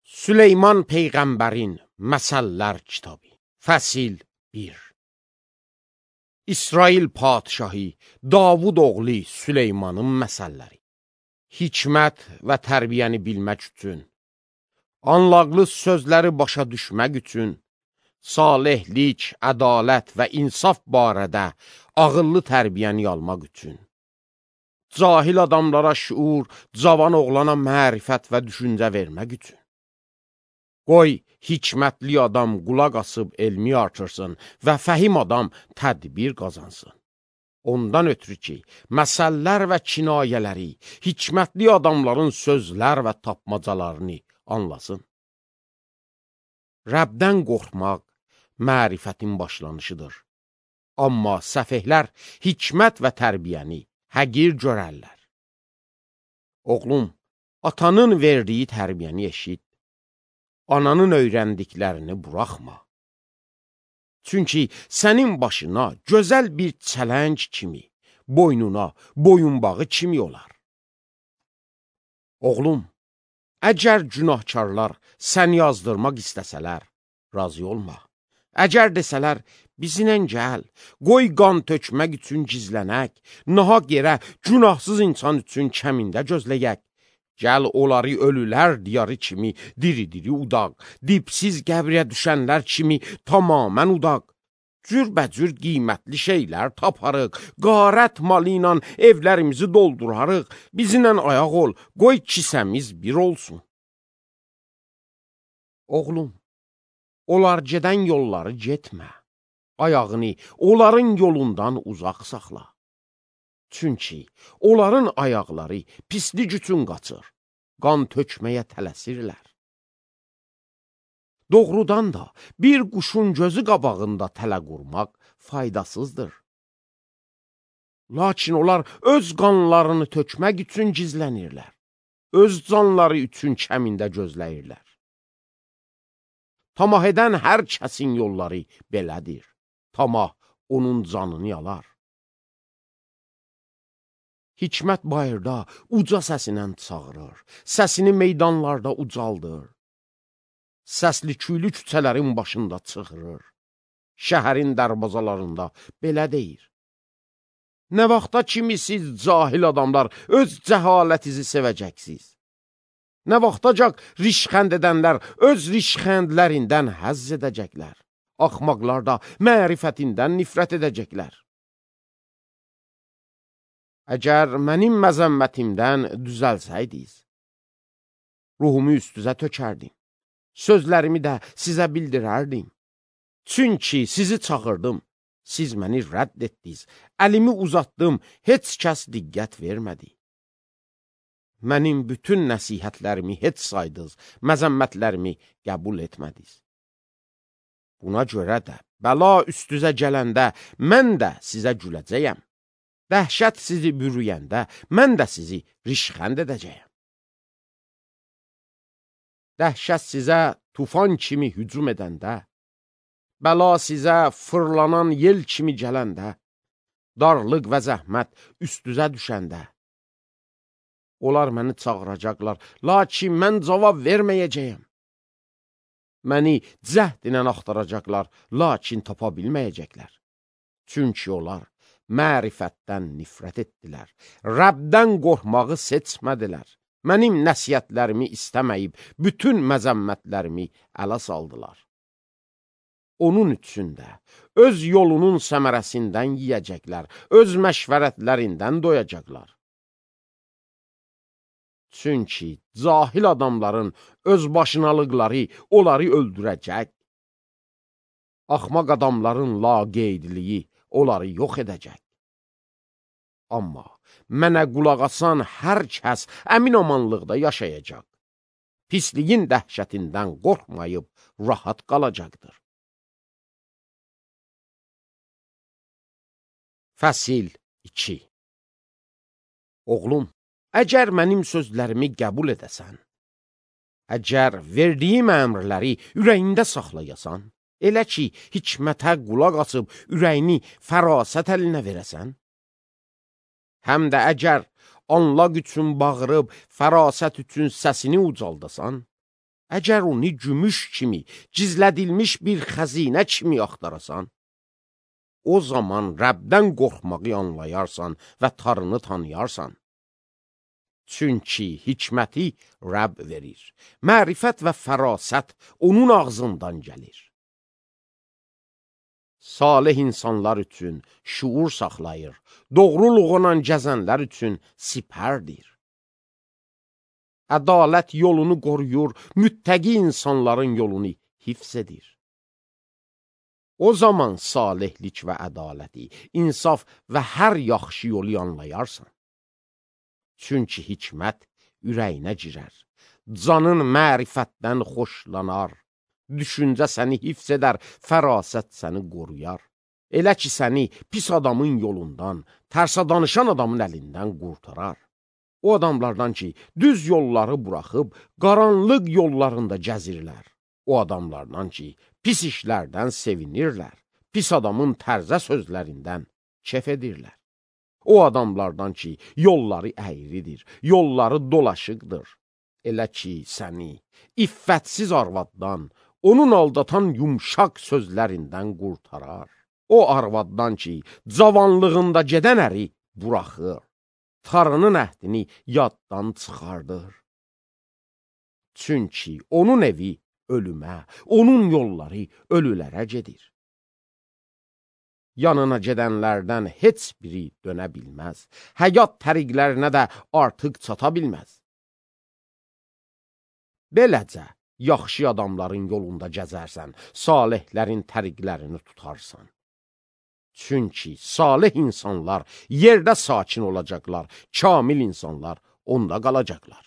Süleyman Peyğəmbərin Məsəllər kitabı. Fəsil 1. İsrail padişahı Davud oğlu Süleymanın məsəlləri. Hikmət və tərbiyəni bilmək üçün, anlaqlı sözləri başa düşmək üçün, salihlik, ədalət və insaf barədə ağıllı tərbiyəni almaq üçün, cahil adamlara şuur, cavan oğlana mərifət və düşüncə vermək üçün. Qoy, hikmətli adam qulaq asıb elmi artırsın və fəhim adam tədbir qazansın. Ondan ötürü ki, məsəllər və kinayələri, hikmətli adamların sözlər və tapmacalarını anlasın. Rəbdən qorxmaq mərifətin başlanışıdır. Amma səfehlər hikmət və tərbiyəni həqir görərlər. Oğlum, atanın verdiyi tərbiyəni eşit. Ananın öyrəndiklərini buraxma. Çünki sənin başına gözəl bir çələng kimi, boynuna boyunbağı kimi olar. Oğlum, əgər günahkarlar səni yazdırmaq istəsələr, razı olma. Əgər desələr, bizinlə gəl, qoy qan tökmək üçün gizlənək, nahaq yerə günahsız insan üçün kəmində gözləyək. Gəl onları ölülər diyarı kimi diri-diri udaq, dipsiz qəbriyə düşənlər kimi tamamən udaq. Cürbəcür qiymətli şeylər taparıq, qarət malı ilə evlərimizi doldurarıq, bizimlə ayaq ol, qoy kisəmiz bir olsun. Oğlum, onlar gedən yolları getmə, ayağını onların yolundan uzaq saxla. Çünki onların ayaqları pislik üçün qaçır, qan tökməyə tələsirlər. Doğrudan da bir quşun gözü qabağında tələ qurmaq faydasızdır. Lakin onlar öz qanlarını tökmək üçün gizlənirlər, öz canları üçün kəmində gözləyirlər. Tamah edən hər kəsin yolları belədir, tamah onun canını yalar. Hikmət bayırda uca səsinə çağırır, səsini meydanlarda ucaldır. Səsli küylü küçələrin başında çıxırır, şəhərin dərbazalarında belə deyir. Nə vaxta kimi siz cahil adamlar öz cəhalətizi sevəcəksiniz? Nə vaxtacaq rişxənd edənlər öz rişxəndlərindən həzz edəcəklər? Axmaqlar da mərifətindən nifrət edəcəklər. Əgər mənim məzəmmətimdən düzəlsəydiniz, ruhumu üstünüzə tökərdim, sözlərimi də sizə bildirərdim. Çünki sizi çağırdım, siz məni rədd etdiniz, əlimi uzatdım, heç kəs diqqət vermədi. Mənim bütün nəsihətlərimi heç saydınız, məzəmmətlərimi qəbul etmədiniz. Buna görə də bəla üstünüzə gələndə mən də sizə güləcəyəm. Dəhşət sizi bürüyəndə, mən də sizi rişxənd edəcəyəm. Dəhşət sizə tufan kimi hücum edəndə, bəla sizə fırlanan yel kimi gələndə, darlıq və zəhmət üstünüzə düşəndə, onlar məni çağıracaqlar, lakin mən cavab verməyəcəyəm. Məni cəhd ilə axtaracaqlar, lakin tapa bilməyəcəklər. Çünki onlar mərifətdən nifrət etdilər, Rəbdən qorxmağı seçmədilər, mənim nəsiyyətlərimi istəməyib, bütün məzəmmətlərimi ələ saldılar. Onun üçün də öz yolunun səmərəsindən yiyəcəklər, öz məşvərətlərindən doyacaqlar. Çünki cahil adamların öz başınalıqları onları öldürəcək, axmaq adamların laqeydliyi onları yox edəcək. Amma mənə qulaq asan hər kəs əmin-amanlıqda yaşayacaq. Pisliyin dəhşətindən qorxmayıb rahat qalacaqdır. Fəsil 2. Oğlum, əgər mənim sözlərimi qəbul edəsən, əgər verdiyim əmrləri ürəyində saxlayasan, elə ki, hikmətə qulaq asıb ürəyini fərasət əlinə verəsən, həm də əgər anlaq üçün bağırıb, fərasət üçün səsini ucaldasan, Əgər onu gümüş kimi, gizlədilmiş bir xəzinə kimi axtarasan, o zaman Rəbdən qorxmağı anlayarsan və tarını tanıyarsan. Çünki hikməti Rəbb verir, mərifət və fərasət onun ağzından gəlir. Salih insanlar üçün şuur saxlayır, doğruluğuna gəzənlər üçün sipərdir. Ədalət yolunu qoruyur, müttəqi insanların yolunu hifz edir. O zaman salihlik və ədaləti, insaf və hər yaxşı yolu anlayarsan. Çünki hikmət ürəyinə girər, canın mərifətdən xoşlanar, düşüncə səni hifz edər, fərasət səni qoruyar. Elə ki, səni pis adamın yolundan, tərsə danışan adamın əlindən qurtarar. O adamlardan ki, düz yolları buraxıb, qaranlıq yollarında gəzirlər. O adamlardan ki, pis işlərdən sevinirlər, pis adamın tərzə sözlərindən kef edirlər. O adamlardan ki, yolları əyridir, yolları dolaşıqdır. Elə ki, səni iffətsiz arvaddan, onun aldatan yumşaq sözlərindən qurtarar. O arvaddan ki, cavanlığında gedən əri buraxır, tarının əhdini yaddan çıxardır. Çünki onun evi ölümə, onun yolları ölülərə gedir. Yanına gedənlərdən heç biri dönə bilməz, həyat təriqlərinə də artıq çata bilməz. Beləcə, yaxşı adamların yolunda gəzərsən, salihlərin təriqlərini tutarsan. Çünki salih insanlar yerdə sakin olacaqlar, kamil insanlar onda qalacaqlar.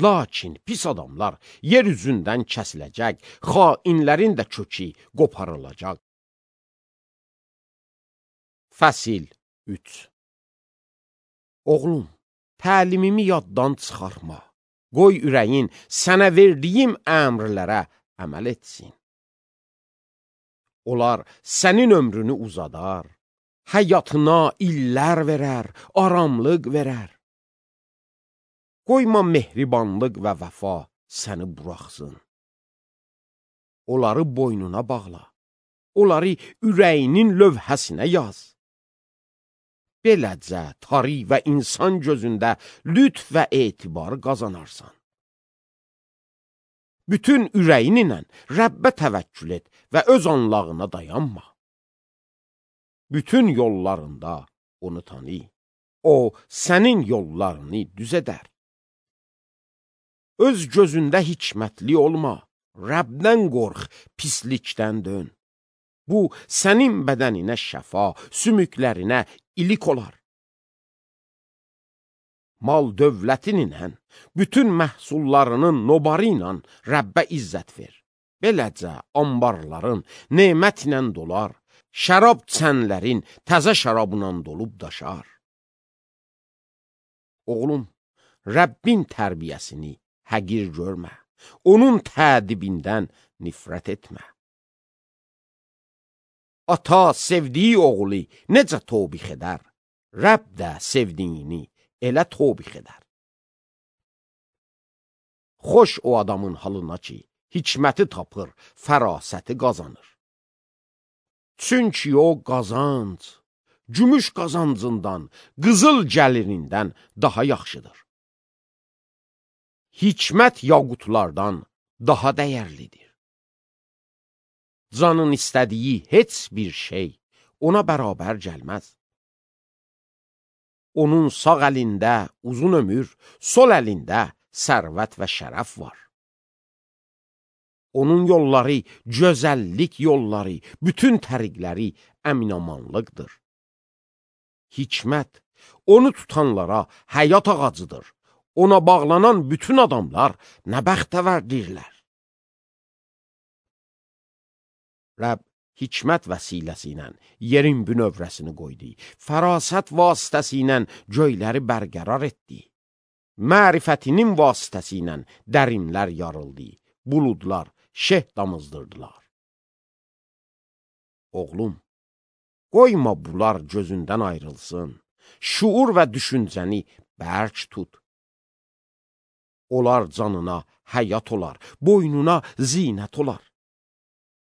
Lakin pis adamlar yer üzündən kəsiləcək, xainlərin də kökü qoparılacaq. Fəsil 3. Oğlum, təlimimi yaddan çıxarma. Qoy ürəyin sənə verdiyim əmrlərə əməl etsin. Onlar sənin ömrünü uzadar, həyatına illər verər, aramlıq verər. Qoyma mehribanlıq və vəfa səni buraxsın. Onları boynuna bağla, onları ürəyinin lövhəsinə yaz. Beləcə, tari və insan gözündə lütf və etibar qazanarsan. Bütün ürəyinlə Rəbbə təvəkkül et və öz anlağına dayanma. Bütün yollarında onu tanı. O, sənin yollarını düz edər. Öz gözündə hikmətli olma, Rəbdən qorx, pislikdən dön. Bu, sənin bədəninə şəfa, sümüklərinə ilik olar. Mal dövlətinlə, bütün məhsullarının nobarı ilə Rəbbə izzət ver. Beləcə, ambarların nemətlə dolar, şərab çənlərin təzə şərabla dolub daşar. Oğlum, Rəbbin tərbiyəsini həqir görmə, onun tədibindən nifrət etmə. Ata sevdiyi oğlu necə tobix edər, Rəbb də sevdiyini elə tobix edər. Xoş o adamın halına ki, hikməti tapır, fərasəti qazanır. Çünki o qazanc, gümüş qazancından, qızıl gəlirindən daha yaxşıdır. Hikmət yaqutlardan daha dəyərlidir. Canın istədiyi heç bir şey ona bərabər gəlməz. Onun sağ əlində uzun ömür, sol əlində sərvət və şərəf var. Onun yolları, gözəllik yolları, bütün təriqləri əminamanlıqdır. Hikmət, onu tutanlara həyat ağacıdır. Ona bağlanan bütün adamlar nə bəxtəvərdirlər. Rəbb hikmət vəsiləsi ilə yerin bünövrəsini qoydu, fərasət vasitəsi ilə göyləri bərqərar etdi. Mərifətinin vasitəsi ilə dərinlər yarıldı, buludlar şeh damızdırdılar. Oğlum, qoyma bunlar gözündən ayrılsın, şuur və düşüncəni bərk tut. Onlar canına həyat olar, boynuna zinət olar.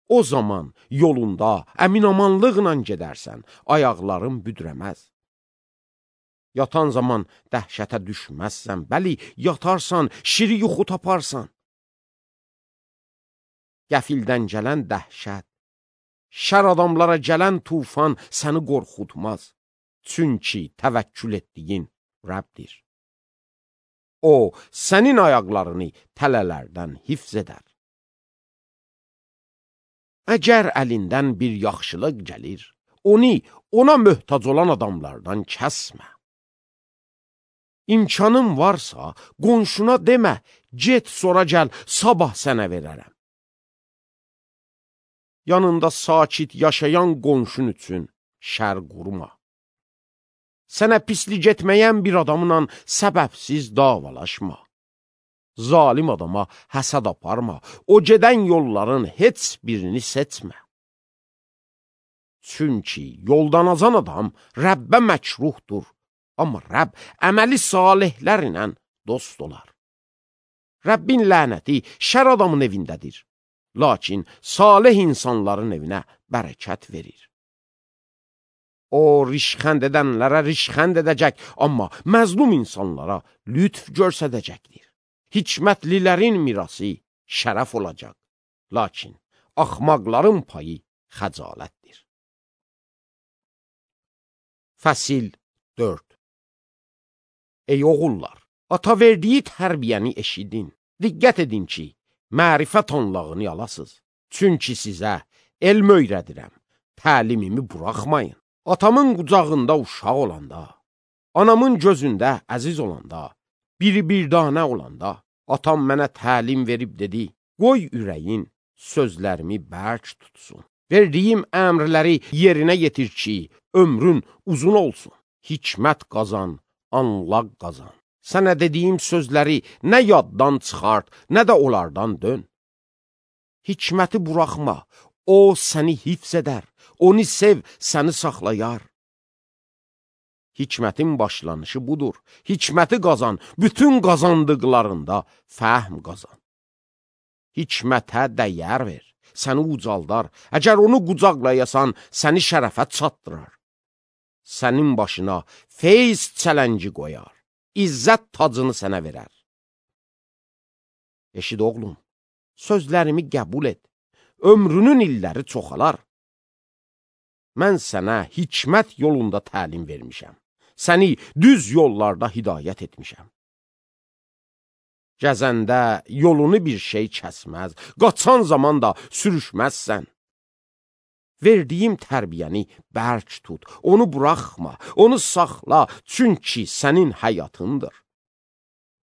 O zaman yolunda əminamanlıqla gedərsən, ayaqların büdrəməz. Yatan zaman dəhşətə düşməzsən, bəli, yatarsan, şiri yuxu taparsan. Qəfildən gələn dəhşət, şər adamlara gələn tufan səni qorxutmaz. Çünki təvəkkül etdiyin Rəbdir. O, sənin ayaqlarını tələlərdən hifz edər. Əgər əlindən bir yaxşılıq gəlir, onu ona möhtac olan adamlardan kəsmə. İmkanın varsa, qonşuna demə, get sonra gəl, sabah sənə verərəm. Yanında sakit yaşayan qonşun üçün şər qurma. Sənə pislik etməyən bir adamla səbəbsiz davalaşma. Zalim adama həsəd aparma, o gedən yolların heç birini seçmə. Çünki yoldan azan adam Rəbbə məkruhdur, amma Rəbb əməli salihlərlə dost olar. Rəbbin lənəti şər adamın evindədir, lakin salih insanların evinə bərəkət verir. O, rişxənd edənlərə rişxənd edəcək, amma məzlum insanlara lütf görsədəcəkdir. Hikmətlilərin mirası şərəf olacaq, lakin axmaqların payı xəcalətdir. Fəsil 4. Ey oğullar, ata verdiyi tərbiyəni eşidin. Diqqət edin ki, mərifət anlağını alasız. Çünki sizə elm öyrədirəm, təlimimi buraxmayın. Atamın qucağında uşaq olanda, anamın gözündə əziz olanda, biri bir danə olanda, atam mənə təlim verib dedi, qoy ürəyin sözlərimi bərk tutsun. Verdiyim əmrləri yerinə yetir ki, ömrün uzun olsun. Hikmət qazan, anlaq qazan. Sənə dediyim sözləri nə yaddan çıxart, nə də onlardan dön. Hikməti buraxma, o səni hifz edər, onu sev, səni saxlayar. Hikmətin başlanışı budur. Hikməti qazan, bütün qazandıqlarında fəhm qazan. Hikmətə dəyər ver, səni ucaldar. Əgər onu qucaqlayasan, səni şərəfə çatdırar. Sənin başına feyz çələngi qoyar, izzət tacını sənə verər. Eşid oğlum, sözlərimi qəbul et, ömrünün illəri çoxalar. Mən sənə hikmət yolunda təlim vermişəm. Səni düz yollarda hidayət etmişəm. Gəzəndə yolunu bir şey kəsməz, qaçan zaman da sürüşməzsən. Verdiyim tərbiyəni bərk tut, onu buraxma, onu saxla, çünki sənin həyatındır.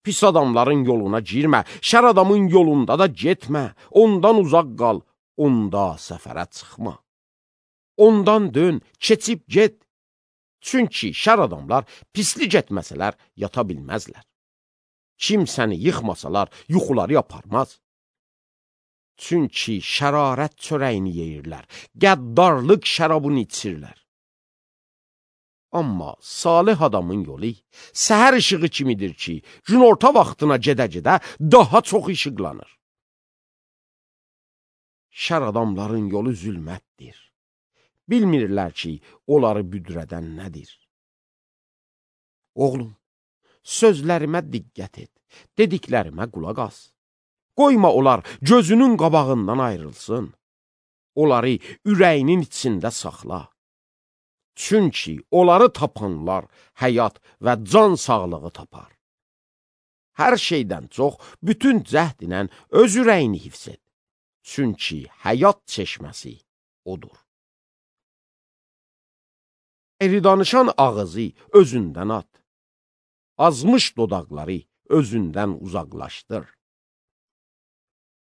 Pis adamların yoluna girmə, şər adamın yolunda da getmə, ondan uzaq qal, onda səfərə çıxma. Ondan dön, keçib get. Çünki şər adamlar pislik etməsələr yata bilməzlər. Kim səni yıxmasalar yuxuları yaparmaz. Çünki şərarət çörəyini yeyirlər, qəddarlıq şərabını içirlər. Amma salih adamın yolu səhər işığı kimidir ki, günorta vaxtına gedə-gedə daha çox işıqlanır. Şər adamların yolu zülmətdir. Bilmirlər ki, onları büdrədən nədir. Oğlum, sözlərimə diqqət et, dediklərimə qulaq as. Qoyma onlar gözünün qabağından ayrılsın. Onları ürəyinin içində saxla. Çünki onları tapanlar həyat və can sağlığı tapar. Hər şeydən çox bütün cəhd ilə öz ürəyini hifz et. Çünki həyat çeşməsi odur. Eri danışan ağızı özündən at. Azmış dodaqları özündən uzaqlaşdır.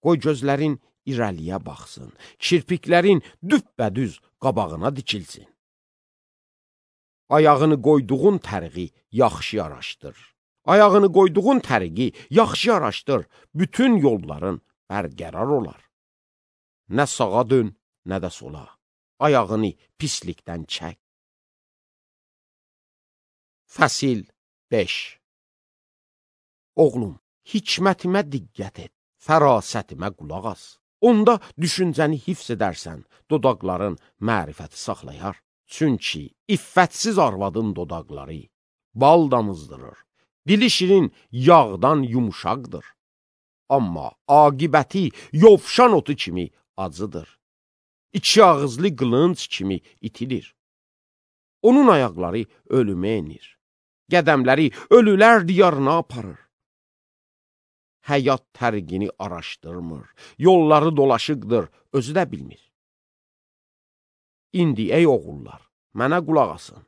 Qoy gözlərin irəliyə baxsın, kirpiklərin düppədüz qabağına dikilsin. Ayağını qoyduğun təriqi yaxşı araşdır. Ayağını qoyduğun təriqi yaxşı araşdır, bütün yolların bərqərar olar. Nə sağa dön, nə də sola. Ayağını pislikdən çək. Fəsil 5. Oğlum, Hikmətimə diqqət et, fərasətimə qulaq as. Onda düşüncəni hifz edərsən, dodaqların mərifəti saxlayar. Çünki iffətsiz arvadın dodaqları bal damızdırır. Dili şirin yağdan yumuşaqdır. Amma aqibəti yovşan otu kimi acıdır. İki ağızlı qılınc kimi itilir. Onun ayaqları ölümə enir. Qədəmləri ölülər diyarına aparır. Həyat tərqini araşdırmır. Yolları dolaşıqdır, özü də bilmir. İndi ey oğullar, mənə qulaq asın.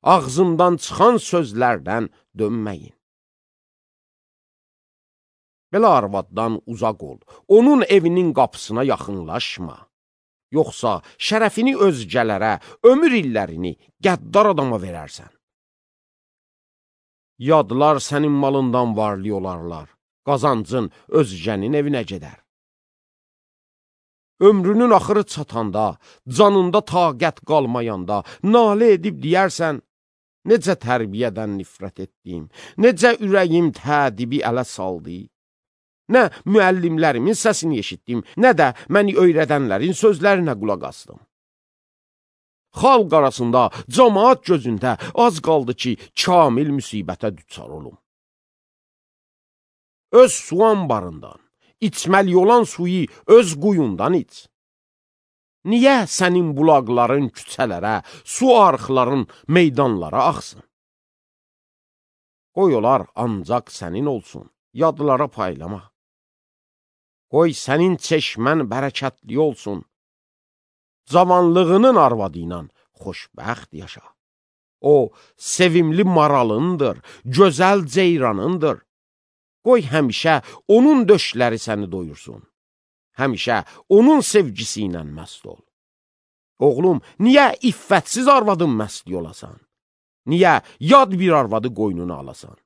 Ağzımdan çıxan sözlərdən dönməyin. Belə arvaddan uzaq ol. Onun evinin qapısına yaxınlaşma. Yoxsa şərəfini özgələrə, ömür illərini qəddar adama verərsən. Yadlar sənin malından varlı olarlar. Qazancın özgənin evinə gedər. Ömrünün axırı çatanda, canında taqət qalmayanda, nalə edib deyərsən, necə tərbiyədən nifrət etdim, necə ürəyim tədibi ələ saldı. Nə müəllimlərimin səsini eşitdim, nə də məni öyrədənlərin sözlərinə qulaq asdım. Xalq arasında, cəmaat gözündə az qaldı ki, kamil müsibətə düçar olum. Öz su anbarından, içməli olan suyu öz quyundan iç. Niyə sənin bulaqların küçələrə, su arxların meydanlara axsın? Qoy olar ancaq sənin olsun, yadlara paylama. Qoy sənin çeşmən bərəkətli olsun. Cavanlığının arvadı ilə xoşbəxt yaşa. O, sevimli maralındır, gözəl ceyranındır. Qoy həmişə onun döşləri səni doyursun. Həmişə onun sevgisi ilə məst ol. Oğlum, niyə iffətsiz arvadın məstli olasan? Niyə yad bir arvadı qoynuna alasan?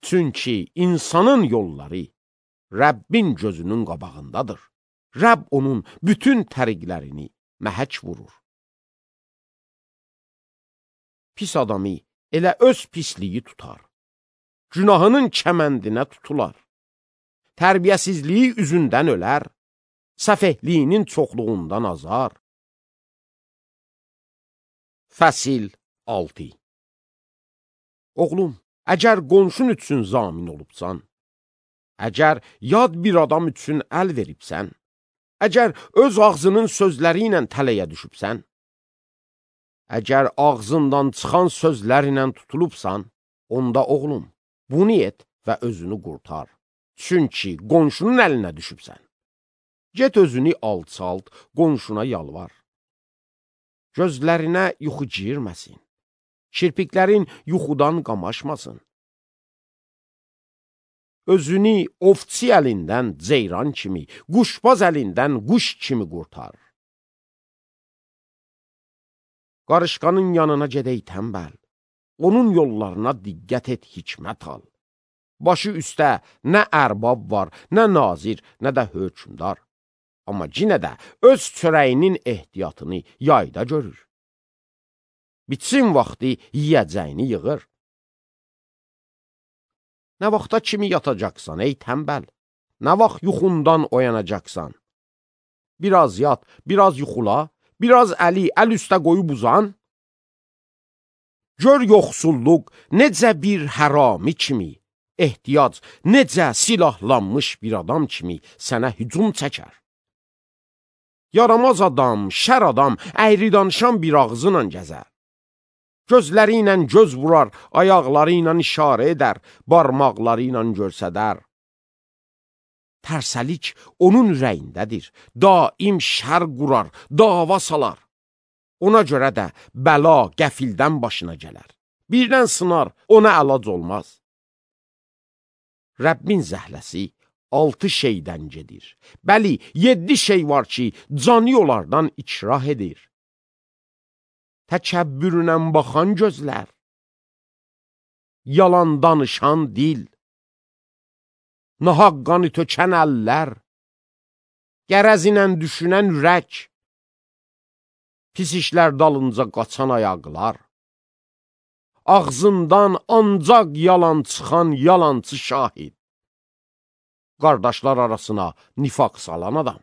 Çünki insanın yolları Rəbbin gözünün qabağındadır. Rəbb onun bütün təriqlərini məhək vurur. Pis adamı elə öz pisliyi tutar. Günahının kəməndinə tutular. Tərbiyəsizliyi üzündən ölər. Səfehliyinin çoxluğundan azar. Fəsil 6. Oğlum, əgər qonşun üçün zamin olubsan, əgər yad bir adam üçün əl veribsən, əgər öz ağzının sözləri ilə tələyə düşübsən, əgər ağzından çıxan sözlərlə tutulubsan, onda oğlum, bunu et və özünü qurtar. Çünki qonşunun əlinə düşübsən. Get özünü alçalt, qonşuna yalvar. Gözlərinə yuxu girməsin. Kirpiklərin yuxudan qamaşmasın. Özünü ovçi əlindən ceyran kimi, quşbaz əlindən quş kimi qurtar. Qarışqanın yanına gedək tənbəl. Onun yollarına diqqət et, hikmət al. Başı üstə nə ərbab var, nə nazir, nə də hökmdar. Amma yenə də öz çörəyinin ehtiyatını yayda görür. Bitsin vaxtı yiyəcəyini yığır. Nə vaxta kimi yatacaqsan, ey tənbəl? Nə vaxt yuxundan oyanacaqsan? Biraz yat, biraz yuxula, biraz əli əl üstə qoyub uzan. Gör yoxsulluq necə bir hərami kimi, ehtiyac necə silahlanmış bir adam kimi sənə hücum çəkər. Yaramaz adam, şər adam, əyri danışan bir ağzıyla gəzər. Gözləri ilə göz vurar, ayaqları ilə işarə edər, barmaqları ilə görsədər. Tərsəlik onun ürəyindədir, daim şər qurar, dava salar. Ona görə də bəla qəfildən başına gələr. Birdən sınar, ona əlac olmaz. Rəbbin zəhləsi 6 şeydən gedir. Bəli, 7 şey var ki, cani onlardan ikrah edir. Təkəbbürünə baxan gözlər, yalan danışan dil, nahaqqanı tökən əllər, qərəzinə düşünən ürək, pis işlər dalınca qaçan ayaqlar, ağzından ancaq yalan çıxan yalancı şahid. Qardaşlar arasına nifaq salan adam.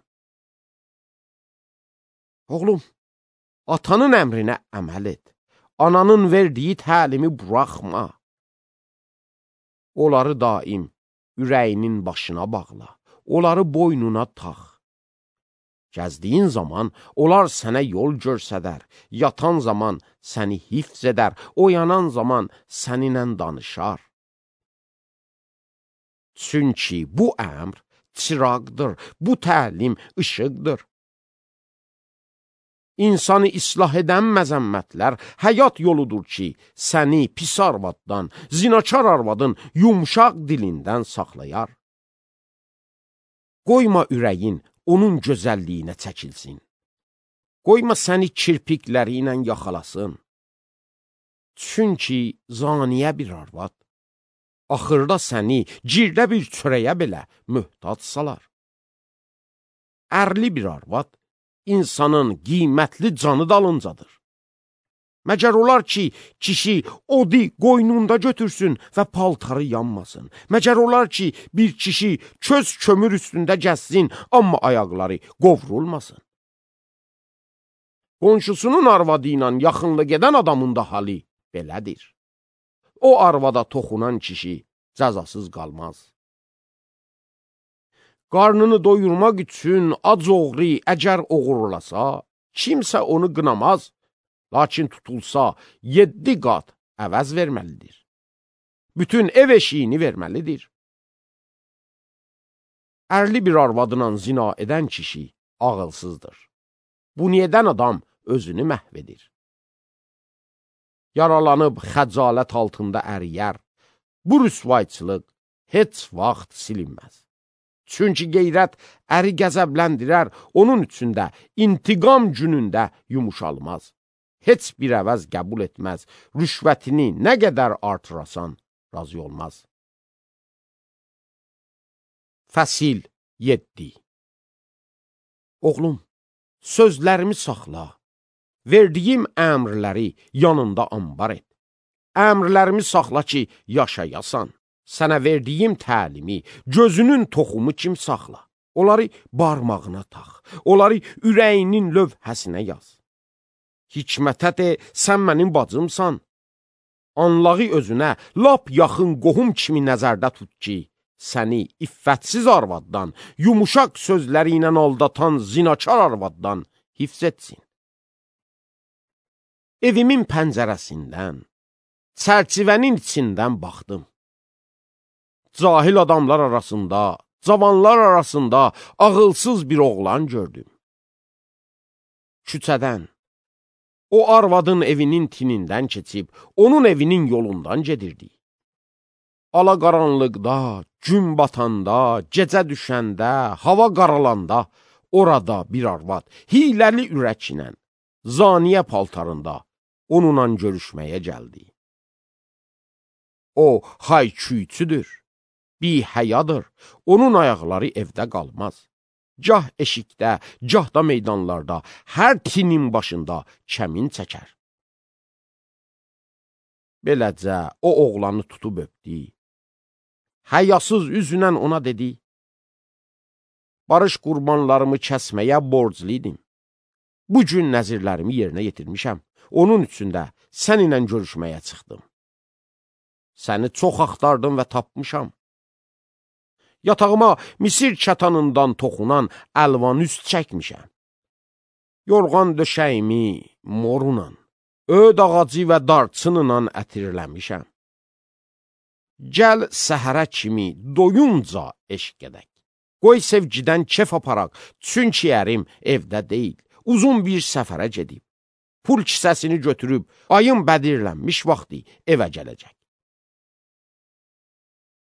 Oğlum, atanın əmrinə əməl et. Ananın verdiyi təlimi buraxma. Onları daim ürəyinin başına bağla. Onları boynuna tax. Gəzdiyin zaman onlar sənə yol görsədər. Yatan zaman səni hifz edər. Oyanan zaman səninlə danışar. Çünki bu əmr çıraqdır. Bu təlim işıqdır. İnsanı islah edən məzəmmətlər həyat yoludur ki, səni pis arvaddan, zinakar arvadın yumşaq dilindən saxlayar. Qoyma ürəyin onun gözəlliyinə çəkilsin. Qoyma səni kirpikləri ilə yaxalasın. Çünki zaniyə bir arvad, axırda səni girdə bir çörəyə belə möhtac salar. Ərli bir arvad, insanın qiymətli canı dalıncadır. Məgər olar ki, kişi odi qoynunda götürsün və paltarı yanmasın. Məgər olar ki, bir kişi köz kömür üstündə gəzsin, amma ayaqları qovrulmasın. Qonşusunun arvadı ilə yaxınlıq edən adamın da halı belədir. O arvada toxunan kişi cəzasız qalmaz. Qarnını doyurmaq üçün ac oğru əgər oğurlasa, kimsə onu qınamaz, lakin tutulsa 7 qat əvəz verməlidir. Bütün ev eşiyini verməlidir. Ərli bir arvadla zina edən kişi ağılsızdır. Bunu edən adam özünü məhv edir. Yaralanıb xəcalət altında əriyər. Bu rüsvayçılıq heç vaxt silinməz. Çünki qeyrət əri qəzəbləndirər, onun üçün də intiqam günündə yumuşalmaz. Heç bir əvəz qəbul etməz, rüşvətini nə qədər artırasan, razı olmaz. Fəsil 7. Oğlum, sözlərimi saxla, verdiyim əmrləri yanında ambar et. Əmrlərimi saxla ki, yaşayasan. Sənə verdiyim təlimi gözünün toxumu kimi saxla. Onları barmağına tax, onları ürəyinin lövhəsinə yaz. Hikmətə de, sən mənim bacımsan. Anlağı özünə lap yaxın qohum kimi nəzərdə tut ki, səni iffətsiz arvaddan, yumuşaq sözləri ilə aldatan zinakar arvaddan hifz etsin. Evimin pəncərəsindən, çərçivənin içindən baxdım. Cahil adamlar arasında, cavanlar arasında ağılsız bir oğlan gördüm. Küçədən, o arvadın evinin tinindən keçib, onun evinin yolundan gedirdi. Ala qaranlıqda, gün batanda, gecə düşəndə, hava qaralanda, orada bir arvad, hiləli ürəklə, zaniyə paltarında, onunla görüşməyə gəldi. O, hayküyçüdür. Bihəyadır, onun ayaqları evdə qalmaz. Gah eşikdə, gah da meydanlarda, hər tinin başında kəmin çəkər. Beləcə, o oğlanı tutub öpdü. Həyasız üzünlə ona dedi, barış qurbanlarımı kəsməyə borcluydim. Bugün nəzirlərimi yerinə yetirmişəm, onun üçün də səninlə görüşməyə çıxdım. Səni çox axtardım və tapmışam. Yatağıma Misir kətanından toxunan əlvan üst çəkmişəm. Yorğan döşəyimi morunla, öd ağacı və darçınla ətirləmişəm. Gəl səhərə kimi doyunca eşq edək. Qoy sevgidən kef aparaq, çünki ərim evdə deyil, uzun bir səfərə gedib. Pul kisəsini götürüb, ayın bədirlənmiş vaxtı evə gələcək.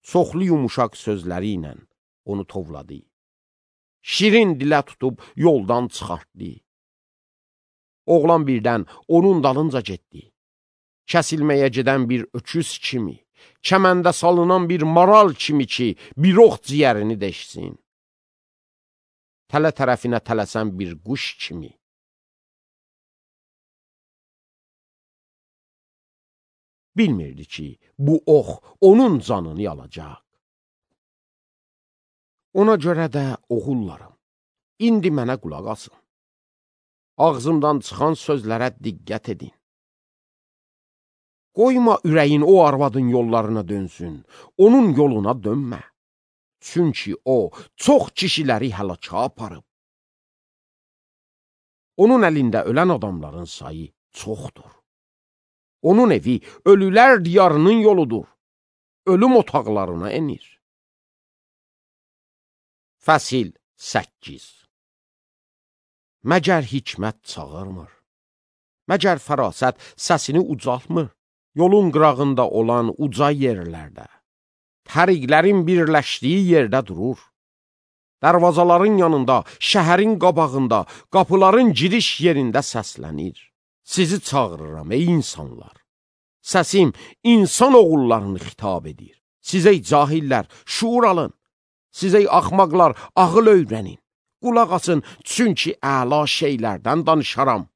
Çoxlu yumuşaq sözləri ilə onu tovladı. Şirin dilə tutub yoldan çıxartdı. Oğlan birdən onun dalınca getdi. Kəsilməyə gedən bir öküz kimi, kəməndə salınan bir maral kimi ki, bir ox ciyərini deşsin. Tələ tərəfinə tələsən bir quş kimi. bilmirdi ki, bu ox onun canını alacaq. Ona görə də oğullarım, indi mənə qulaq asın. Ağzımdan çıxan sözlərə diqqət edin. Qoyma ürəyin o arvadın yollarına dönsün, onun yoluna dönmə. Çünki o, çox kişiləri həlaka aparıb. Onun əlində ölən adamların sayı çoxdur. Onun evi ölülər diyarının yoludur. Ölüm otaqlarına enir. Fəsil 8. Məgər hikmət çağırmır? Məgər fərasət səsini ucaltmır? Yolun qırağında olan uca yerlərdə, təriqlərin birləşdiyi yerdə durur. Dərvazaların yanında, şəhərin qabağında, qapıların giriş yerində səslənir. Sizi çağırıram, ey insanlar. Səsim insan oğullarını xitab edir. Sizə cahillər, şuur alın. Sizə axmaqlar, ağıl öyrənin. Qulaq asın, çünki əla şeylərdən danışaram.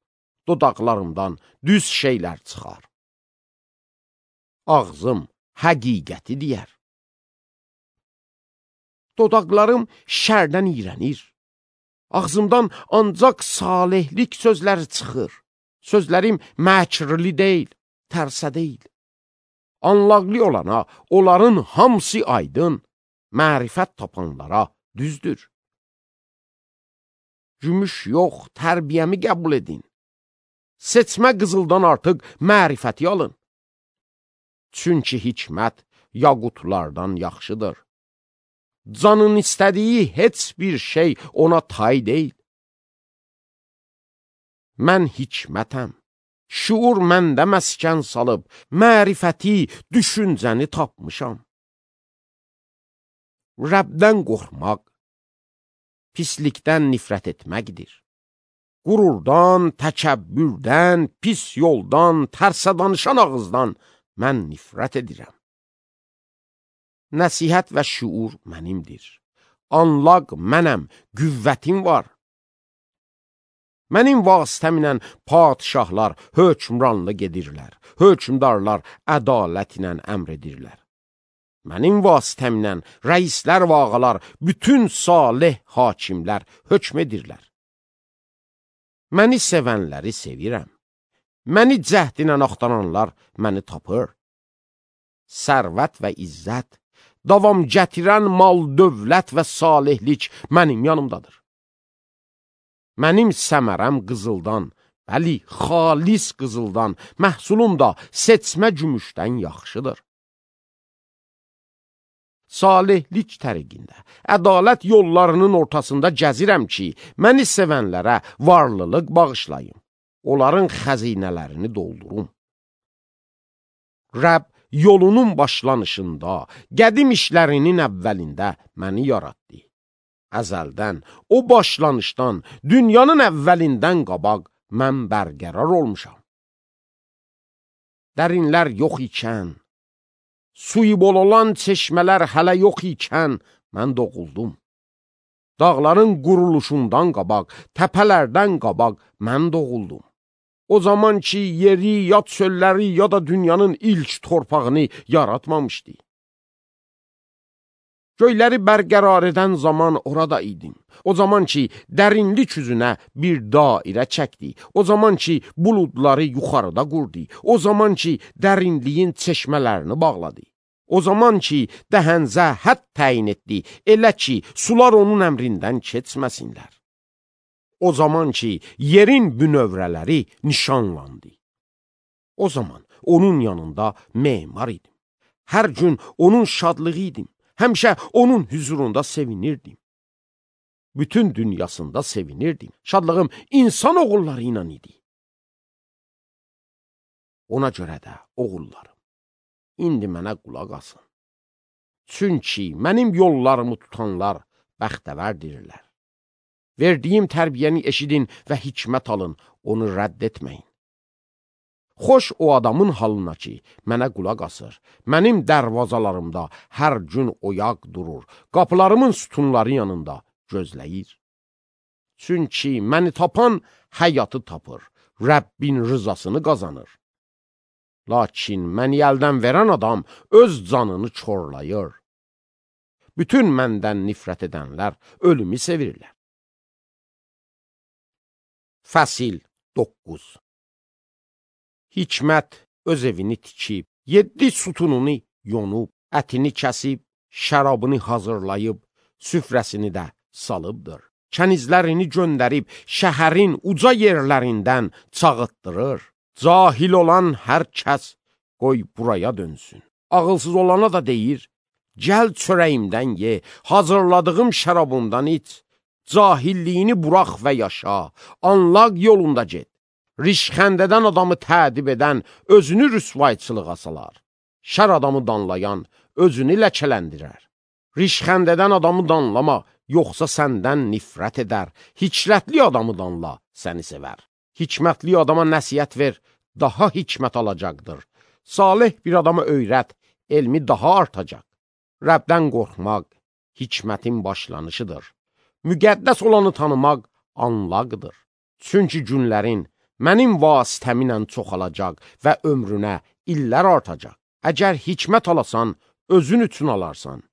Dodaqlarımdan düz şeylər çıxar. Ağzım həqiqəti deyər. Dodaqlarım şərdən iyrənir. Ağzımdan ancaq salihlik sözləri çıxır. Sözlərim məkrli deyil, tərsə deyil. Anlaqlı olana, onların hamısı aydın, mərifət tapanlara düzdür. Gümüş yox, tərbiyəmi qəbul edin. Seçmə qızıldan artıq mərifəti alın. Çünki hikmət yaqutlardan yaxşıdır. Canın istədiyi heç bir şey ona tay deyil. Mən hikmətəm, şuur məndə məskən salıb, mərifəti, düşüncəni tapmışam. Rəbdən qorxmaq, pislikdən nifrət etməkdir. Qururdan, təkəbbürdən, pis yoldan, tərsə danışan ağızdan mən nifrət edirəm. Nəsihət və şuur mənimdir. Anlaq mənəm, qüvvətim var. Mənim vasitəmlə padişahlar hökmranlıq edirlər, hökmdarlar ədalət ilə əmr edirlər. Mənim vasitəmlə rəislər və ağalar, bütün salih hakimlər hökm edirlər. Məni sevənləri sevirəm. Məni cəhdinə axtaranlar məni tapır. Sərvət və izzət, davam gətirən mal, dövlət və salihlik mənim yanımdadır. Mənim səmərəm qızıldan, bəli, xalis qızıldan, məhsulum da seçmə gümüşdən yaxşıdır. Salihlik təriqində, ədalət yollarının ortasında gəzirəm ki, məni sevənlərə varlılıq bağışlayım, onların xəzinələrini doldurum. Rəbb yolunun başlanışında, qədim işlərinin əvvəlində məni yaratdı. Əzəldən, o başlanışdan, dünyanın əvvəlindən qabaq mən bərqərar olmuşam. Dərinlər yox ikən, suyu bol olan çeşmələr hələ yox ikən mən doğuldum. Dağların quruluşundan qabaq, təpələrdən qabaq mən doğuldum. O zaman ki, yeri, ya çölləri, ya da dünyanın ilk torpağını yaratmamışdı. Göyləri bərqərar edən zaman orada idim. O zaman ki, dərinlik üzünə bir dairə çəkdi. O zaman ki, buludları yuxarıda qurdu. O zaman ki, dərinliyin çeşmələrini bağladı. O zaman ki, dəhənzə hədd təyin etdi, elə ki, sular onun əmrindən keçməsinlər. O zaman ki, yerin bünövrələri nişanlandı. O zaman onun yanında memar idim. Hər gün onun şadlığı idim. Həmişə onun hüzurunda sevinirdim. Bütün dünyasında sevinirdim. Şadlığım insan oğulları ilə idi. Ona görə də oğullarım, indi mənə qulaq asın. Çünki mənim yollarımı tutanlar bəxtəvərdirlər. Verdiyim tərbiyəni eşidin və hikmət alın, onu rədd etməyin. Xoş o adamın halına ki, mənə qulaq asır, mənim dərvazalarımda hər gün oyaq durur, qapılarımın sütunları yanında gözləyir. Çünki məni tapan həyatı tapır, Rəbbin rızasını qazanır. Lakin məni əldən verən adam öz canını çorlayır. Bütün məndən nifrət edənlər ölümü sevirlər. Fəsil 9. Hikmət öz evini tikib, 7 sütununu yonub, ətini kəsib, şərabını hazırlayıb, süfrəsini də salıbdır. Kənizlərini göndərib, şəhərin uca yerlərindən çağıtdırır. Cahil olan hər kəs qoy buraya dönsün. Ağılsız olana da deyir, gəl çörəyimdən ye, hazırladığım şərabımdan iç, cahilliyini burax və yaşa, anlaq yolunda get. Rişxəndədən adamı tədib edən özünü rüsvayçılığa salar. Şər adamı danlayan özünü ləkələndirər. Rişxəndədən adamı danlama, yoxsa səndən nifrət edər. Hikmətli adamı danla, səni sevər. Hikmətli adama nəsihət ver, daha hikmət alacaqdır. Salih bir adama öyrət, elmi daha artacaq. Rəbdən qorxmaq hikmətin başlanışıdır. Müqəddəs olanı tanımaq anlaqdır. Çünki günlərin mənim vasitəminlə çoxalacaq və ömrünə illər artacaq. Əgər hikmət alasan, özün üçün alarsan.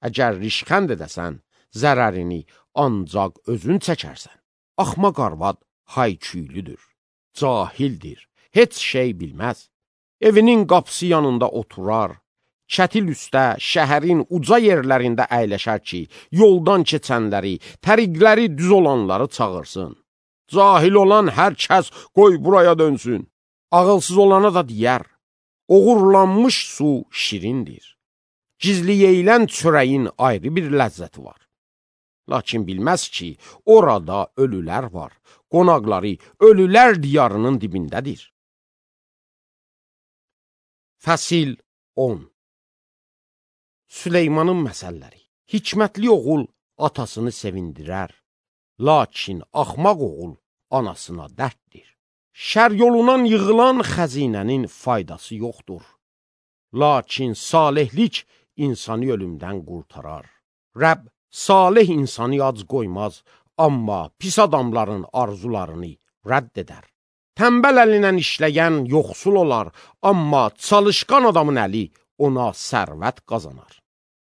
Əgər rişxənd edəsən, zərərini ancaq özün çəkərsən. Axmaq arvad hayküylüdür, cahildir, heç şey bilməz. Evinin qapısı yanında oturar, kətil üstə, şəhərin uca yerlərində əyləşər ki, yoldan keçənləri, təriqləri düz olanları çağırsın. Cahil olan hər kəs qoy buraya dönsün. Ağılsız olana da deyər, oğurlanmış su şirindir. Gizli yeyilən çörəyin ayrı bir ləzzəti var. Lakin bilməz ki, orada ölülər var. Qonaqları ölülər diyarının dibindədir. Fəsil 10. Süleymanın məsəlləri. Hikmətli oğul atasını sevindirər, lakin axmaq oğul anasına dərddir. Şər yolundan yığılan xəzinənin faydası yoxdur. Lakin salihlik insanı ölümdən qurtarar. Rəbb salih insanı ac qoymaz, amma pis adamların arzularını rədd edər. Tənbəl əlindən işləyən yoxsul olar, amma çalışqan adamın əli ona sərvət qazanar.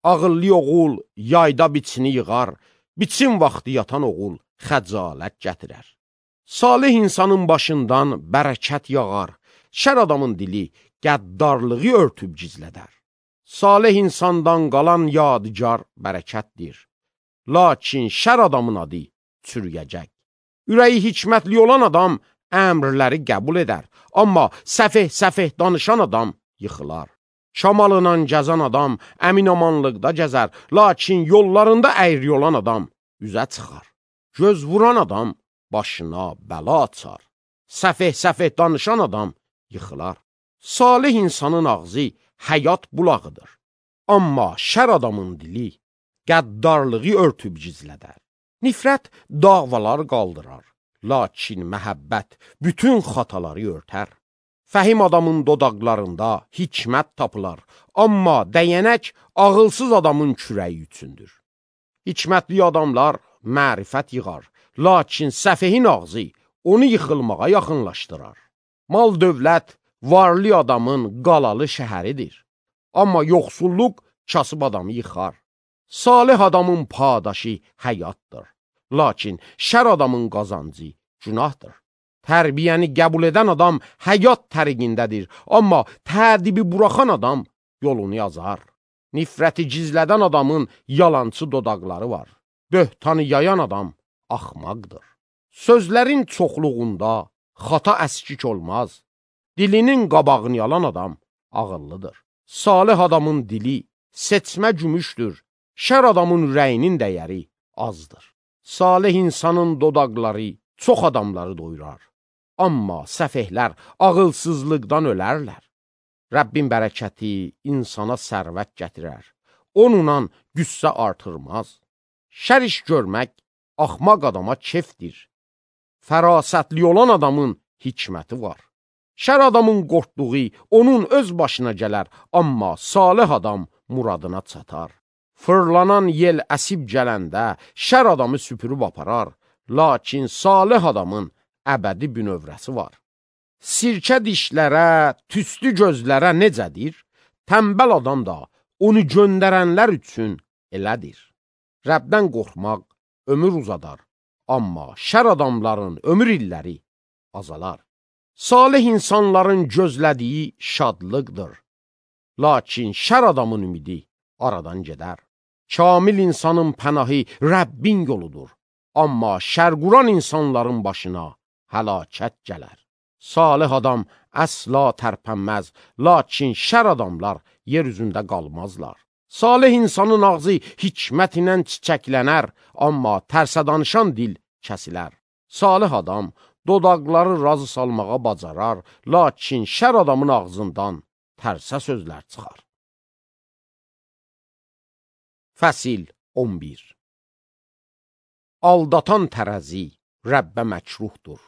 Ağıllı oğul yayda biçini yığar, biçin vaxtı yatan oğul xəcalət gətirər. Salih insanın başından bərəkət yağar, şər adamın dili qəddarlığı örtüb gizlədər. Salih insandan qalan yadigar bərəkətdir, lakin şər adamın adı çürüyəcək. Ürəyi hikmətli olan adam əmrləri qəbul edər, amma səfeh danışan adam yıxılar. Şamalına gəzən adam əminamanlıqda gəzər, lakin yollarında əyri olan adam üzə çıxar. Göz vuran adam başına bəla açar. Səfeh danışan adam yıxılar. Salih insanın ağzı həyat bulağıdır, amma şər adamın dili qəddarlığı örtüb gizlədər. Nifrət davalar qaldırar, lakin məhəbbət bütün xataları örtər. Fəhim adamın dodaqlarında hikmət tapılar, amma dəyənək ağılsız adamın kürəyi üçündür. Hikmətli adamlar mərifət yığar, lakin səfehin ağzı onu yıxılmağa yaxınlaşdırar. Mal dövlət varlı adamın qalalı şəhəridir, amma yoxsulluq kasıb adamı yıxar. Salih adamın padaşı həyatdır, lakin şər adamın qazancı günahdır. Tərbiyəni qəbul edən adam həyat təriqindədir, amma tədibi buraxan adam yolunu yazar. Nifrəti gizlədən adamın yalancı dodaqları var. Böhtanı yayan adam axmaqdır. Sözlərin çoxluğunda xata əskik olmaz. Dilinin qabağını yalan adam ağıllıdır. Salih adamın dili seçmə gümüşdür. Şər adamın ürəyinin dəyəri azdır. Salih insanın dodaqları çox adamları doyurar. Amma səfehlər ağılsızlıqdan ölərlər. Rəbbin bərəkəti insana sərvət gətirər. Onunla qüssə artırmaz. Şər iş görmək axmaq adama kefdir. Fərasətli olan adamın hikməti var. Şər adamın qorxduğu onun öz başına gələr, amma salih adam muradına çatar. Fırlanan yel əsib gələndə şər adamı süpürüb aparar, lakin salih adamın əbədi bünövrəsi var. Sirkə dişlərə, tüstü gözlərə necədir? Tənbəl adam da onu göndərənlər üçün elədir. Rəbdən qorxmaq ömür uzadar, amma şər adamların ömür illəri azalar. Salih insanların gözlədiyi şadlıqdır, lakin şər adamın ümidi aradan gedər. Kamil insanın pənahı Rəbbin yoludur, amma şərquran insanların başına həlakət gələr. Salih adam əsla tərpənməz, lakin şər adamlar yer üzündə qalmazlar. Salih insanın ağzı hikmət ilə çiçəklənər, amma tərsə danışan dil kəsilər. Salih adam dodaqları razı salmağa bacarar, lakin şər adamın ağzından tərsə sözlər çıxar. Fəsil 11. Aldatan tərəzi Rəbbə məkruhdur,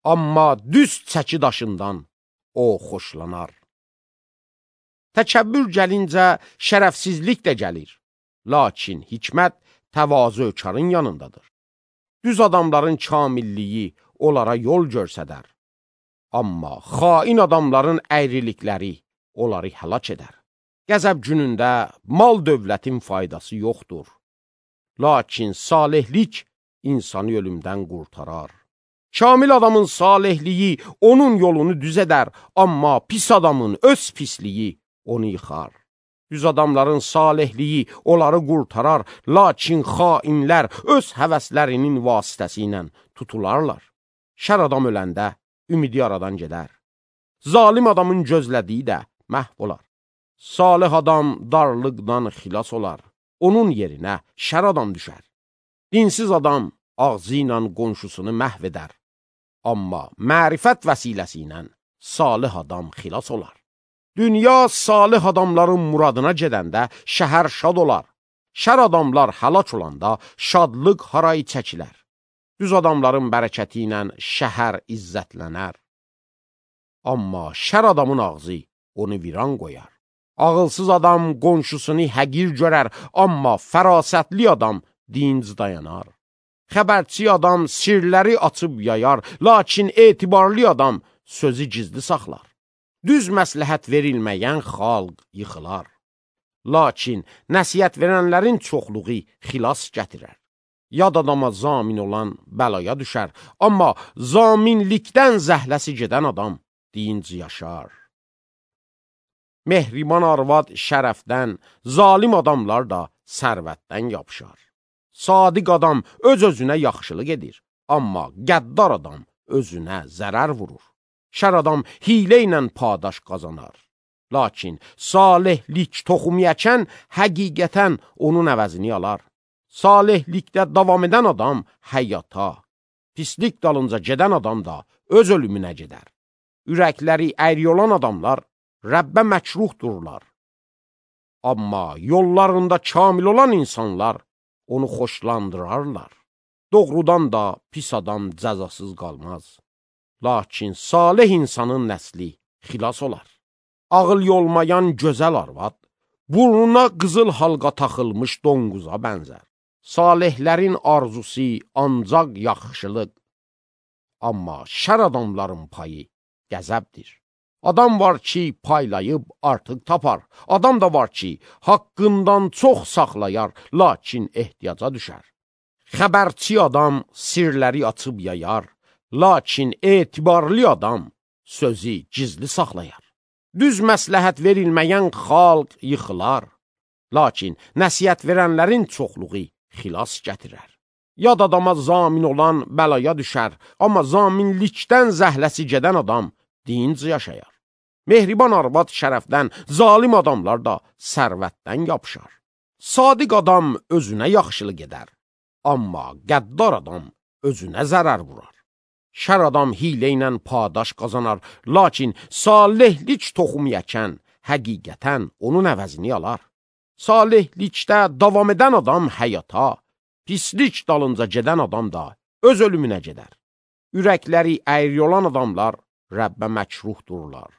amma düz çəki daşından o xoşlanar. Təkəbbür gəlincə şərəfsizlik də gəlir, lakin hikmət təvazökarın yanındadır. Düz adamların kamilliyi onlara yol görsədər, amma xain adamların əyrilikləri onları həlak edər. Qəzəb günündə mal dövlətin faydası yoxdur, lakin salihlik insanı ölümdən qurtarar. Kamil adamın salihliyi onun yolunu düz edər, amma pis adamın öz pisliyi onu yıxar. Düz adamların salihliyi onları qurtarar, lakin xainlər öz həvəslərinin vasitəsi ilə tutularlar. Şər adam öləndə ümidi aradan gedər. Zalim adamın gözlədiyi də məhv olar. Salih adam darlıqdan xilas olar, onun yerinə şər adam düşər. Dinsiz adam ağzı ilə qonşusunu məhv edər, amma mərifət vəsiləsi ilə salih adam xilas olar. Dünya salih adamların muradına gedəndə şəhər şad olar. Şər adamlar həlak olanda şadlıq harayı çəkilər. Düz adamların bərəkəti ilə şəhər izzətlənər. Amma şər adamın ağzı onu viran qoyar. Ağılsız adam qonşusunu həqir görər, amma fərasətli adam dinc dayanar. Xəbərçi adam sirləri açıb yayar, lakin etibarlı adam sözü gizli saxlar. Düz məsləhət verilməyən xalq yıxılar, lakin nəsihət verənlərin çoxluğu xilas gətirər. Yad adama zamin olan bəlaya düşər, amma zaminlikdən zəhləsi gedən adam dinc yaşar. Mehriban arvad şərəfdən, zalim adamlar da sərvətdən yapışar. Sadiq adam öz-özünə yaxşılıq edir, amma qəddar adam özünə zərər vurur. Şər adam hilə ilə padaş qazanar, lakin salihlik toxum əkən həqiqətən onun əvəzini alar. Salihlikdə davam edən adam həyata, pislik dalınca gedən adam da öz ölümünə gedər. Ürəkləri əyri olan adamlar Rəbbə məkruhdurlar, amma yollarında kamil olan insanlar onu xoşlandırarlar. Doğrudan da pis adam cəzasız qalmaz, lakin salih insanın nəsli xilas olar. Ağıl yolmayan gözəl arvad, burnuna qızıl halqa taxılmış donquza bənzər. Salihlərin arzusu ancaq yaxşılıq, amma şər adamların payı qəzəbdir. Adam var ki, paylayıb artıq tapar. Adam da var ki, haqqından çox saxlayar, lakin ehtiyaca düşər. Xəbərçi adam sirləri açıb yayar, lakin etibarlı adam sözü gizli saxlayar. Düz məsləhət verilməyən xalq yıxılar, lakin nəsihət verənlərin çoxluğu xilas gətirər. Yad adama zamin olan bəlaya düşər, amma zaminlikdən zəhləsi gedən adam dinc yaşayar. Mehriban arvad şərəfdən, zalim adamlar da sərvətdən yapışar. Sadiq adam özünə yaxşılıq edər, amma qəddar adam özünə zərər vurar. Şər adam hilə ilə padaş qazanar, lakin salihlik toxum əkən həqiqətən onun əvəzini alar. Salihlikdə davam edən adam həyata, pislik dalınca gedən adam da öz ölümünə gedər. Ürəkləri əyri olan adamlar Rəbbə məkruhdurlar,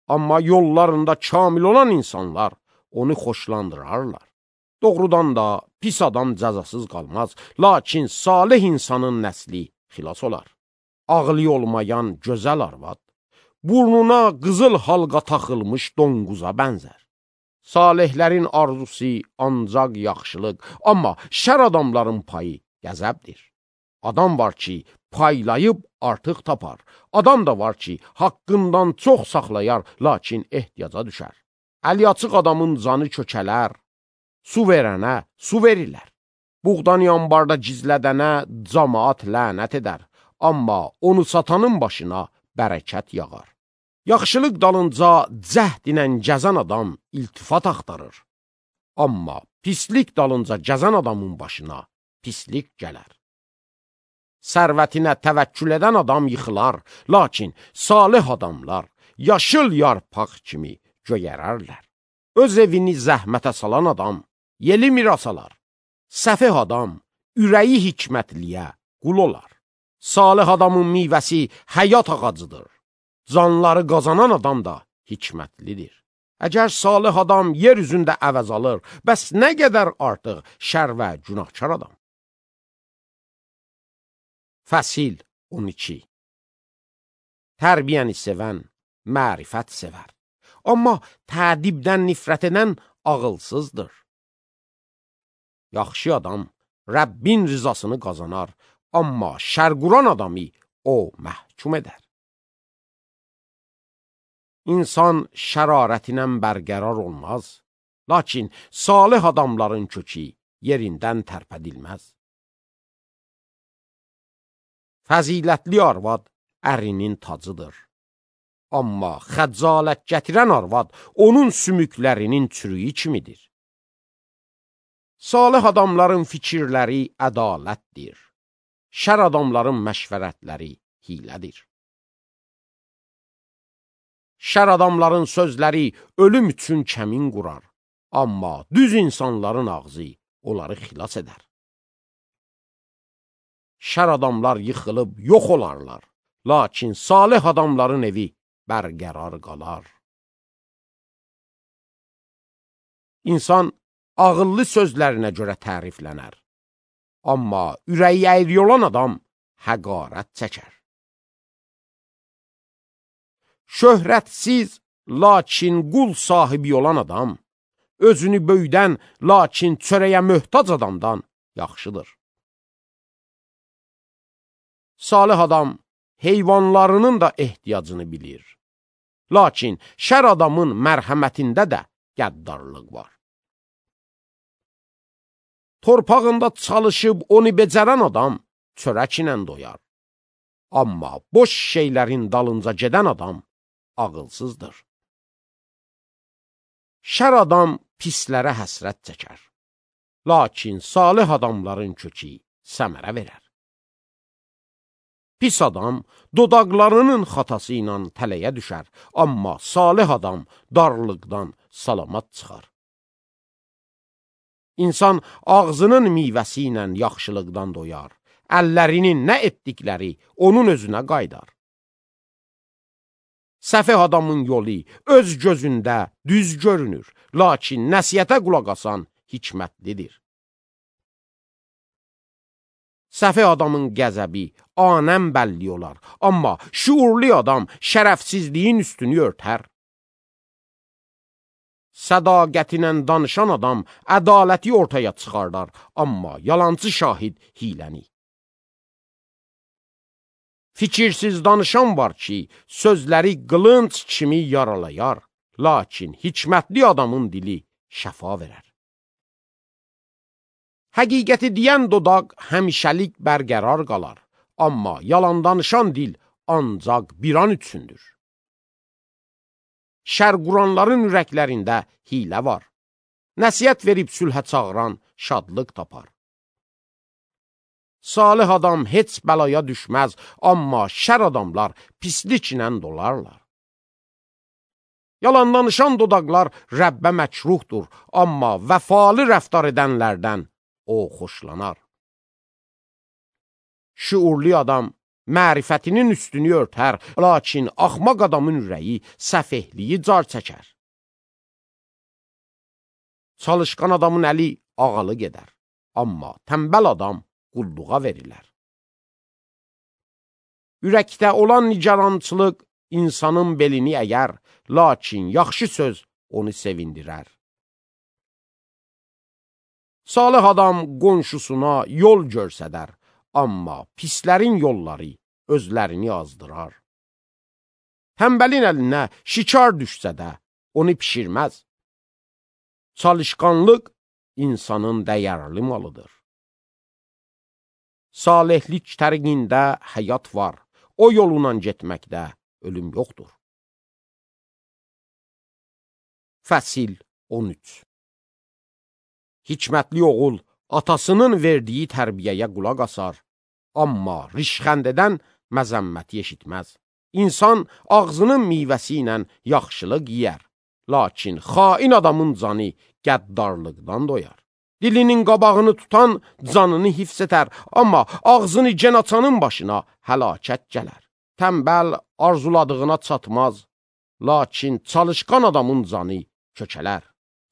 amma yollarında kamil olan insanlar onu xoşlandırarlar. Doğrudan da pis adam cəzasız qalmaz, lakin salih insanın nəsli xilas olar. ağlı olmayan gözəl arvad, burnuna qızıl halqa taxılmış donquza bənzər. Salihlərin arzusu ancaq yaxşılıq, amma şər adamların payı qəzəbdir. Adam var ki, paylayıb artıq tapar. Adam da var ki, haqqından çox saxlayar, lakin ehtiyaca düşər. Əli açıq adamın canı kökələr, su verənə su verirlər. Buğdan yanbarda gizlədənə camaat lənət edər, amma onu satanın başına bərəkət yağar. Yaxşılıq dalınca cəhd ilə gəzən adam iltifat axtarır, amma pislik dalınca gəzən adamın başına pislik gələr. Sərvətinə təvəkkül edən adam yıxılar, lakin salih adamlar yaşıl yarpaq kimi göyərərlər. Öz evini zəhmətə salan adam yeli miras alar. Səfeh adam ürəyi hikmətliyə qul olar. Salih adamın meyvəsi həyat ağacıdır. Canları qazanan adam da hikmətlidir. Əgər salih adam yer üzündə əvəz alır, bəs nə qədər artıq şər və günahkar adam. Fəsil 12. Tərbiyəni sevən mərifət sevər, amma tədibdən nifrət edən ağılsızdır. Yaxşı adam Rəbbin rızasını qazanar, amma şərquran adamı o məhkum edər. İnsan şərarətinə bərqərar olmaz, lakin salih adamların kökü yerindən tərpədilməz. Fəzilətli arvad ərinin tacıdır, amma xəcalət gətirən arvad onun sümüklərinin çürüyü kimidir. Salih adamların fikirləri ədalətdir, şər adamların məşvərətləri hilədir. Şər adamların sözləri ölüm üçün kəmin qurar, amma düz insanların ağzı onları xilas edər. Şər adamlar yıxılıb yox olarlar, lakin salih adamların evi bərqərar qalar. İnsan ağıllı sözlərinə görə təriflənər, amma ürəyi əyri olan adam həqarət çəkər. Şöhrətsiz, lakin qul sahibi olan adam, özünü böyüdən, lakin çörəyə möhtac adamdan yaxşıdır. Salih adam heyvanlarının da ehtiyacını bilir, lakin şər adamın mərhəmətində də qəddarlıq var. Torpağında çalışıb onu becərən adam çörək ilə doyar, amma boş şeylərin dalınca gedən adam ağılsızdır. Şər adam pislərə həsrət çəkər, lakin salih adamların kökü səmərə verər. Pis adam dodaqlarının xatası ilə tələyə düşər, amma salih adam darlıqdan salamat çıxar. İnsan ağzının meyvəsi ilə yaxşılıqdan doyar, əllərinin nə etdikləri onun özünə qaydar. Səfeh adamın yolu öz gözündə düz görünür, lakin nəsihətə qulaq asan hikmətlidir. Səfeh adamın qəzəbi anəm bəlli olar, amma şuurlu adam şərəfsizliyin üstünü örtər. Sədaqətinlə danışan adam ədaləti ortaya çıxardar, amma yalancı şahid hiləni. Fikirsiz danışan var ki, sözləri qılınc kimi yaralayar, lakin hikmətli adamın dili şəfa verər. Həqiqəti deyən dodaq həmişəlik bərqərar qalar, amma yalan danışan dil ancaq bir an üçündür. Şər quranların ürəklərində hilə var. Nəsihət verib sülhə çağıran şadlıq tapar. Salih adam heç bəlaya düşməz, amma şər adamlar pisliklə dolarlar. Yalan danışan dodaqlar Rəbbə məkruhdur, amma vəfalı rəftar edənlərdən o xoşlanar. Şuurlu adam mərifətinin üstünü örtər, lakin axmaq adamın ürəyi səfehliyi car çəkər. Çalışqan adamın əli ağalı gedər, amma tənbəl adam qulluğa verilər. Ürəkdə olan nigarançılıq insanın belini əyər, lakin yaxşı söz onu sevindirər. Salih adam qonşusuna yol görsədər, amma pislərin yolları özlərini azdırar. Tənbəlin əlinə şikar düşsə də, onu pişirməz. Çalışqanlıq insanın dəyərli malıdır. Salihlik təriqində həyat var, o yoluna getməkdə ölüm yoxdur. Fəsil 13. Hikmətli oğul atasının verdiyi tərbiyəyə qulaq asar, amma rişxəndədən məzəmməti eşitməz. İnsan ağzının meyvəsi ilə yaxşılıq yiyər, lakin xain adamın canı qəddarlıqdan doyar. Dilinin qabağını tutan canını hifz edər, amma ağzını gen açanın başına həlakət gələr. Tənbəl arzuladığına çatmaz, lakin çalışqan adamın canı kökələr.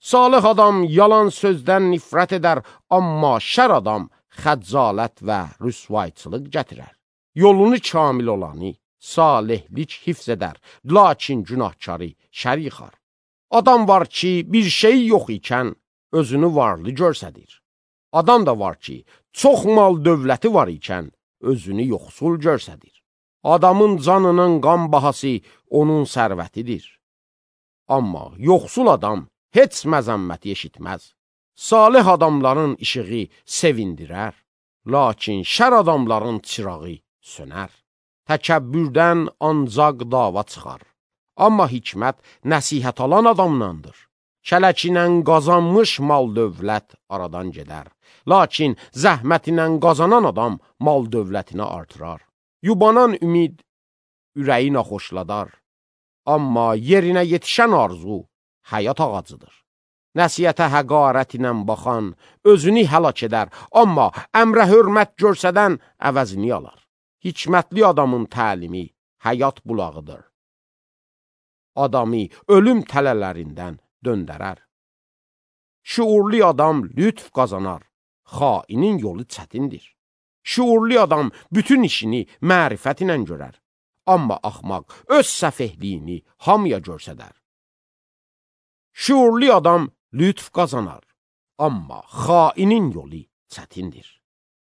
Salih adam yalan sözdən nifrət edər, amma şər adam xəccalət və rüsvayçılıq gətirər. Yolunu kamil olanı salihlik hifz edər, lakin günahkarı şər yıxar. Adam var ki, bir şeyi yox ikən özünü varlı görsədir. Adam da var ki, çox mal dövləti var ikən özünü yoxsul görsədir. Adamın canının qan bahası onun sərvətidir. Amma yoxsul adam heç məzəmməti eşitməz. Salih adamların işığı sevindirər, lakin şər adamların çırağı sönər. Təkəbbürdən ancaq dava çıxar, amma hikmət nəsihət alan adamlandır. Kələkinə qazanmış mal dövlət aradan gedər, lakin zəhmətinə qazanan adam mal dövlətini artırar. Yubanan ümid ürəyi naxoşladar, amma yerinə yetişən arzu həyat ağacıdır. Nəsiyyətə həqarət ilə baxan özünü həlak edər, amma əmrə hörmət görsədən əvəzini alar. Hikmətli adamın təlimi həyat bulağıdır. Adamı ölüm tələlərindən döndərər. Şuurlu adam lütf qazanar, xainin yolu çətindir. Şuurlu adam bütün işini mərifət ilə görər, amma axmaq öz səfehliyini hamıya görsədər. Şuurlu adam lütf qazanar, amma xainin yolu çətindir.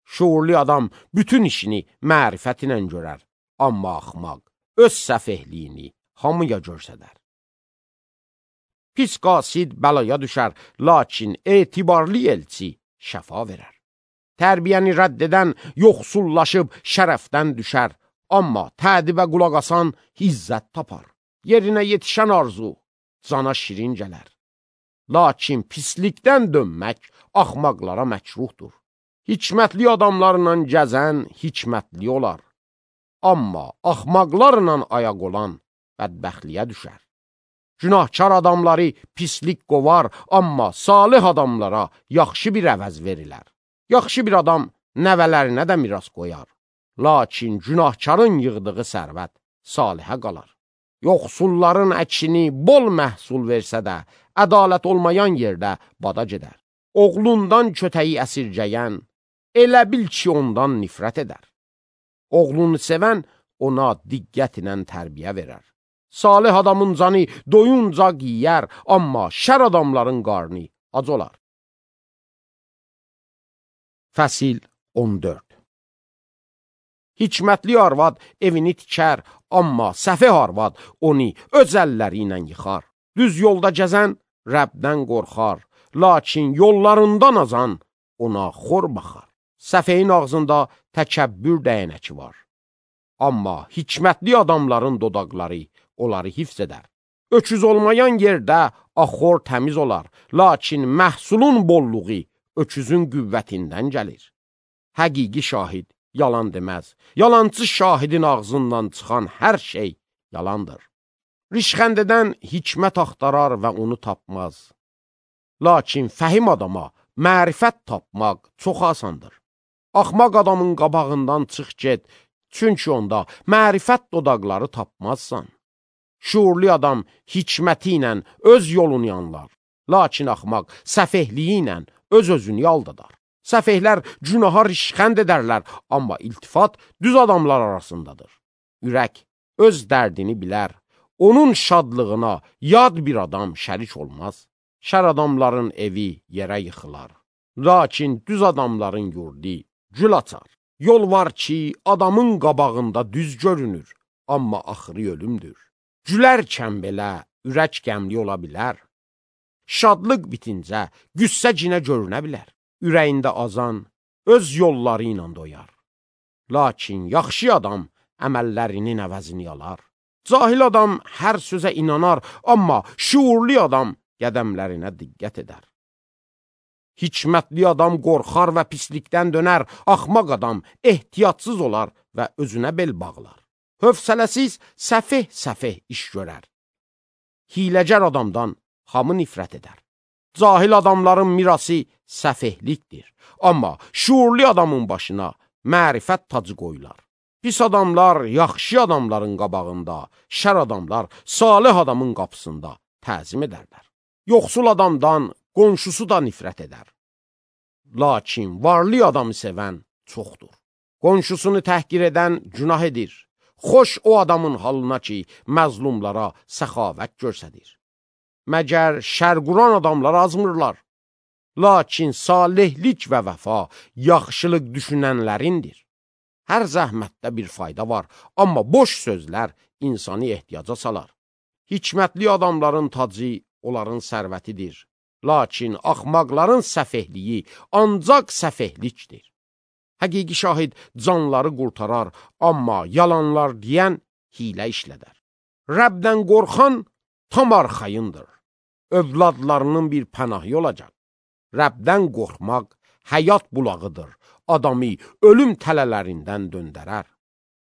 Şuurlu adam bütün işini mərifət ilə görər, amma axmaq öz səfehliyini hamıya görsədər. Pis qasid bəlaya düşər, lakin etibarlı elçi şəfa verər. Tərbiyəni rədd edən yoxsullaşıb şərəfdən düşər, amma tədibə qulaq asan izzət tapar. Yerinə yetişən arzu cana şirin gələr. Lakin pislikdən dönmək axmaqlara məkruhdur. Hikmətli adamlarla gəzən hikmətli olar, amma axmaqlarla ayaq olan bədbəxtliyə düşər. Günahkar adamları pislik qovar, amma salih adamlara yaxşı bir əvəz verilər. Yaxşı bir adam nəvələrinə də miras qoyar, lakin günahkarın yığdığı sərvət salihə qalar. Yoxsulların əkini bol məhsul versə də, ədalət olmayan yerdə bada gedər. Oğlundan kötəyi əsirgəyən, elə bil ki, ondan nifrət edər. Oğlunu sevən ona diqqət ilə tərbiyə verər. Salih adamın canı doyunca yiyər, amma şər adamların qarnı ac olar. Fəsil 14. Hikmətli arvad evini tikər, amma səfeh arvad onu öz əlləri ilə yıxar. Düz yolda gəzən Rəbdən qorxar, lakin yollarından azan ona xor baxar. Səfehin ağzında təkəbbür dəyənəki var, amma hikmətli adamların dodaqları onları hifz edər. Öküz olmayan yerdə axor təmiz olar, lakin məhsulun bolluğu öküzün qüvvətindən gəlir. Həqiqi şahid yalan deməz, yalancı şahidin ağzından çıxan hər şey yalandır. Rişxəndədən hikmət axtarar və onu tapmaz. Lakin fəhim adama mərifət tapmaq çox asandır. Axmaq adamın qabağından çıx get, çünki onda mərifət dodaqları tapmazsan. Şuurlu adam hikməti ilə öz yolunu yanlar, lakin axmaq səfehliyi ilə öz-özünü aldadar. Səfehlər günaha rişxənd edərlər, amma iltifat düz adamlar arasındadır. ürək öz dərdini bilər. Onun şadlığına yad bir adam şərik olmaz. Şər adamların evi yerə yıxılar. Lakin düz adamların yurdu gül açar. Yol var ki, adamın qabağında düz görünür, amma axırı ölümdür. Gülərkən belə ürək qəmli ola bilər. Şadlıq bitincə qüssə cinə görünə bilər. Ürəyində azan öz yolları ilə doyar. Lakin yaxşı adam əməllərinin əvəzini alar. Cahil adam hər sözə inanar, amma şuurlu adam qədəmlərinə diqqət edər. Hikmətli adam qorxar və pislikdən dönər, axmaq adam ehtiyatsız olar və özünə bel bağlar. Hövsələsiz səfeh iş görər. Hiləgər adamdan hamı nifrət edər. Cahil adamların mirası səfehlikdir, amma şuurlu adamın başına mərifət tacı qoyular. Pis adamlar yaxşı adamların qabağında, şər adamlar salih adamın qapısında təzim edərlər. Yoxsul adamdan qonşusu da nifrət edər. Lakin varlı adamı sevən çoxdur. Qonşusunu təhqir edən günah edir. Xoş o adamın halına ki, məzlumlara səxavət görsədir. Məgər şər quran adamlar azmırlar. Lakin salihlik və vəfa yaxşılıq düşünənlərindir. Hər zəhmətdə bir fayda var, amma boş sözlər insanı ehtiyaca salar. Hikmətli adamların tacı onların sərvətidir. Lakin axmaqların səfehliyi ancaq səfehlikdir. Həqiqi şahid canları qurtarar, amma yalanlar deyən hilə işlədər. Rəbdən qorxan tam arxayındır. Övladlarının bir pənahı olacaq. Rəbdən qorxmaq həyat bulağıdır. Adamı ölüm tələlərindən döndərər.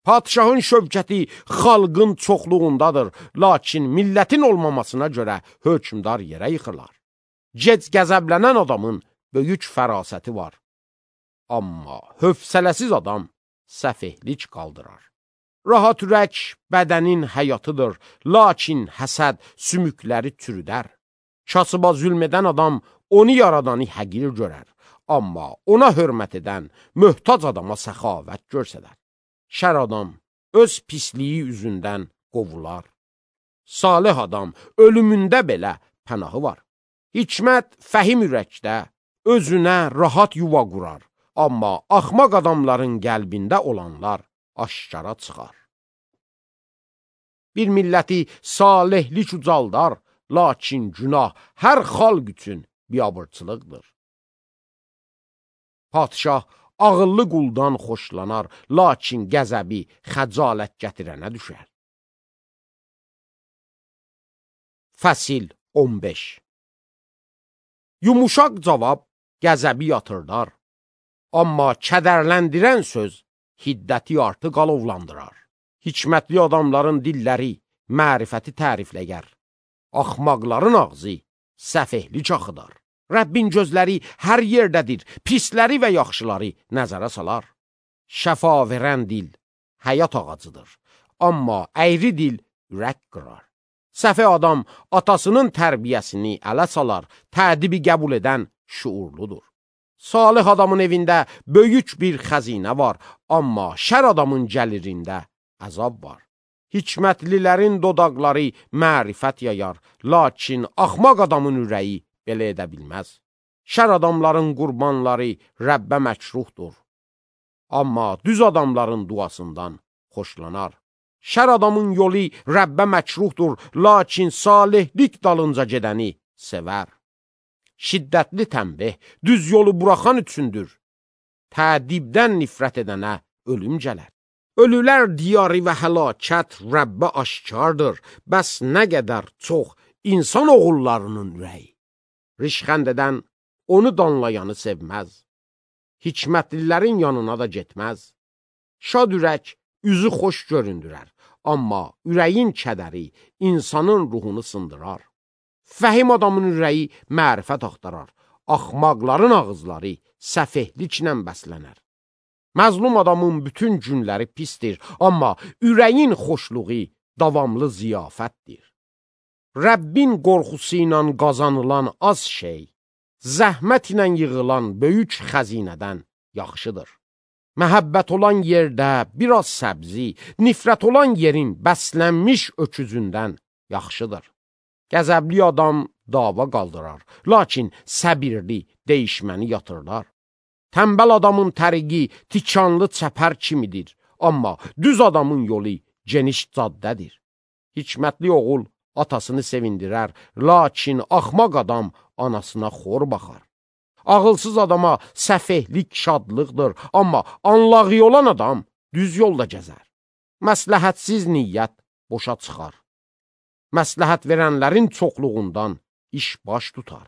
Padişahın şövkəti xalqın çoxluğundadır, lakin millətin olmamasına görə hökmdar yerə yıxırlar. Gec qəzəblənən adamın böyük fərasəti var. Amma hövsələsiz adam səfehlik qaldırar. Rahat ürək bədənin həyatıdır, lakin həsəd sümükləri çürüdər. Kasıba zülm edən adam onu yaradanı həqir görər, amma ona hörmət edən möhtac adama səxavət görsədər. Şər adam öz pisliyi üzündən qovular. Salih adam ölümündə belə pənahı var. Hikmət fəhim ürəkdə özünə rahat yuva qurar, amma axmaq adamların qəlbində olanlar aşkara çıxar. Bir milləti salihlik ucaldar, lakin günah hər xalq üçün biabırçılıqdır. Padişah ağıllı quldan xoşlanar, lakin qəzəbi xəcalət gətirənə düşər. Fəsil 15. Yumuşaq cavab qəzəbi yatırdar, amma kədərləndirən söz hiddəti artıq alovlandırar. Hikmətli adamların dilləri mərifəti tərifləyər, axmaqların ağzı səfehlik axıdar. Rəbbin gözləri hər yerdədir, pisləri və yaxşıları nəzərə salar. Şəfa verən dil həyat ağacıdır, amma əyri dil ürək qırar. Səfeh adam atasının tərbiyəsini ələ salar, tədibi qəbul edən şuurludur. Salih adamın evində böyük bir xəzinə var, amma şər adamın gəlirində əzab var. Hikmətlilərin dodaqları mərifət yayar, lakin axmaq adamın ürəyi belə edə bilməz. Şər adamların qurbanları Rəbbə məkruhdur, amma düz adamların duasından xoşlanar. Şər adamın yolu Rəbbə məkruhdur, lakin salihlik dalınca gedəni sevər. Şiddətli tənbih düz yolu buraxan üçündür. Tədibdən nifrət edənə ölüm gələr. Ölülər diyarı və həlakət Rəbbə aşkardır, bəs nə qədər çox insan oğullarının ürəyi. Rişxənd edən onu danlayanı sevməz. Hikmətlilərin yanına da getməz. Şad ürək üzü xoş göründürər, amma ürəyin kədəri insanın ruhunu sındırar. Fəhim adamın ürəyi mərifət axtarar, axmaqların ağızları səfehliklə bəslənər. Məzlum adamın bütün günləri pisdir, amma ürəyin xoşluğu davamlı ziyafətdir. Rəbbin qorxusu ilə qazanılan az şey, zəhmət ilə yığılan böyük xəzinədən yaxşıdır. Məhəbbət olan yerdə biraz səbzi, nifrət olan yerin bəslənmiş öküzündən yaxşıdır. Qəzəbli adam dava qaldırar, lakin səbirli değişməni yatırlar. Tənbəl adamın təriqi tikanlı çəpər kimidir, amma düz adamın yolu geniş caddədir. Hikmətli oğul atasını sevindirər, lakin axmaq adam anasına xor baxar. Ağılsız adama səfehlik şadlıqdır, amma anlağı olan adam düz yolda gəzər. Məsləhətsiz niyyət boşa çıxar. Məsləhət verənlərin çoxluğundan iş baş tutar.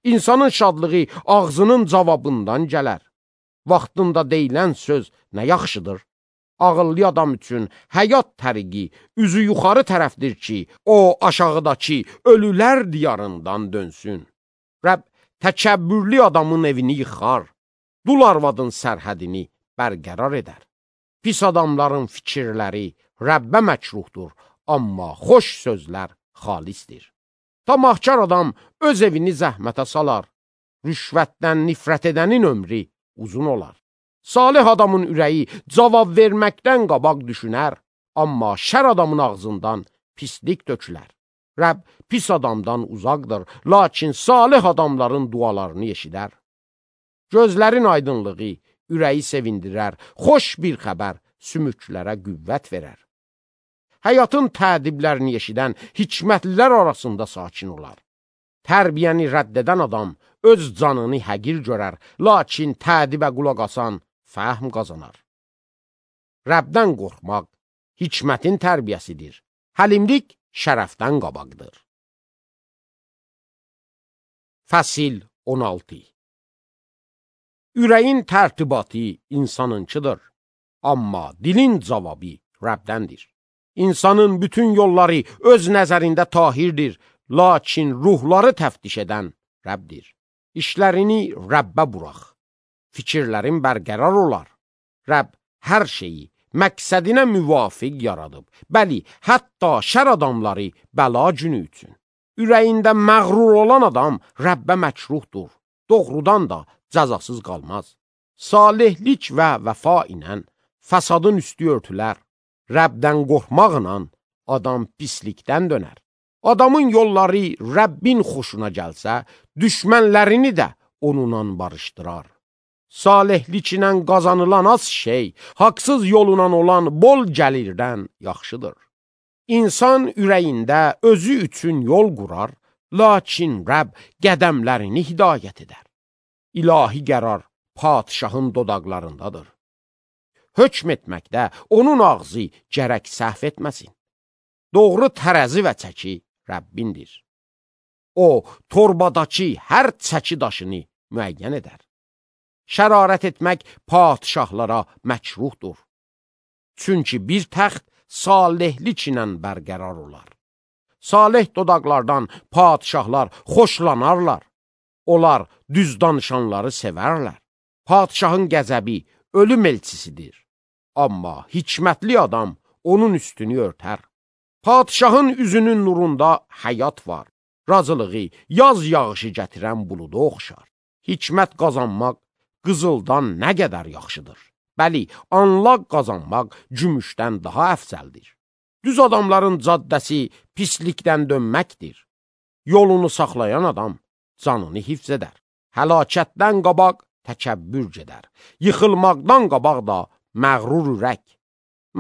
İnsanın şadlığı ağzının cavabından gələr. Vaxtında deyilən söz nə yaxşıdır? Ağıllı adam üçün həyat təriqi üzü yuxarı tərəfdir ki, o aşağıdakı ölülər diyarından dönsün. Rəbb təkəbbürlü adamın evini yıxar, dul arvadın sərhədini bərqərar edər. Pis adamların fikirləri Rəbbə məkruhdur, amma xoş sözlər xalisdir. Tamahkar adam öz evini zəhmətə salar, rüşvətdən nifrət edənin ömrü uzun olar. Salih adamın ürəyi cavab verməkdən qabaq düşünər, amma şər adamın ağzından pislik tökülər. Rəbb pis adamdan uzaqdır, lakin salih adamların dualarını eşidər. Gözlərin aydınlığı ürəyi sevindirər, xoş bir xəbər sümüklərə qüvvət verər. Həyatın tədiblərini eşidən hikmətlilər arasında sakin olar. Tərbiyəni rədd edən adam öz canını həqir görər, lakin tədibə qulaq asan fəhm qazanar. Rəbdən qorxmaq hikmətin tərbiyəsidir. Həlimlik şərəfdən qabaqdır. Fəsil 16. Ürəyin tərtibatı insanınkidir, amma dilin cavabı Rəbdəndir. İnsanın bütün yolları öz nəzərində tahirdir, lakin ruhları təftiş edən Rəbdir. İşlərini Rəbbə burax, fikirlərin bərqərar olar. Rəbb hər şeyi məqsədinə müvafiq yaradıb. Bəli, hətta şər adamları bəla günü üçün. Ürəyində məğrur olan adam Rəbbə məkruhdur. Doğrudan da cəzasız qalmaz. Salihlik və vəfa ilə fəsadın üstü örtülər. Rəbdən qorxmaqla adam pislikdən dönər. Adamın yolları Rəbbin xoşuna gəlsə, düşmənlərini də onunla barışdırar. Salihlik ilə qazanılan az şey, haqsız yolundan olan bol gəlirdən yaxşıdır. İnsan ürəyində özü üçün yol qurar, lakin Rəbb qədəmlərini hidayət edər. İlahi qərar padişahın dodaqlarındadır. Hökm etməkdə onun ağzı gərək səhv etməsin. Doğru tərəzi və çəki Rəbbindir. O, torbadakı hər çəki daşını müəyyən edər. Şərarət etmək padişahlara məkruhdur. Çünki bir təxt salihlik ilə bərqərar olar. Salih dodaqlardan padişahlar xoşlanarlar. Onlar düz danışanları sevərlər. Padişahın qəzəbi ölüm elçisidir. Amma hikmətli adam onun üstünü örtər. Padişahın üzünün nurunda həyat var. Razılığı yaz yağışı gətirən buluda oxşar. Hikmət qazanmaq qızıldan nə qədər yaxşıdır. Bəli, anlaq qazanmaq gümüşdən daha əfsəldir. Düz adamların caddəsi pislikdən dönməkdir. Yolunu saxlayan adam canını hifz edər. Həlakətdən qabaq təkəbbür gedər. Yıxılmaqdan qabaq da məğrur ürək.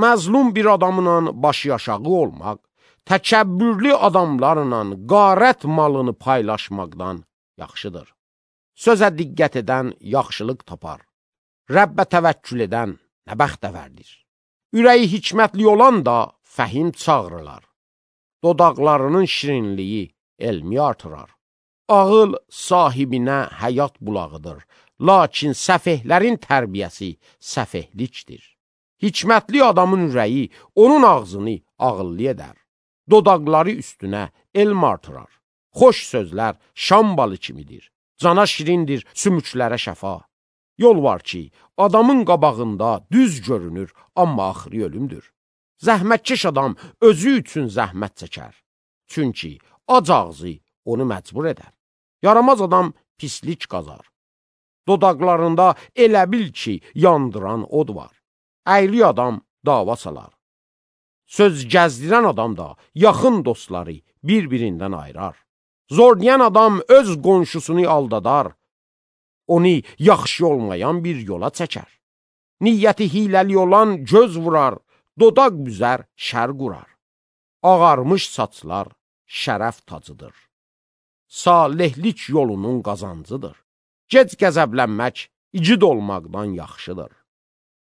Məzlum bir adamla başı aşağı olmaq, təkəbbürlü adamlarla qarət malını paylaşmaqdan yaxşıdır. Sözə diqqət edən yaxşılıq tapar. Rəbbə təvəkkül edən nə bəxtəvərdir. Ürəyi hikmətli olan da fəhim çağırırlar. Dodaqlarının şirinliyi elmi artırar. Ağıl sahibinə həyat bulağıdır, lakin səfehlərin tərbiyəsi səfehlikdir. Hikmətli adamın ürəyi onun ağzını ağıllı edər. Dodaqları üstünə elm artırar. Xoş sözlər şam balı kimidir. Cana şirindir, sümüklərə şəfa. Yol var ki, adamın qabağında düz görünür, amma axırı ölümdür. Zəhmətkeş adam özü üçün zəhmət çəkər. Çünki ac ağzı onu məcbur edər. Yaramaz adam pislik qazar. Dodaqlarında elə bil ki, yandıran od var. Əyri adam dava salar. Söz gəzdirən adam da yaxın dostları bir-birindən ayırar. Zorlayan adam öz qonşusunu aldadar. Onu yaxşı olmayan bir yola çəkər. Niyyəti hiləli olan göz vurar, dodaq büzər, şər qurar. Ağarmış saçlar şərəf tacıdır. Salihlik yolunun qazancıdır. Gec qəzəblənmək igid olmaqdan yaxşıdır.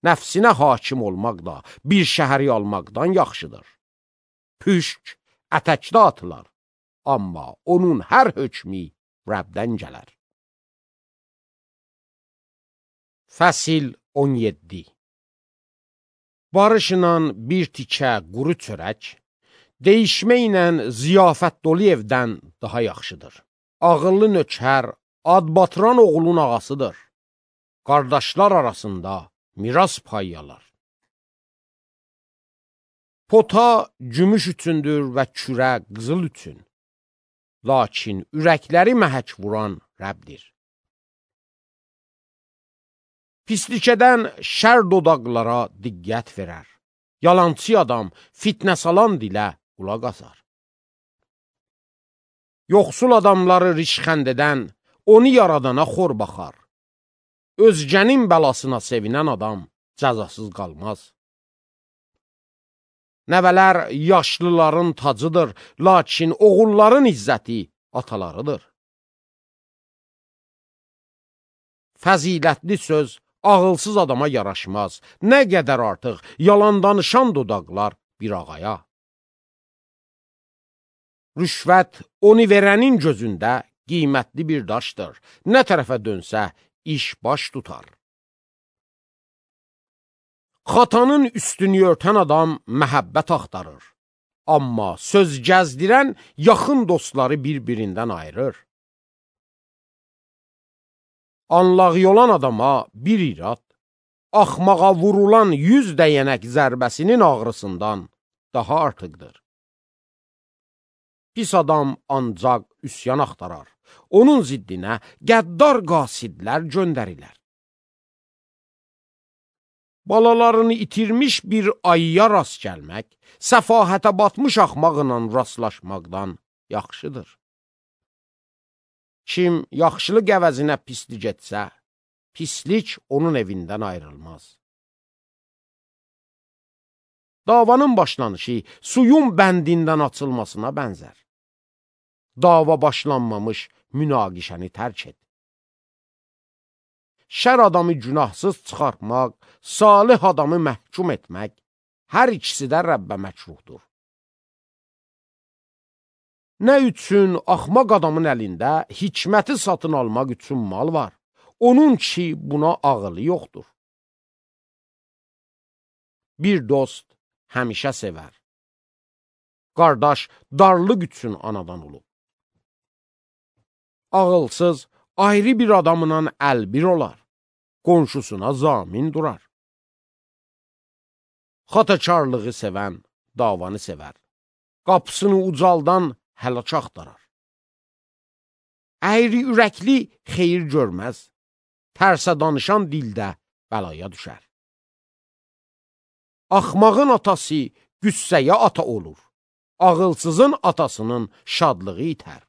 Nəfsinə hakim olmaq da bir şəhəri almaqdan yaxşıdır. Püşk ətəkdə atılar, amma onun hər hökmü Rəbdən gələr. Fəsil 17. Barışla bir tikə quru çörək, deyişmə ilə ziyafət dolu evdən daha yaxşıdır. Ağıllı nökər, ad batıran oğlun ağasıdır. Qardaşlar arasında miras payyalar. Pota gümüş üçündür və kürə qızıl üçün. Lakin ürəkləri məhək vuran Rəbdir. Pislikədən şər dodaqlara diqqət verər. Yalançı adam fitnə salan dilə qulaq asar. Yoxsul adamları rişxənd edən onu yaradana xor baxar. Özgənin bəlasına sevinən adam cəzasız qalmaz. Nəvələr yaşlıların tacıdır, lakin oğulların izzəti atalarıdır. Fəzilətli söz ağılsız adama yaraşmaz. Nə qədər artıq yalan danışan dodaqlar bir ağaya. Rüşvət onu verənin gözündə qiymətli bir daşdır. Nə tərəfə dönsə iş baş tutar. Xatanın üstünü örtən adam məhəbbət axtarır. Amma söz gəzdirən yaxın dostları bir-birindən ayırır. Anlağı olan adama bir irad, axmağa vurulan 100 dəyənək zərbəsinin ağrısından daha artıqdır. Pis adam ancaq üsyan axtarar. Onun ziddinə qəddar qasidlər göndərilər. Balalarını itirmiş bir ayıya rast gəlmək, səfahətə batmış axmaqla rastlaşmaqdan yaxşıdır. Kim yaxşılıq əvəzinə pislik etsə, pislik onun evindən ayrılmaz. Davanın başlanışı suyun bəndindən açılmasına bənzər. Dava başlanmamış münaqişəni tərk et. Şər adamı günahsız çıxartmaq, salih adamı məhkum etmək, hər ikisi də Rəbbə məkruhdur. Nə üçün axmaq adamın əlində hikməti satın almaq üçün mal var, onun ki buna ağılı yoxdur. Bir dost həmişə sevər. Qardaş darlıq üçün anadan olub. Ağılsız ayrı bir adamla əlbir olar, qonşusuna zamin durar. Xatakarlığı sevən davanı sevər, qapısını ucaldan həlak axtarar. Əyri ürəkli xeyir görməz, tərsə danışan dildə bəlaya düşər. Axmağın atası qüssəyə ata olur, ağılsızın atasının şadlığı itər.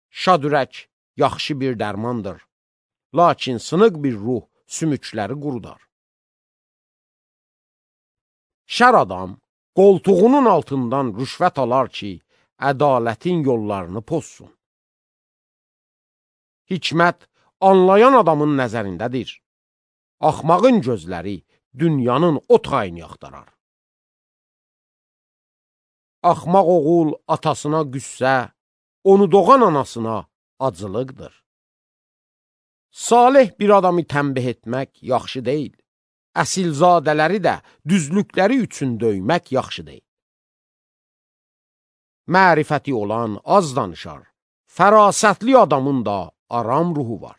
Şad ürək yaxşı bir dərmandır, lakin sınıq bir ruh sümükləri qurudar. Şər adam qoltuğunun altından rüşvət alar ki, ədalətin yollarını pozsun. Hikmət anlayan adamın nəzərindədir. Axmağın gözləri dünyanın o tayını axtarar. Axmaq oğul atasına qüssə, onu doğan anasına acılıqdır. Salih bir adamı tənbih etmək yaxşı deyil. Əsilzadələri də düzlükləri üçün döymək yaxşı deyil. Mərifəti olan az danışar, fərasətli adamın da aram ruhu var.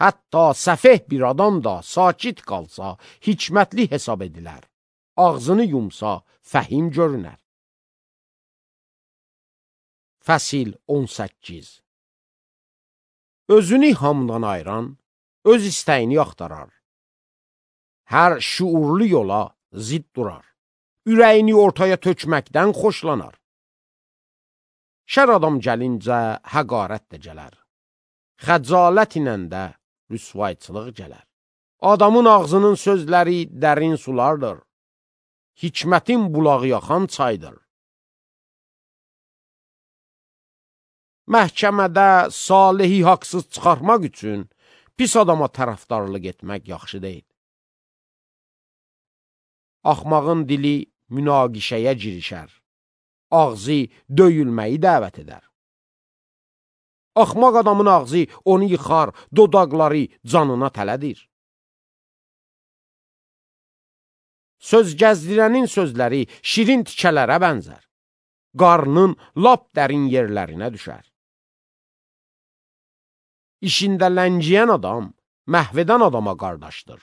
Hətta səfeh bir adam da sakit qalsa, hikmətli hesab edilər. Ağzını yumsa, fəhim görünər. Fəsil 18. Özünü hamdan ayıran, öz istəyini axtarar. Hər şuurlu yola zid durar. Ürəyini ortaya tökməkdən xoşlanar. Şər adam gəlincə həqarət də gələr. Xəcalət ilə də rüsvayçılıq gələr. Adamın ağzının sözləri dərin sulardır. Hikmətin bulağı yaxan çaydır. Məhkəmədə salihi haqsız çıxarmaq üçün pis adama tərəfdarlıq etmək yaxşı deyil. Axmağın dili münaqişəyə girişər. Ağzı döyülməyi dəvət edər. Axmaq adamın ağzı onu yıxar, dodaqları canına tələdir. Söz gəzdirənin sözləri şirin tikələrə bənzər. Qarnın lap dərin yerlərinə düşər. İşində ləngiyən adam məhv edən adama qardaşdır.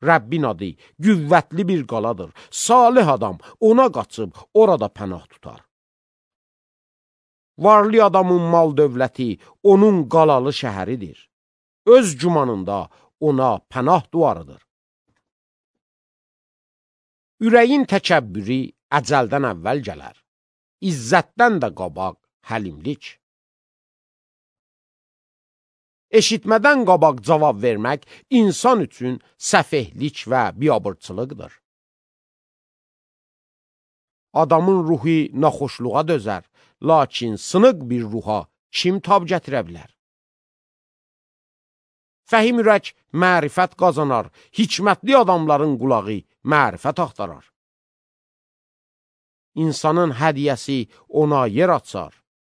Rəbbin adı qüvvətli bir qaladır. Salih adam ona qaçıb orada pənah tutar. Varlı adamın mal dövləti onun qalalı şəhəridir. Öz gümanında ona pənah duvarıdır. Ürəyin təkəbbürü əcəldən əvvəl gələr. İzzətdən də qabaq həlimlik. Eşitmədən qabaq cavab vermək insan üçün səfehlik və biabırçılıqdır. Adamın ruhu naxoşluğa dözər, lakin sınıq bir ruha kim tab gətirə bilər? Fəhim ürək mərifət qazanar, hikmətli adamların qulağı mərifət axtarar. İnsanın hədiyəsi ona yer açar,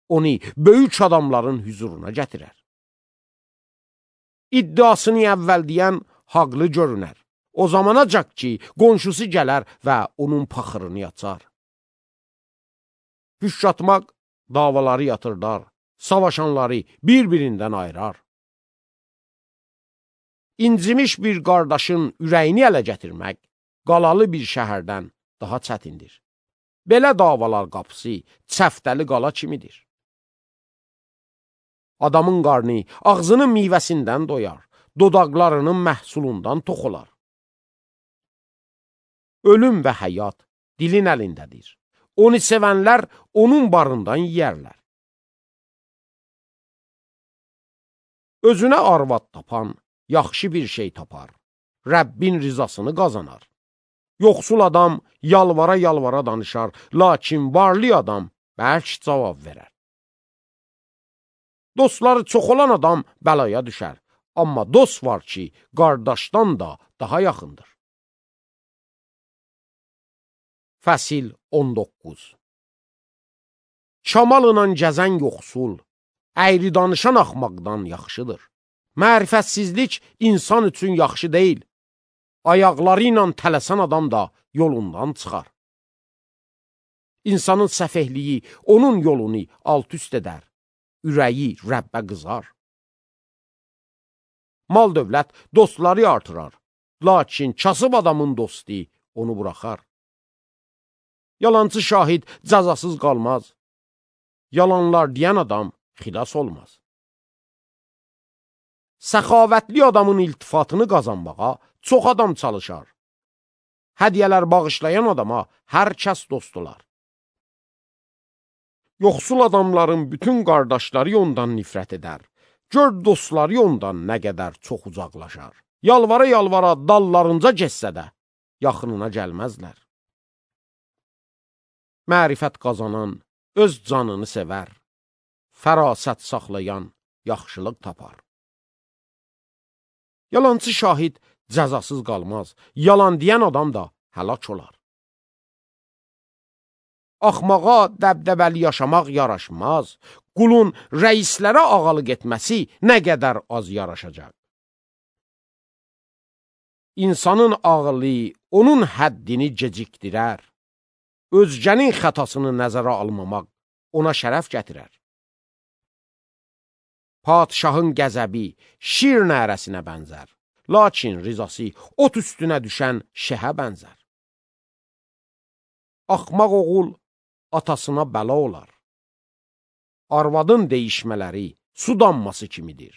onu böyük adamların hüzuruna gətirər. İddiasını əvvəl deyən haqlı görünər. O zamanacaq ki, qonşusu gələr və onun paxırını açar. Hüş atmaq davaları yatırdar, savaşanları bir-birindən ayırar. İncimiş bir qardaşın ürəyini ələ gətirmək, qalalı bir şəhərdən daha çətindir. Belə davalar qapısı çəftəli qala kimidir. Adamın qarnı ağzının meyvəsindən doyar, dodaqlarının məhsulundan tox olar. Ölüm və həyat dilin əlindədir. Onu sevənlər onun barından yiyərlər. Özünə arvad tapan yaxşı bir şey tapar. Rəbbin rizasını qazanar. Yoxsul adam yalvara-yalvara danışar, lakin varlı adam bərk cavab verər. Dostları çox olan adam bəlaya düşər, amma dost var ki, qardaşdan da daha yaxındır. Fəsil 19. Kamalınla gəzən yoxsul, əyri danışan axmaqdan yaxşıdır. Mərifətsizlik insan üçün yaxşı deyil. Ayaqları ilə tələsən adam da yolundan çıxar. İnsanın səfehliyi onun yolunu alt-üst edər. Ürəyi Rəbbə qızar. Mal dövlət dostları artırar, lakin kasıb adamın dostu onu buraxar. Yalancı şahid cəzasız qalmaz. Yalanlar deyən adam xilas olmaz. Səxavətli adamın iltifatını qazanmağa çox adam çalışar. Hədiyyələr bağışlayan adama hər kəs dost olar. Yoxsul adamların bütün qardaşları ondan nifrət edər. Gör dostları ondan nə qədər çox uzaqlaşar. Yalvara-yalvara dallarınca getsə də yaxınına gəlməzlər. Mərifət qazanan öz canını sevər. Fərasət saxlayan yaxşılıq tapar. Yalancı şahid cəzasız qalmaz. Yalan deyən adam da həlak olar. Axmağa dəbdəbəli yaşamaq yaraşmaz. Qulun rəislərə ağalıq etməsi nə qədər az yaraşacaq. İnsanın ağlı onun həddini gecikdirər. Özgənin xətasını nəzərə almamaq ona şərəf gətirər. Padşahın qəzəbi şir nərəsinə bənzər, lakin rizası ot üstünə düşən şəhə bənzər. Axmaq oğul atasına bəla olar. Arvadın deyişmələri su damması kimidir.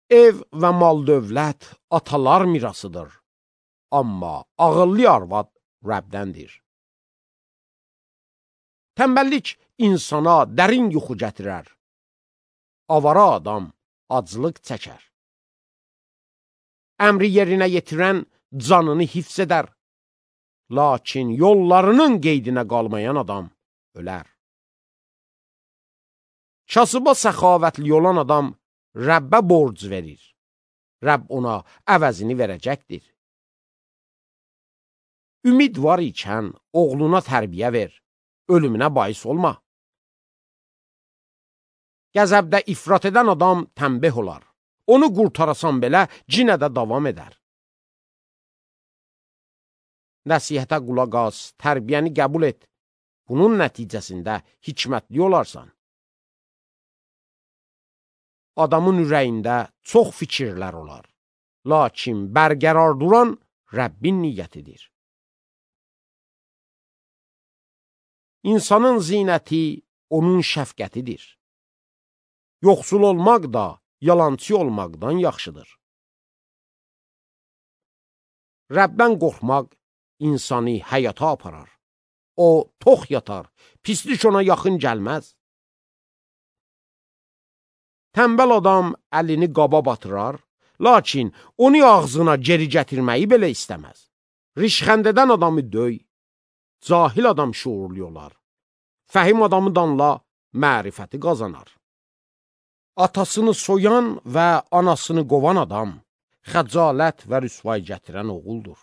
Ev və mal-dövlət atalar mirasıdır, amma ağıllı arvad Rəbdəndir. Tənbəllik insana dərin yuxu gətirər, avara adam aclıq çəkər. Əmri yerinə yetirən canını hifz edər, lakin yollarının qeydinə qalmayan adam ölər. Kasıba səxavətli olan adam Rəbbə borc verir. Rəbb ona əvəzini verəcəkdir. Ümid var ikən oğluna tərbiyə ver, ölümünə bais olma. Qəzəbdə ifrat edən adam tənbeh olar. Onu qurtarasan belə cinə də davam edər. Nəsihətə qulaq as, tərbiyəni qəbul et. Bunun nəticəsində hikmətli olarsan. Adamın ürəyində çox fikirlər olar. Lakin bərqərar duran Rəbbin niyyətidir. İnsanın zinəti onun şəfqətidir. Yoxsul olmaq da yalançı olmaqdan yaxşıdır. Rəbdən qorxmaq insanı həyata aparar. O tox yatar, pislik ona yaxın gəlməz. Tənbəl adam əlini qaba batırar, lakin onu ağzına geri gətirməyi belə istəməz. Rişxənd edən adamı döy, cahil adam şuurlu olar. Fəhim adamı danla, mərifəti qazanar. Atasını soyan və anasını qovan adam, xəcalət və rüsvay gətirən oğuldur.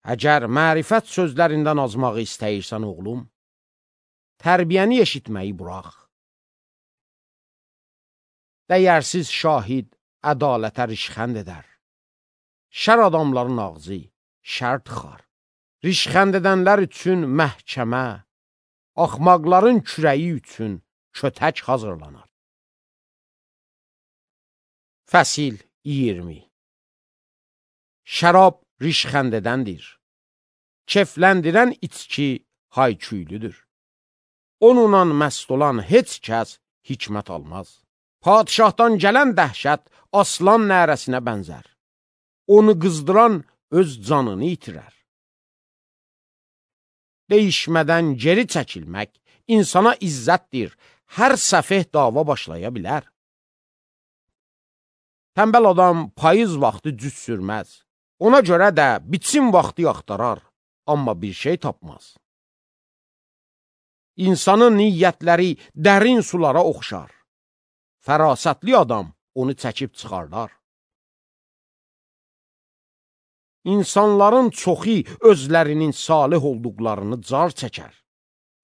Əgər mərifət sözlərindən azmağı istəyirsən oğlum, tərbiyəni eşitməyi burax. Dəyərsiz şahid ədalətə rişxənd edər. Şər adamların ağzı şər tıxar. Rişxənd edənlər üçün məhkəmə, axmaqların kürəyi üçün kötək hazırlanar. Fəsil 20. Şərab rişxənd edəndir. Kefləndirən içki hayküylüdür. Onunla məst olan heç kəs hikmət almaz. Padişahdan gələn dəhşət aslan nərəsinə bənzər. Onu qızdıran öz canını itirər. Deyişmədən geri çəkilmək insana izzətdir. Hər səfeh dava başlaya bilər. Tənbəl adam payız vaxtı cüz sürməz. Ona görə də biçim vaxtı axtarar, amma bir şey tapmaz. İnsanın niyyətləri dərin sulara oxşar. Fərasətli adam onu çəkib çıxardar. İnsanların çoxu özlərinin salih olduqlarını car çəkər.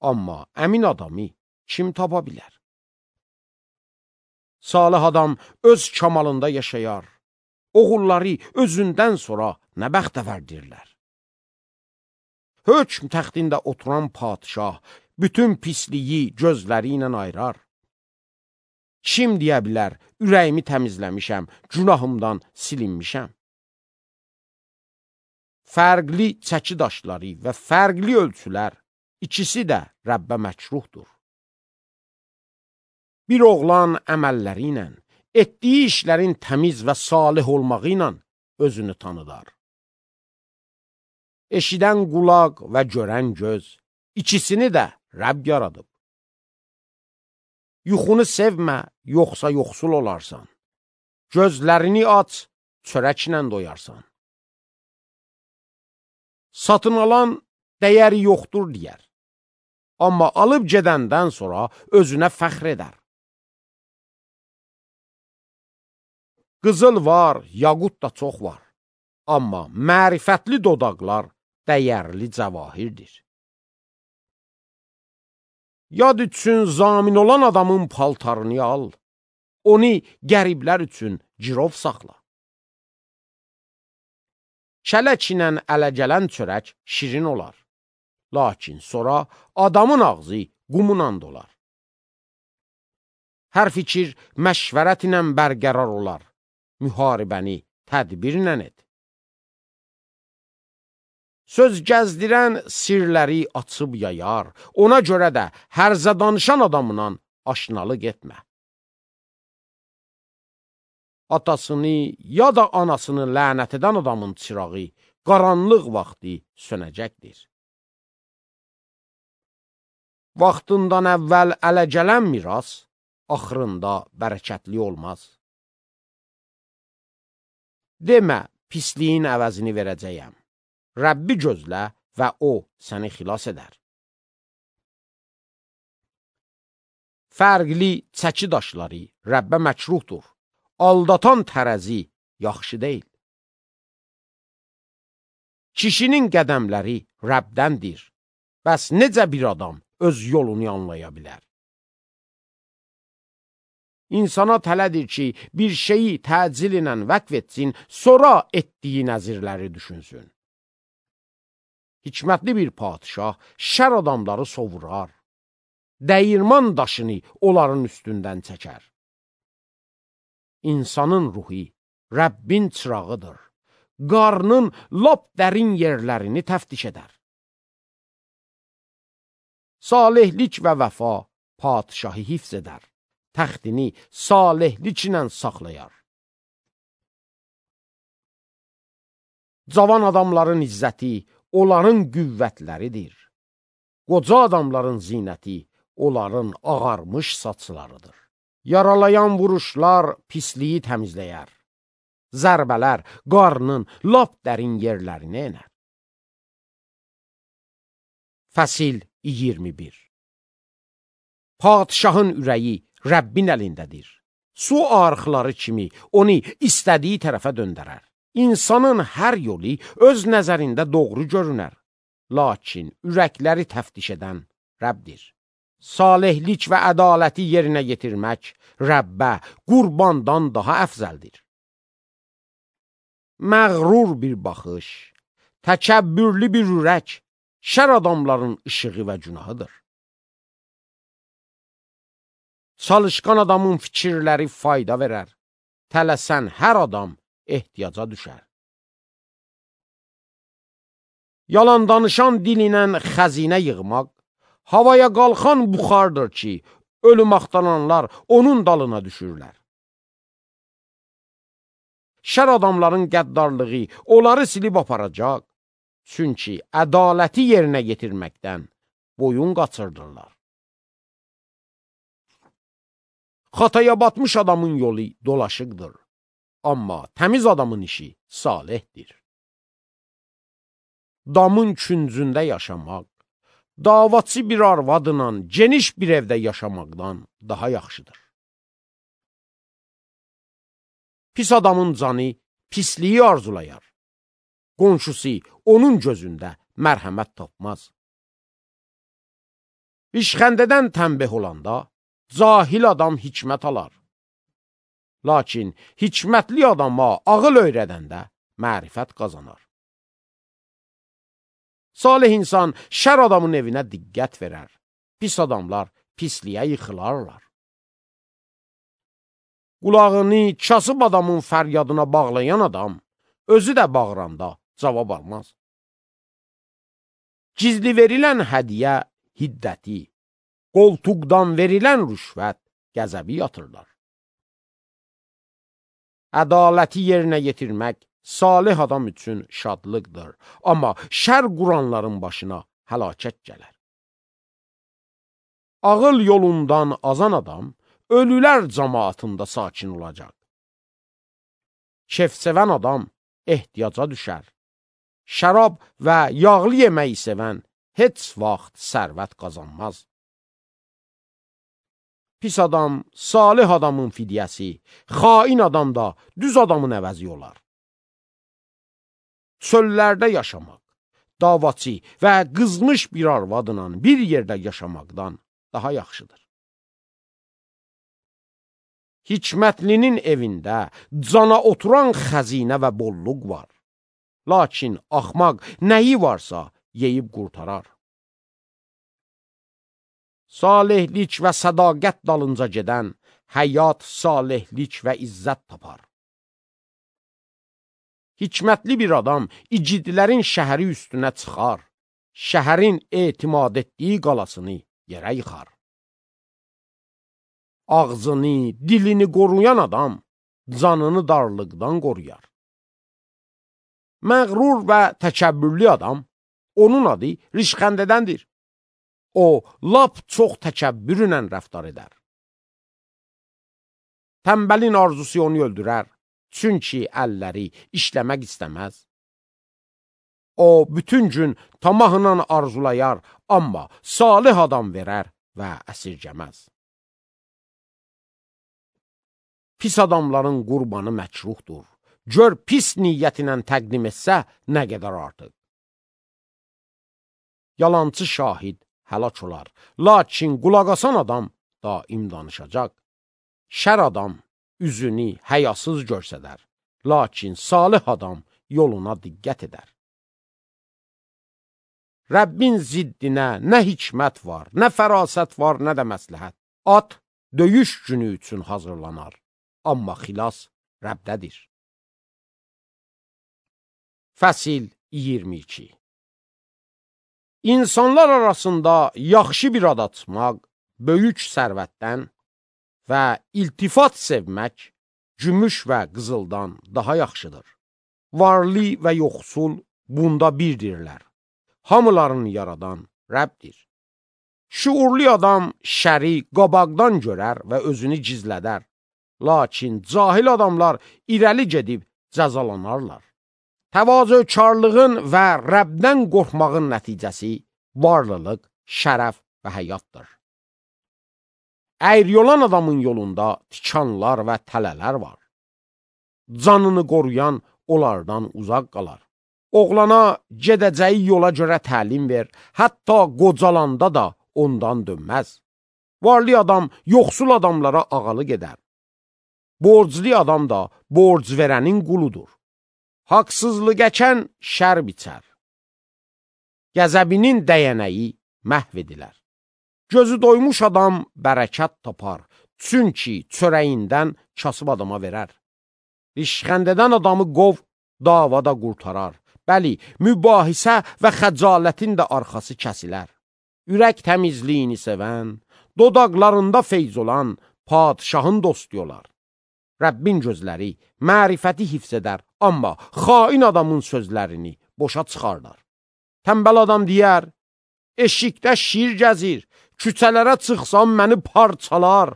Amma əmin adamı kim tapa bilər? Salih adam öz kamalında yaşayar. Oğulları özündən sonra nə bəxtəvərdirlər. Hökm təxtində oturan padişah bütün pisliyi gözləri ilə ayırar. Kim deyə bilər, ürəyimi təmizləmişəm, günahımdan silinmişəm. Fərqli çəki daşları və fərqli ölçülər, ikisi də Rəbbə məkruhdur. Bir oğlan əməlləri ilə, etdiyi işlərin təmiz və salih olmağı ilə özünü tanıdar. Eşidən qulaq və görən göz, ikisini də Rəbb yaradıb. Yuxunu sevmə, yoxsa yoxsul olarsan. Gözlərini aç, çörəklə doyarsan. Satın alan dəyəri yoxdur deyər. Amma alıb gedəndən sonra özünə fəxr edər. Qızıl var, yaqut da çox var. Amma mərifətli dodaqlar dəyərli cəvahirdir. Yad üçün zamin olan adamın paltarını al, onu qəriblər üçün girov saxla. Kələk ilə ələ gələn çörək şirin olar, lakin sonra adamın ağzı qumla dolar. Hər fikir məşvərət ilə bərqərar olar, müharibəni tədbirlə et. Söz gəzdirən sirləri açıb yayar, ona görə də hərzə danışan adamla aşnalıq etmə. Atasını ya da anasını lənət edən adamın çırağı qaranlıq vaxtı sönəcəkdir. Vaxtından əvvəl ələ gələn miras axırında bərəkətli olmaz. Demə, pisliyin əvəzini verəcəyəm. Rəbbi gözlə və o səni xilas edər. Fərqli çəki daşları Rəbbə məkruhdur. Aldatan tərəzi yaxşı deyil. Kişinin qədəmləri Rəbdəndir. Bəs necə bir adam öz yolunu anlaya bilər? İnsana tələdir ki, bir şeyi təcil ilə vəqf etsin, sonra etdiyi nəzirləri düşünsün. Hikmətli bir padişah şər adamları sovurar, dəyirman daşını onların üstündən çəkər. İnsanın ruhu Rəbbin çırağıdır, qarnın lap dərin yerlərini təftiş edər. Salihlik və vəfa padişahı hifz edər, təxtini salihlik ilə saxlayar. Cavan adamların izzəti onların qüvvətləridir. Qoca adamların zinəti onların ağarmış saçlarıdır. Yaralayan vuruşlar pisliyi təmizləyər. Zərbələr qarnın lap dərin yerlərinə enər. Fəsil 21. Padişahın ürəyi Rəbbin əlindədir. Su arxları kimi onu istədiyi tərəfə döndərər. İnsanın hər yolu öz nəzərində doğru görünər. Lakin ürəkləri təftiş edən Rəbdir. Salihlik və ədaləti yerinə yetirmək Rəbbə qurbandan daha əfzəldir. Məğrur bir baxış, təkəbbürlü bir ürək, şər adamların işığı və günahıdır. Çalışqan adamın fikirləri fayda verər, tələsən hər adam ehtiyaca düşər. Yalan danışan dil ilə xəzinə yığmaq, havaya qalxan buxardır ki, ölüm axtaranlar onun dalına düşürlər. Şər adamların qəddarlığı onları silib aparacaq, çünki ədaləti yerinə yetirməkdən boyun qaçırdırlar. Xataya batmış adamın yolu dolaşıqdır, amma təmiz adamın işi salihdir. Damın küncündə yaşamaq, davaçı bir arvadla geniş bir evdə yaşamaqdan daha yaxşıdır. Pis adamın canı pisliyi arzulayar. Qonşusu onun gözündə mərhəmət tapmaz. İşxəndədən tənbeh olanda cahil adam hikmət alar. Lakin hikmətli adama ağıl öyrədəndə mərifət qazanar. Salih insan şər adamın evinə diqqət verər. Pis adamlar pisliyə yıxılarlar. Qulağını kasıb adamın fəryadına bağlayan adam, özü də bağıranda cavab almaz. Gizli verilən hədiyə hiddəti, qoltuqdan verilən rüşvət qəzəbi yatırlar. Ədaləti yerinə yetirmək salih adam üçün şadlıqdır, amma şər quranların başına həlakət gələr. Ağıl yolundan azan adam, ölülər cəmaatında sakin olacaq. Kef-sevən adam ehtiyaca düşər. Şərab və yağlı yeməyi sevən heç vaxt sərvət qazanmaz. Pis adam, salih adamın fidyəsi, xain adam da düz adamın əvəzi olar. Çöllərdə yaşamaq, davaçı və qızmış bir arvadla bir yerdə yaşamaqdan daha yaxşıdır. Hikmətlinin evində cana oturan xəzinə və bolluq var. Lakin axmaq nəyi varsa yeyib qurtarar. Salihlik və sədaqət dalınca gedən həyat, salihlik və izzət tapar. Hikmətli bir adam igidlərin şəhəri üstünə çıxar, şəhərin etimad etdiyi qalasını yerə yıxar. ağzını, dilini qoruyan adam canını darlıqdan qoruyar. Məğrur və təkəbbürlü adam, onun adı rişxəndədəndir. O, lap çox təkəbbürlə rəftar edər. Tənbəlin arzusu onu öldürər, çünki əlləri işləmək istəməz. O, bütün gün tamahla arzulayar, amma salih adam verər və əsirgəməz. Pis adamların qurbanı məkruhdur. Gör pis niyyətinə təqdim etsə nə qədər artıq. Yalancı şahid həlak olar, lakin qulaq asan adam daim danışacaq. Şər adam üzünü həyasız görsədər, lakin salih adam yoluna diqqət edər. Rəbbin ziddinə nə hikmət var, nə fərasət var, nə də məsləhət. At döyüş günü üçün hazırlanar, amma xilas Rəbdədir. Fəsil 22. İnsanlar arasında yaxşı bir ad açmaq, böyük sərvətdən və iltifat sevmək gümüş və qızıldan daha yaxşıdır. Varlı və yoxsul bunda birdirlər. Hamıların yaradan Rəbdir. Şuurlu adam şəri qabaqdan görər və özünü gizlədər. Lakin cahil adamlar irəli gedib cəzalanarlar. Təvazökarlığın və Rəbdən qorxmağın nəticəsi varlılıq, şərəf və həyatdır. Əyri olan adamın yolunda tikanlar və tələlər var. Canını qoruyan onlardan uzaq qalar. Oğlana gedəcəyi yola görə təlim ver, hətta qocalanda da ondan dönməz. Varlı adam yoxsul adamlara ağalı gedər. Borclu adam da borc verənin quludur. Haqsızlıq əkən şər biçər. Qəzəbinin dəyənəyi məhv edilər. Gözü doymuş adam bərəkət tapar, çünki çörəyindən kasıb adama verər. Rişxəndədən adamı qov, davada qurtarar. Bəli, mübahisə və xəcalətin də arxası kəsilər. Ürək təmizliyini sevən, dodaqlarında feyz olan padişahın dostu olar. Rəbbin gözləri mərifəti hifz edər, amma xain adamın sözlərini boşa çıxardar. Tənbəl adam deyər, eşikdə şir gəzir, küçələrə çıxsam məni parçalar.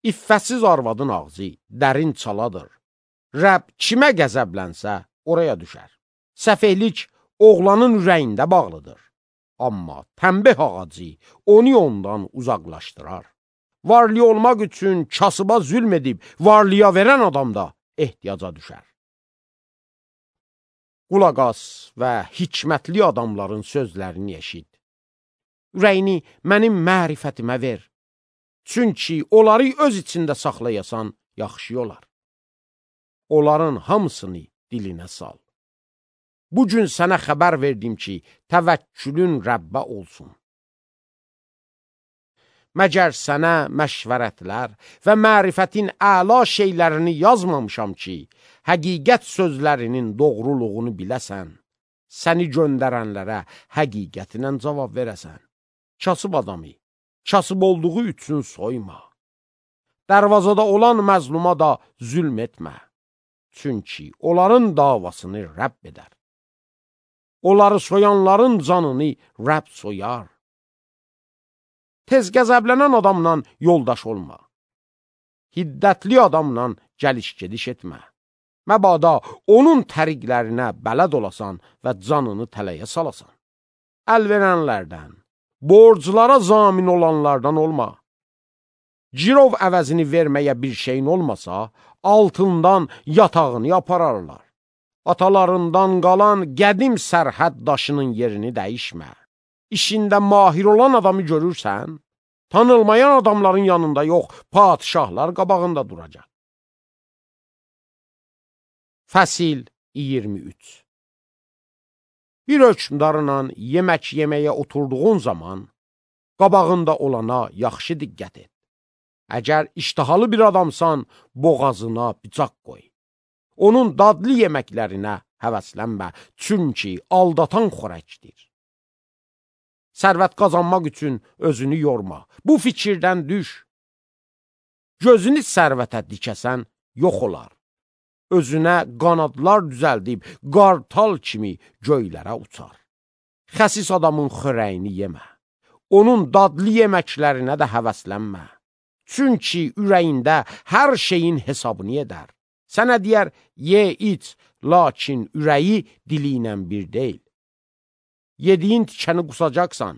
İffətsiz arvadın ağzı dərin çaladır. Rəbb kimə qəzəblənsə oraya düşər. Səfehlik oğlanın ürəyində bağlıdır. Amma tənbih ağacı onu ondan uzaqlaşdırar. Varlı olmaq üçün kasıba zülm edib varlıya verən adam da ehtiyaca düşər. Qulaq as və hikmətli adamların sözlərini eşit. Ürəyini mənim mərifətimə ver. Çünki onları öz içində saxlayasan yaxşı olar. Onların hamısını dilinə sal. Bugün sənə xəbər verdim ki, təvəkkülün Rəbbə olsun. Məgər sənə məşvərətlər və mərifətin əla şeylərini yazmamışam ki, həqiqət sözlərinin doğruluğunu biləsən, səni göndərənlərə həqiqətinə cavab verəsən. Kasıb adamı, kasıb olduğu üçün soyma. Dərvazada olan məzluma da zülm etmə. Çünki onların davasını Rəbb edər. Onları soyanların canını Rəbb soyar. Tez qəzəblənən adamla yoldaş olma. Hiddətli adamla gəliş-gediş etmə. Məbada onun təriqlərinə bələd olasan və canını tələyə salasan. Əl verənlərdən, borclara zamin olanlardan olma. Girov əvəzini verməyə bir şeyin olmasa, altından yatağını yapararlar. Atalarından qalan qədim sərhəd daşının yerini dəyişmə. İşində mahir olan adamı görürsən, tanılmayan adamların yanında yox, padişahlar qabağında duracaq. Fəsil 23. Bir hökmdarla yemək yeməyə oturduğun zaman, qabağında olana yaxşı diqqət et. Əgər iştahalı bir adamsan, boğazına bıçaq qoy. Onun dadlı yeməklərinə həvəslənmə, çünki aldatan xörəkdir. Sərvət qazanmaq üçün özünü yorma, bu fikirdən düş. gözünü sərvətə dikəsən, yox olar. Özünə qanadlar düzəldib, qartal kimi göylərə uçar. Xəsis adamın xörəyini yemə. Onun dadlı yeməklərinə də həvəslənmə. Çünki ürəyində hər şeyin hesabını edər. Sənə deyər, ye, iç, lakin ürəyi dili ilə bir deyil. Yediyin tikəni qusacaqsan.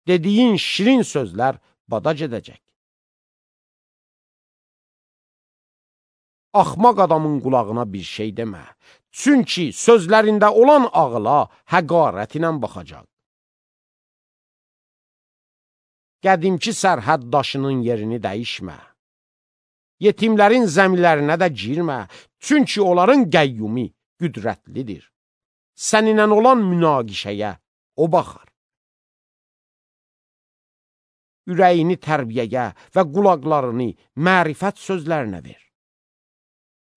Dediyin şirin sözlər badac edəcək. Axmaq adamın qulağına bir şey demə. Çünki sözlərində olan ağıla həqarət ilə baxacaq. Qədimki sərhəd daşının yerini dəyişmə. Yetimlərin zəmilərinə də girmə. Çünki onların qəyyumi qüdrətlidir. Səninlə olan münaqişəyə o baxar. Ürəyini tərbiyəyə və qulaqlarını mərifət sözlərinə ver.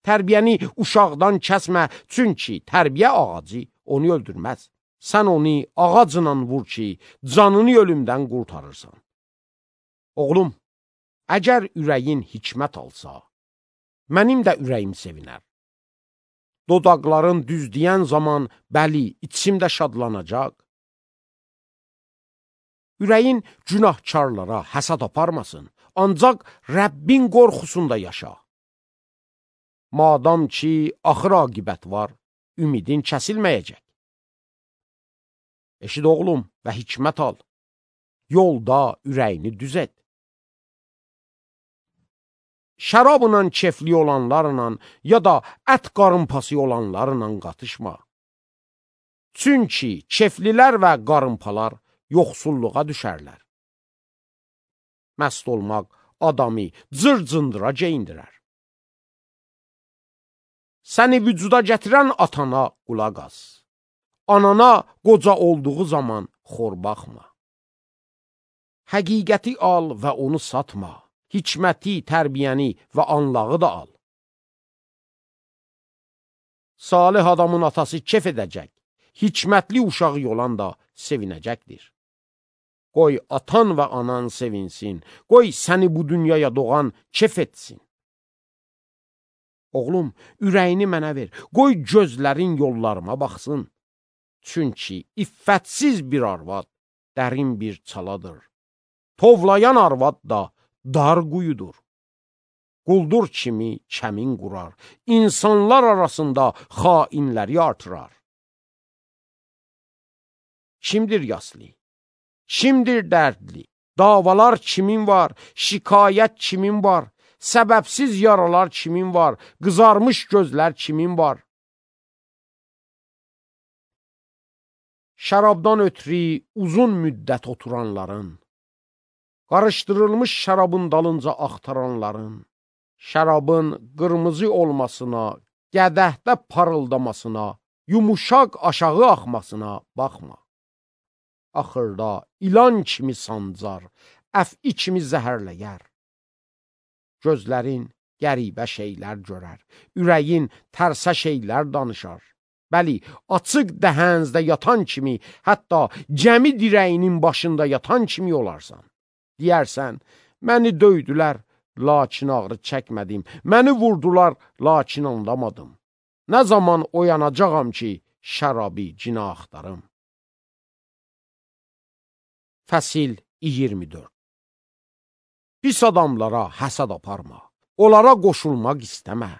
Tərbiyəni uşaqdan kəsmə, çünki tərbiyə ağacı onu öldürməz. Sən onu ağacla vur ki, canını ölümdən qurtarırsan. Oğlum, əgər ürəyin hikmət alsa, mənim də ürəyim sevinər. Dodaqların düzləyən zaman, bəli, içimdə şadlanacaq. Ürəyin günahkarlara həsad aparmasın, ancaq Rəbbin qorxusunda yaşa. Madam ki, axır aqibət var, ümidin kəsilməyəcək. Eşid oğlum və hikmət al, yolda ürəyini düz et. Şərabla kefli olanlarla ya da ət qarınpası olanlarla qatışma. Çünki keflilər və qarınpalar yoxsulluğa düşərlər. Məst olmaq adamı cır-cındıra geyindirər. Səni vücuda gətirən atana qulaq as. Anana qoca olduğu zaman xor baxma. Həqiqəti al və onu satma. Hikməti, tərbiyəni və anlağı da al. Salih adamın atası kef edəcək. Hikmətli uşağı olan da sevinəcəkdir. Qoy atan və anan sevinsin. Qoy səni bu dünyaya doğan kef etsin. Oğlum, ürəyini mənə ver. Qoy gözlərin yollarıma baxsın. Çünki iffətsiz bir arvad dərin bir çaladır. Tovlayan arvad da dar quyudur. Quldur kimi kəmin qurar. İnsanlar arasında xainləri artırar. Kimdir yaslı? Kimdir dərdli? Davalar kimin var? Şikayət kimin var? Səbəbsiz yaralar kimin var? Qızarmış gözlər kimin var? Şərabdan ötürü uzun müddət oturanların, qarışdırılmış şərabın dalınca axtaranların, şərabın qırmızı olmasına, qədəhdə parıldamasına, yumuşaq aşağı axmasına baxma. Axırda ilan kimi sancar, əf'i kimi zəhərləyər. Gözlərin qəribə şeylər görər, ürəyin tərsə şeylər danışar. Bəli, açıq dəhənzdə yatan kimi, hətta gəmi dirəyinin başında yatan kimi olarsan. Deyərsən, məni döydülər, lakin ağrı çəkmədim, məni vurdular, lakin anlamadım. Nə zaman oyanacağam ki, şərabi cinə axtarım. Fəsil 24. Pis adamlara həsad aparma, onlara qoşulmaq istəmə.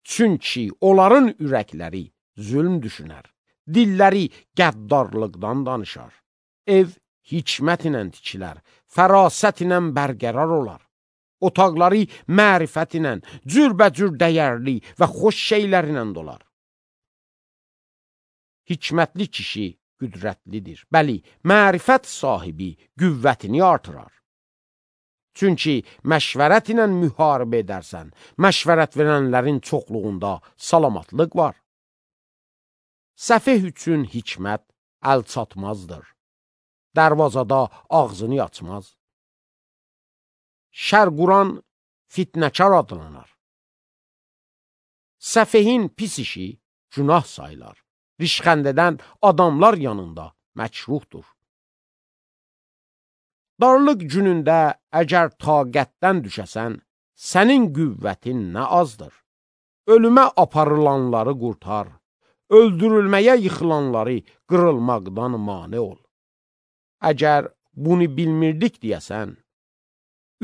Çünki onların ürəkləri zülm düşünər, dilləri qəddarlıqdan danışar. Ev hikmət ilə tikilər, fərasət ilə bərqərar olar. Otaqları mərifət ilə, cürbəcür dəyərli və xoş şeylərlə dolar. Hikmətli kişi qüdrətlidir. Bəli, mərifət sahibi qüvvətini artırar. Çünki məşvərət ilə müharibə edərsən, məşvərət verənlərin çoxluğunda salamatlıq var. Səfeh üçün hikmət əl çatmazdır. Dərvazada ağzını açmaz. Şər quran fitnəkar adlanar. Səfehin pis işi günah sayılar. Rişxəndədən adamlar yanında məkruhdur. Darlıq günündə əgər taqətdən düşəsən, sənin qüvvətin nə azdır. Ölümə aparılanları qurtar, öldürülməyə yıxılanları qırılmaqdan mane ol. Əgər bunu bilmirdik deyəsən,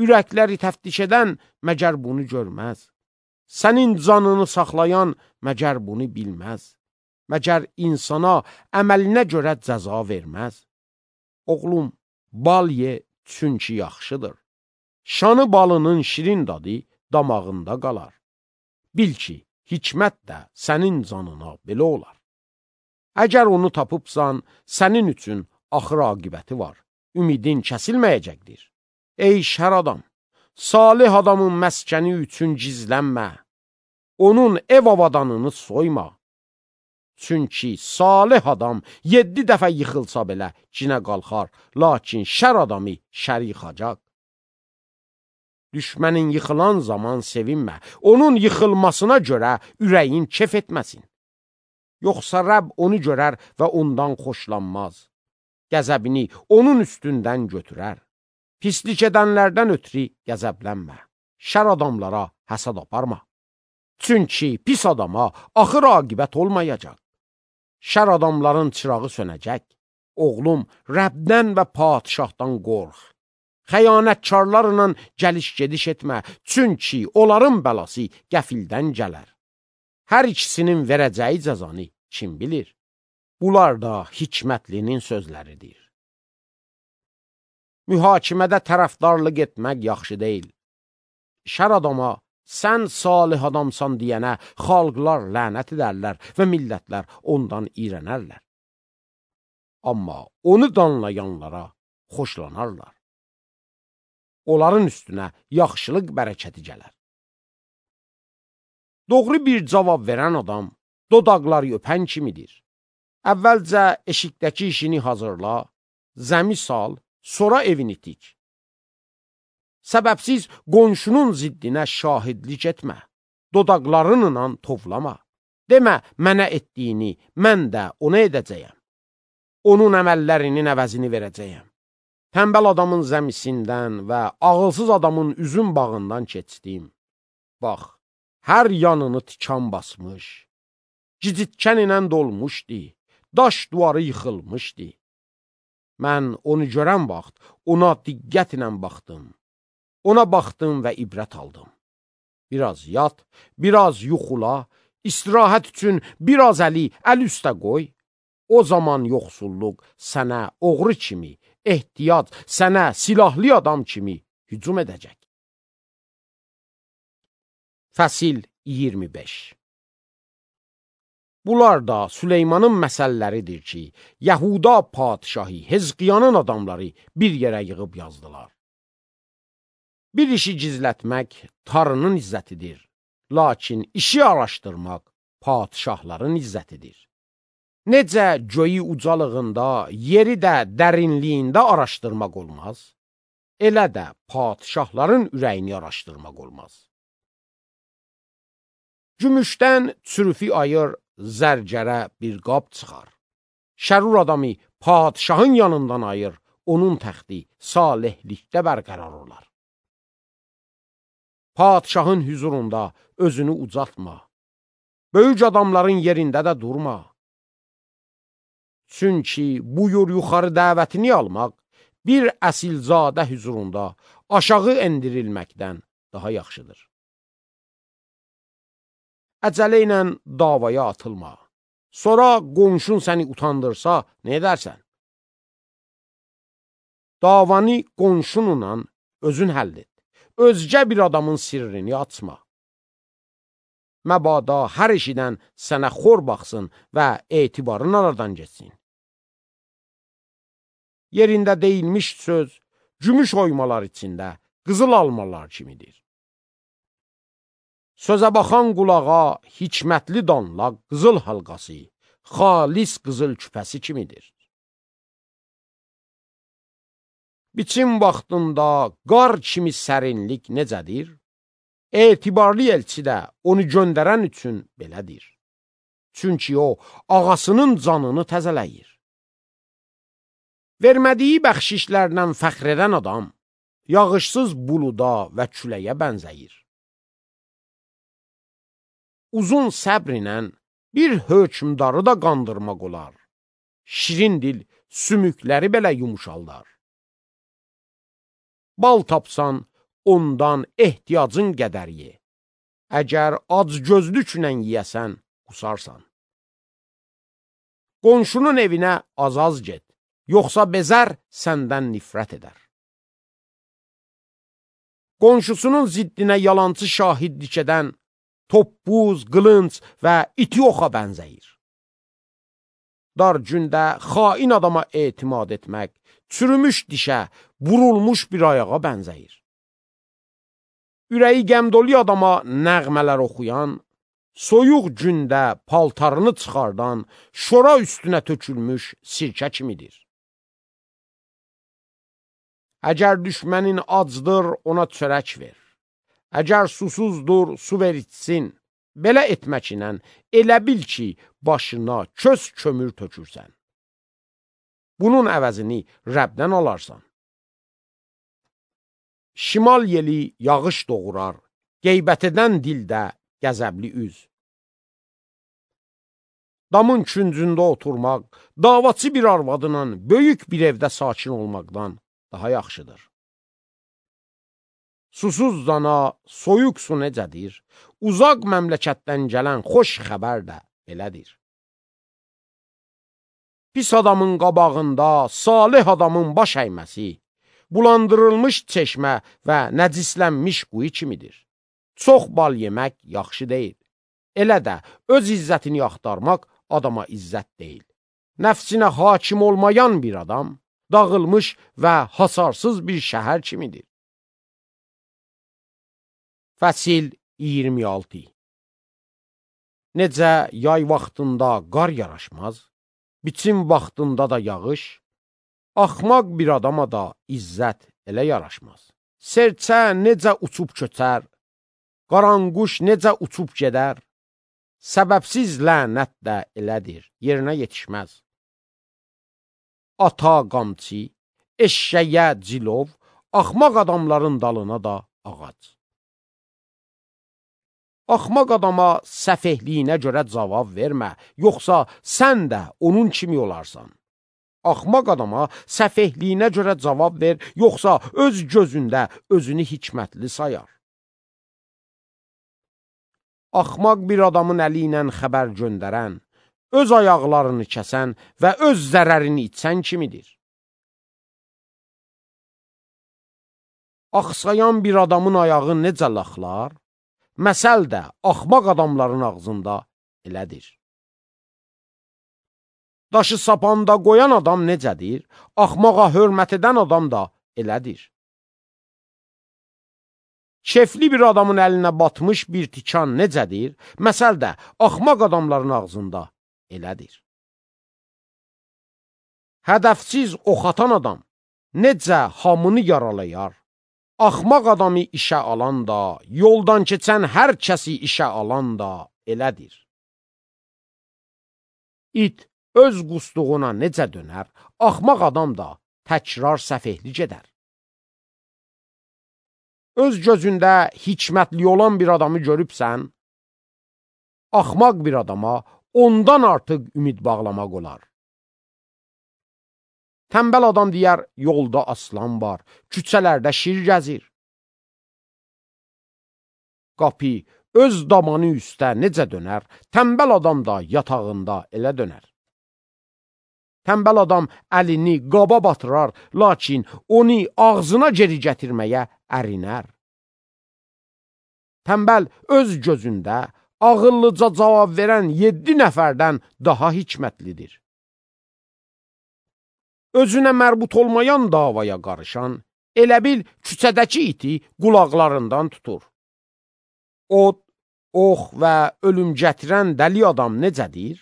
ürəkləri təftiş edən məgər bunu görməz. Sənin canını saxlayan məgər bunu bilməz. Məgər insana əməlinə görə cəza verməz. Oğlum, bal ye, çünki yaxşıdır. Şanı balının şirin dadı damağında qalar. Bil ki, hikmət də sənin canına belə olar. Əgər onu tapıbsan, sənin üçün axır aqibəti var. Ümidin kəsilməyəcəkdir. Ey şər adam, salih adamın məskəni üçün gizlənmə. Onun ev avadanını soyma. Çünki salih adam 7 dəfə yıxılsa belə cinə qalxar, lakin şər adamı şər yıxacaq. Düşmənin yıxılan zaman sevinmə, onun yıxılmasına görə ürəyin kef etməsin. Yoxsa Rəbb onu görər və ondan xoşlanmaz. Qəzəbini onun üstündən götürər. Pislik edənlərdən ötürü qəzəblənmə. Şər adamlara həsəd aparma. Çünki pis adama axır aqibət olmayacaq. Şər adamların çırağı sönəcək. Oğlum, Rəbdən və padişahdan qorx. Xəyanətkarlarla gəliş-gediş etmə, çünki onların bəlası qəfildən gələr. Hər ikisinin verəcəyi cəzanı kim bilir? Bunlar da hikmətlinin sözləridir. Mühakimədə tərəfdarlıq etmək yaxşı deyil. Şər adama, sən salih adamsan deyənə xalqlar lənət edərlər və millətlər ondan iyrənərlər. Amma onu danlayanlara xoşlanarlar. Onların üstünə yaxşılıq bərəkəti gələr. Doğru bir cavab verən adam dodaqları öpən kimidir. Əvvəlcə eşikdəki işini hazırla, zəmi sal, sonra evini tik. Səbəbsiz qonşunun ziddinə şahidlik etmə. Dodaqlarınla tovlama. Demə, mənə etdiyini mən də ona edəcəyəm. Onun əməllərinin əvəzini verəcəyəm. Tənbəl adamın zəmisindən və ağılsız adamın üzüm bağından keçdim. Bax, hər yanını tikan basmış, gicitkən ilə dolmuşdu, daş duvarı yıxılmışdı. Mən onu görən vaxt ona diqqət ilə baxdım. Ona baxdım və ibrət aldım. Biraz yat, biraz yuxula, istirahət üçün biraz əl üstə qoy. O zaman yoxsulluq sənə oğru kimi, ehtiyac sənə silahlı adam kimi hücum edəcək. Fəsil 25. Bunlar da Süleymanın məsəlləridir ki, Yahuda padişahı Hezqiyanın adamları bir yerə yığıb yazdılar. Bir işi gizlətmək tarının izzətidir, lakin işi araşdırmaq padişahların izzətidir. Necə göyü ucalığında, yeri də dərinliyində araşdırmaq olmaz, elə də padişahların ürəyini araşdırmaq olmaz. Gümüşdən çürüfü ayır, zərgərə bir qab çıxar. Şərur adamı padişahın yanından ayır, onun təxti salihlikdə bərqərar olar. Padişahın hüzurunda özünü ucaltma. Böyük adamların yerində də durma. Çünki buyur yuxarı dəvətini almaq bir əsilzadə hüzurunda aşağı endirilməkdən daha yaxşıdır. Əcələ ilə davaya atılma. Sonra qonşun səni utandırsa, nə edərsən? Davanı qonşununla özün həll et. Özgə bir adamın sirrini açma. Məbada hər işidən sənə xor baxsın və etibarın aradan geçsin. Yerində deyilmiş söz, gümüş oymalar içində qızıl almalar kimidir. Sözə baxan qulağa hikmətli danla qızıl halqası, xalis qızıl küpəsi kimidir. Biçim vaxtında qar kimi sərinlik necədir? Etibarlı elçi də onu göndərən üçün belədir. Çünki o, ağasının canını təzələyir. Vermədiyi bəxşişlərlə fəxr edən adam, yağışsız buluda və küləyə bənzəyir. uzun səbr ilə bir hökmdarı da qandırmaq olar. Şirin dil sümükləri belə yumuşaldar. Bal tapsan, ondan ehtiyacın qədər ye. Əgər ac gözlüklə yiyəsən, qusarsan. Qonşunun evinə az-az get, yoxsa bezər səndən nifrət edər. Qonşusunun ziddinə yalancı şahidlik edən toppuz, qılınc və iti oxa bənzəyir. Dar gündə xain adama etimad etmək, çürümüş dişə, vurulmuş bir ayağa bənzəyir. Ürəyi qəmdoli adama nəğmələr oxuyan, soyuq gündə paltarını çıxardan, şora üstünə tökülmüş sirkə kimidir. Əgər düşmənin acdır, ona çörək ver. Əgər susuzdur, su ver içsin. Belə etməklə elə bil ki, başına köz kömür tökürsən. Bunun əvəzini Rəbdən alarsan. Şimal yeli yağış doğurar, qeybət edən dildə qəzəbli üz. Damın küncündə oturmaq, davaçı bir arvadla böyük bir evdə sakin olmaqdan daha yaxşıdır. Susuz zana soyuq su necədir, uzaq məmləkətdən gələn xoş xəbər də belədir. Pis adamın qabağında salih adamın baş əyməsi, bulandırılmış çeşmə və nəcislənmiş quyu kimidir. Çox bal yemək yaxşı deyil. Elə də öz izzətini axtarmaq adama izzət deyil. Nəfsinə hakim olmayan bir adam, dağılmış və hasarsız bir şəhər kimidir. Fəsil 26. Necə yay vaxtında qar yaraşmaz, biçim vaxtında da yağış, axmaq bir adama da izzət elə yaraşmaz. Serçə necə uçub köçər, qaranquş necə uçub gedər, səbəbsiz lənət də elədir, yerinə yetişməz. Ata qamçı, eşşəyə cilov, axmaq adamların dalına da ağac. Axmaq adama səfehliyinə görə cavab vermə, yoxsa sən də onun kimi olarsan. Axmaq adama səfehliyinə görə cavab ver, yoxsa öz gözündə özünü hikmətli sayar. Axmaq bir adamın əli ilə xəbər göndərən, öz ayaqlarını kəsən və öz zərərini içsən kimidir. Axsayan bir adamın ayağı necə laxlar, məsəl də axmaq adamların ağzında elədir. Daşı sapanda qoyan adam necədir, axmağa hörmət edən adam da elədir. Kefli bir adamın əlinə batmış bir tikan necədir, məsəl də axmaq adamların ağzında elədir. Hədəfsiz ox atan adam necə hamını yaralayar, axmaq adamı işə alan da, yoldan keçən hər kəsi işə alan da elədir. İt öz qusduğuna necə dönər, axmaq adam da təkrar səfehlik edər. Öz gözündə hikmətli olan bir adamı görübsən, axmaq bir adama ondan artıq ümid bağlamaq olar. Tənbəl adam deyər, yolda aslan var, küçələrdə şir gəzir. Qapı öz damanı üstə necə dönər, tənbəl adam da yatağında elə dönər. Tənbəl adam əlini qaba batırar, lakin onu ağzına geri gətirməyə ərinər. Tənbəl öz gözündə ağıllıca cavab verən 7 nəfərdən daha hikmətlidir. Özünə mərbut olmayan davaya qarışan, elə bil küçədəki iti qulaqlarından tutur. Od, ox və ölüm gətirən dəli adam necədir?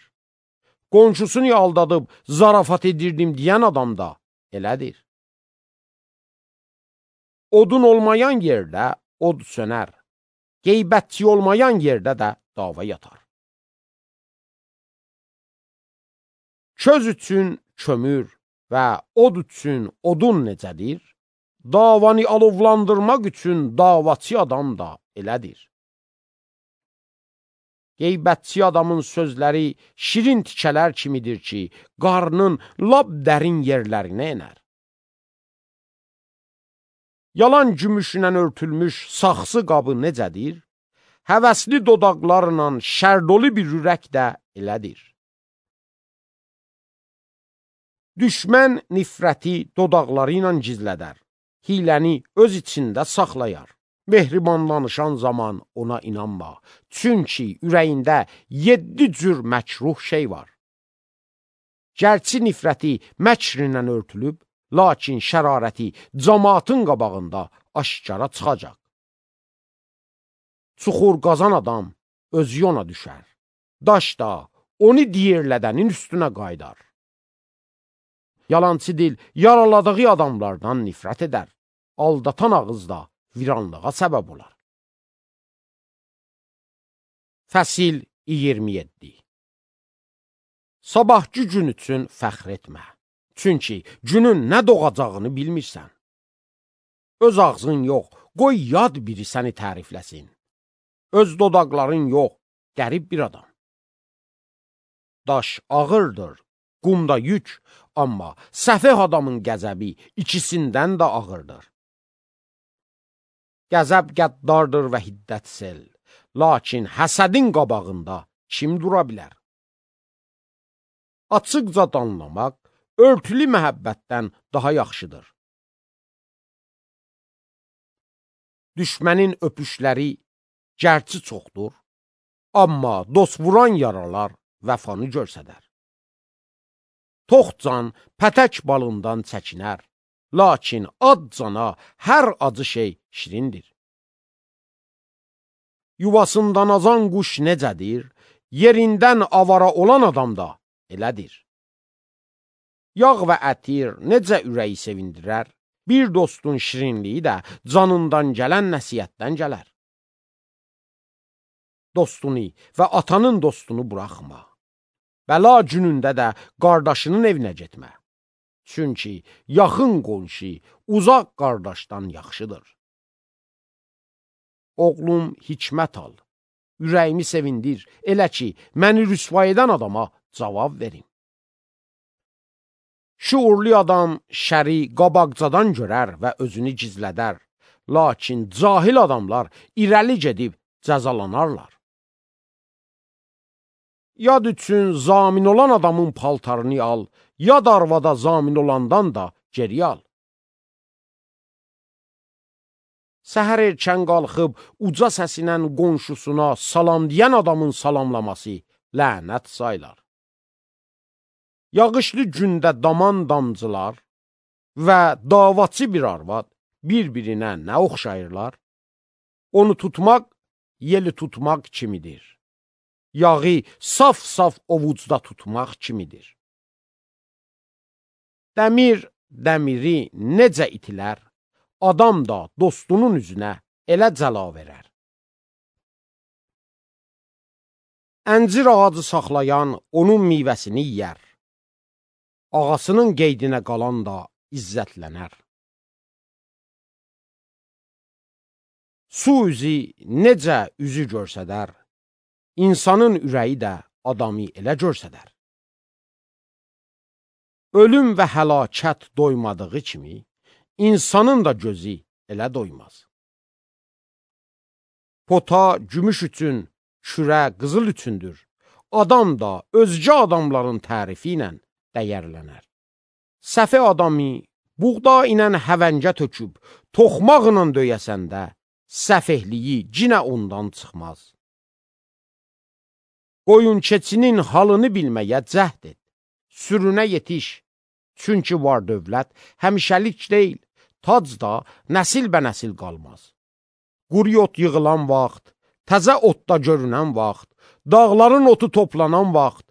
Qonşusunu aldadıb zarafat edirdim deyən adam da elədir. Odun olmayan yerdə od sönər, qeybətçi olmayan yerdə də dava yatar. Köz üçün kömür və od üçün odun necədir? Davanı alovlandırmaq üçün davaçı adam da elədir. Qeybətçi adamın sözləri şirin tikələr kimidir ki, qarnın lap dərin yerlərinə enər. Yalan gümüşlə örtülmüş saxsı qabı necədir? Həvəsli dodaqlarla şərdoli bir ürək də elədir. Düşmən nifrəti dodaqları ilə gizlədər, hiləni öz içində saxlayar. Mehriban danışan zaman ona inanma, çünki ürəyində 7 cür məkruh şey var. Gərçi nifrəti məkrinlə örtülüb, lakin şərarəti cəmaatın qabağında aşkara çıxacaq. Çuxur qazan adam özü ona düşər, daş da onu diyirlədənin üstünə qaydar. Yalançı dil yaraladığı adamlardan nifrət edər, aldatan ağız da viranlığa səbəb olar. Fəsil 27. Sabahki gün üçün fəxr etmə, çünki günün nə doğacağını bilmirsən. Öz ağzın yox, qoy yad biri səni tərifləsin. Öz dodaqların yox, qərib bir adam. Daş ağırdır, qumda yük, amma səfeh adamın qəzəbi ikisindən də ağırdır. Qəzəb qəddardır və hiddət sel, lakin həsədin qabağında kim dura bilər? Açıqca danlamaq, örtülü məhəbbətdən daha yaxşıdır. Düşmənin öpüşləri gərçi çoxdur, amma dost vuran yaralar vəfanı görsədər. Toxcan pətək balından çəkinər, lakin ad cana hər acı şey şirindir. Yuvasından azan quş necədir, yerindən avara olan adam da elədir. Yağ və ətir necə ürəyi sevindirər, bir dostun şirinliyi də canından gələn nəsiyyətdən gələr. Dostunu və atanın dostunu buraxma. Bəla günündə də qardaşının evinə getmə. Çünki yaxın qonşu uzaq qardaşdan yaxşıdır. Oğlum, hikmət al, ürəyimi sevindir, elə ki, məni rüsva edən adama cavab verim. Şuurlu adam şəri qabaqcadan görər və özünü gizlədər, lakin cahil adamlar irəli gedib cəzalanarlar. Yad üçün zamin olan adamın paltarını al, yad arvada zamin olandan da geri al. Səhər erkən qalxıb, uca səsinə qonşusuna salam deyən adamın salamlaması lənət saylar. Yağışlı gündə daman damcılar və davaçı bir arvad bir-birinə nə oxşayırlar? Onu tutmaq, yeli tutmaq kimidir. Yağı saf-saf ovucda tutmaq kimidir. Dəmir dəmiri necə itilər, adam da dostunun üzünə elə cəla verər. Əncir ağacı saxlayan onun meyvəsini yiyər. Ağasının qeydinə qalan da izzətlənər. Su üzü necə üzü görsədər, insanın ürəyi də adamı elə görsədər. Ölüm və həlakət doymadığı kimi, insanın da gözü elə doymaz. Pota gümüş üçün, kürə qızıl üçündür. Adam da özgə adamların tərifi ilə dəyərlənər. Səfə adamı buğda ilə həvəngə töküb, toxmaqla döyəsəndə, səfehliyi cinə ondan çıxmaz. Qoyun keçinin halını bilməyə cəhd et, sürünə yetiş, çünki var dövlət həmişəlik deyil, tac da nəsil bə nəsil qalmaz. Quru ot yığılan vaxt, təzə otda görünən vaxt, dağların otu toplanan vaxt,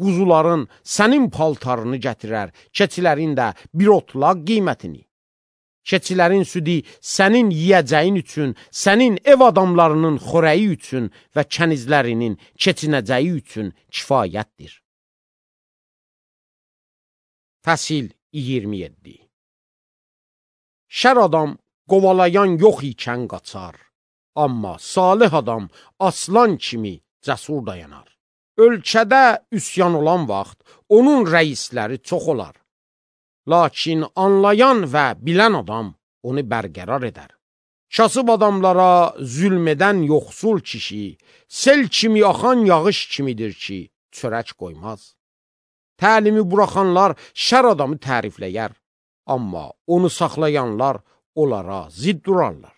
quzuların sənin paltarını gətirər, keçilərin də bir otlaq qiymətini. Keçilərin südü sənin yiyəcəyin üçün, sənin ev adamlarının xörəyi üçün və kənizlərinin keçinəcəyi üçün kifayətdir. Fəsil 27. Şər adam qovalayan yox ikən qaçar, amma salih adam aslan kimi cəsur dayanar. Ölkədə üsyan olan vaxt, onun rəisləri çox olar. Lakin anlayan və bilən adam onu bərqərar edər. Kasıb adamlara zülm edən yoxsul kişi, sel kimi axan yağış kimidir ki, çörək qoymaz. Təlimi buraxanlar şər adamı tərifləyər, amma onu saxlayanlar onlara zidd durarlar.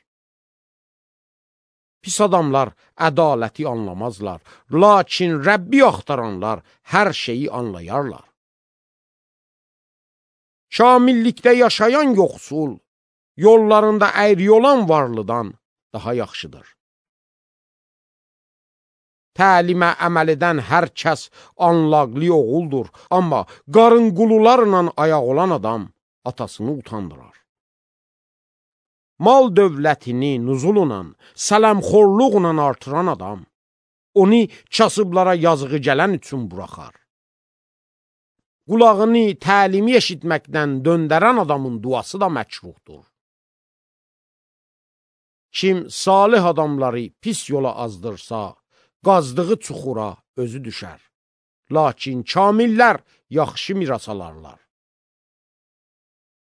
Pis adamlar ədaləti anlamazlar, lakin Rəbbi axtaranlar hər şeyi anlayarlar. Kamillikdə yaşayan yoxsul, yollarında əyri olan varlıdan daha yaxşıdır. Təlimə əməl edən hər kəs anlaqlı oğuldur, amma qarın qulularla ayaq olan adam atasını utandırar. Mal dövlətini nuzulla, sələmxorluqla artıran adam, onu kasıblara yazığı gələn üçün buraxar. Qulağını təlimi eşitməkdən döndərən adamın duası da məkruhdur. Kim salih adamları pis yola azdırsa, qazdığı çuxura özü düşər. Lakin kamillər yaxşı miras alarlar.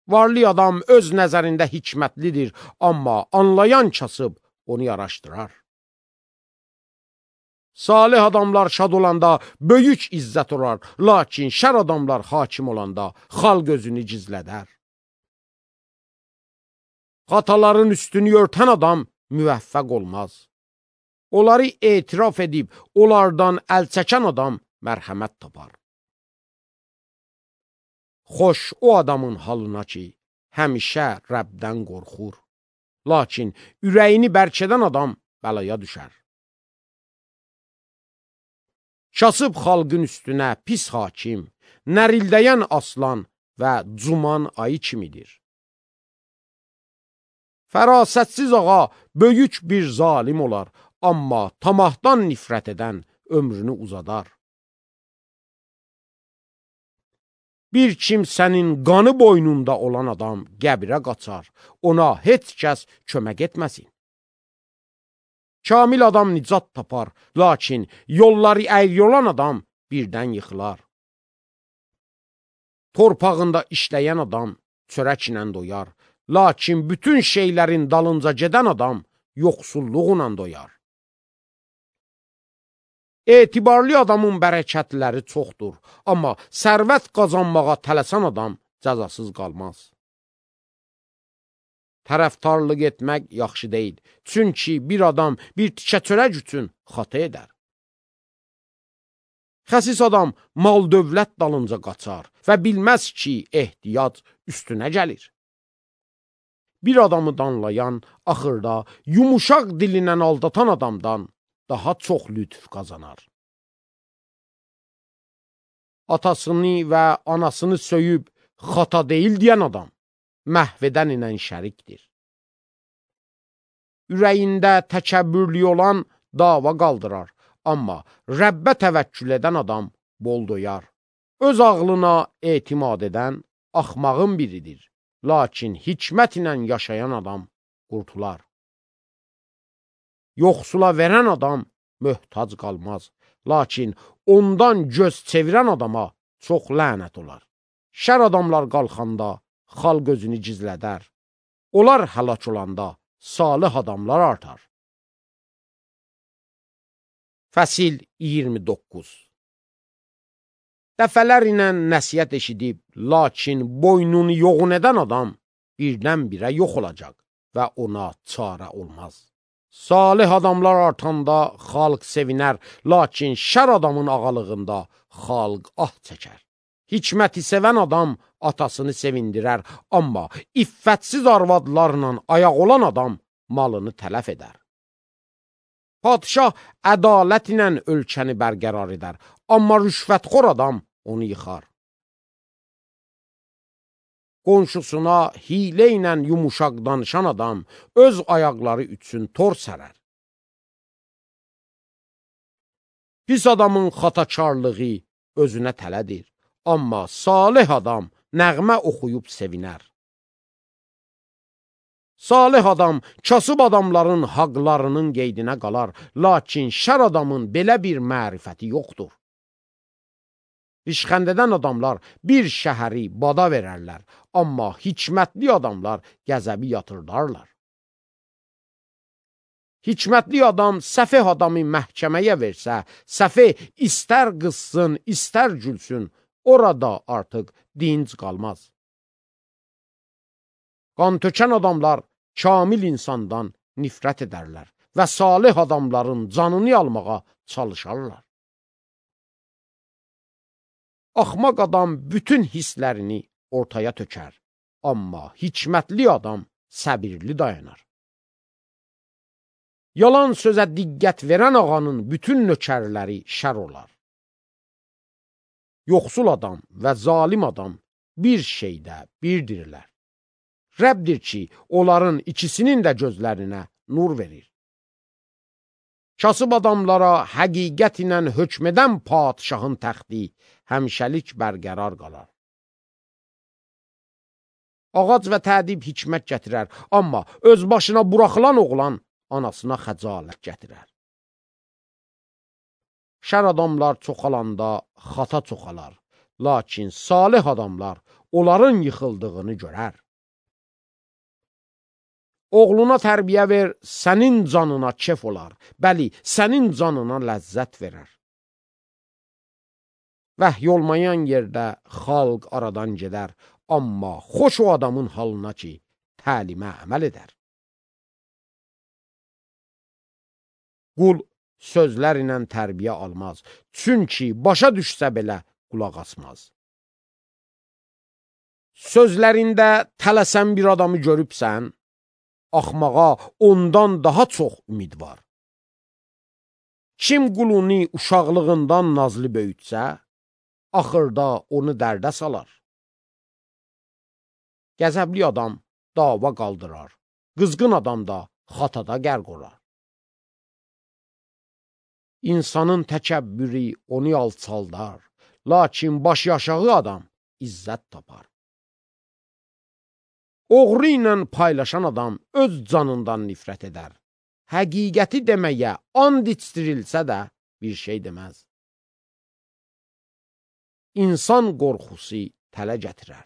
Varlı adam öz nəzərində hikmətlidir, amma anlayan kasıb onu yaraşdırar. Salih adamlar şad olanda böyük izzət olar, lakin şər adamlar hakim olanda xalq özünü gizlədər. Xataların üstünü örtən adam müvəffəq olmaz. Onları etiraf edib, onlardan əl çəkən adam mərhəmət tapar. Xoş o adamın halına ki, həmişə Rəbdən qorxur. Lakin ürəyini bərkədən adam bəlaya düşər. Kasıb xalqın üstünə pis hakim, nərildəyən aslan və cuman ayı kimidir. Fərasətsiz ağa böyük bir zalim olar, amma tamahdan nifrət edən ömrünü uzadar. Bir kimsənin qanı boynunda olan adam qəbirə qaçar, ona heç kəs kömək etməsin. Kamil adam nicat tapar, lakin yolları əyri olan adam birdən yıxılar. Torpağında işləyən adam çörəklə doyar, lakin bütün şeylərin dalınca gedən adam yoxsulluğla doyar. Etibarlı adamın bərəkətləri çoxdur, amma sərvət qazanmağa tələsən adam cəzasız qalmaz. Tərəftarlıq etmək yaxşı deyil, çünki bir adam bir tikə çörək üçün xata edər. Xəsis adam mal dövlət dalınca qaçar və bilməz ki, ehtiyac üstünə gəlir. Bir adamı danlayan, axırda yumuşaq dilindən aldatan adamdan daha çox lütf qazanar. Atasını və anasını söyüb xata deyil deyən adam məhvədən ilə şərikdir. Ürəyində təkəbbürlü olan dava qaldırar, amma Rəbbə təvəkkül edən adam bol doyar. Öz ağlına etimad edən axmağın biridir, lakin hikmət ilə yaşayan adam qurtular. Yoxsula verən adam möhtac qalmaz, lakin ondan göz çevirən adama çox lənət olar. Şər adamlar qalxanda xalq özünü gizlədər. Onlar həlak olanda salih adamlar artar. Fəsil 29. Dəfələr ilə nəsiyyət eşidib, lakin boynunu yoğun edən adam birdən-birə yox olacaq və ona çarə olmaz. Salih adamlar artanda xalq sevinər, lakin şər adamın ağalığında xalq ah çəkər. Hikməti sevən adam atasını sevindirər, amma iffətsiz arvadlarla ayaq olan adam malını tələf edər. Padşah ədalət ilə ölkəni bərqərar edər, amma rüşvətxor adam onu yıxar. Qonşusuna hilə ilə yumuşaq danışan adam öz ayaqları üçün tor sərər. Pis adamın xatakarlığı özünə tələdir, amma salih adam nəğmə oxuyub sevinər. Salih adam kasıb adamların haqlarının qeydinə qalar, lakin şər adamın belə bir mərifəti yoxdur. Rişxəndədən adamlar bir şəhəri bada verərlər, amma hikmətli adamlar qəzəbi yatırdarlar. Hikmətli adam səfeh adamı məhkəməyə versə, səfeh istər qızsın, istər gülsün, orada artıq dinc qalmaz. Qan tökən adamlar kamil insandan nifrət edərlər və salih adamların canını almağa çalışarlar. Axmaq adam bütün hisslərini ortaya tökər, amma hikmətli adam səbirli dayanar. Yalan sözə diqqət verən ağanın bütün nökərləri şər olar. Yoxsul adam və zalim adam bir şeydə birdirlər. Rəbdir ki, onların ikisinin də gözlərinə nur verir. Kasıb adamlara həqiqət ilə hökm edən padişahın təxti həmişəlik bərqərar qalar. Ağac və tədib hikmət gətirər, amma öz başına buraxılan oğlan anasına xəcalət gətirər. Şər adamlar çoxalanda xata çoxalar, lakin salih adamlar onların yıxıldığını görər. Oğluna tərbiyə ver, sənin canına kef olar, bəli, sənin canına ləzzət verər. Vəhy olmayan yerdə xalq aradan gedər, amma xoş o adamın halına ki, təlimə əməl edər. Qul sözlər ilə tərbiyə almaz, çünki başa düşsə belə qulaq asmaz. Sözlərində tələsən bir adamı görübsən, axmağa ondan daha çox ümid var. Kim qulunu uşaqlığından nazlı böyütsə, axırda onu dərdə salar. Qəzəbli adam dava qaldırar, qızğın adam da xatada qərq olar. İnsanın təkəbbürü onu alçaldar, lakin baş yaşağı adam izzət tapar. Oğru ilə paylaşan adam öz canından nifrət edər. Həqiqəti deməyə and içdirilsə də bir şey deməz. İnsan qorxusu tələ gətirər.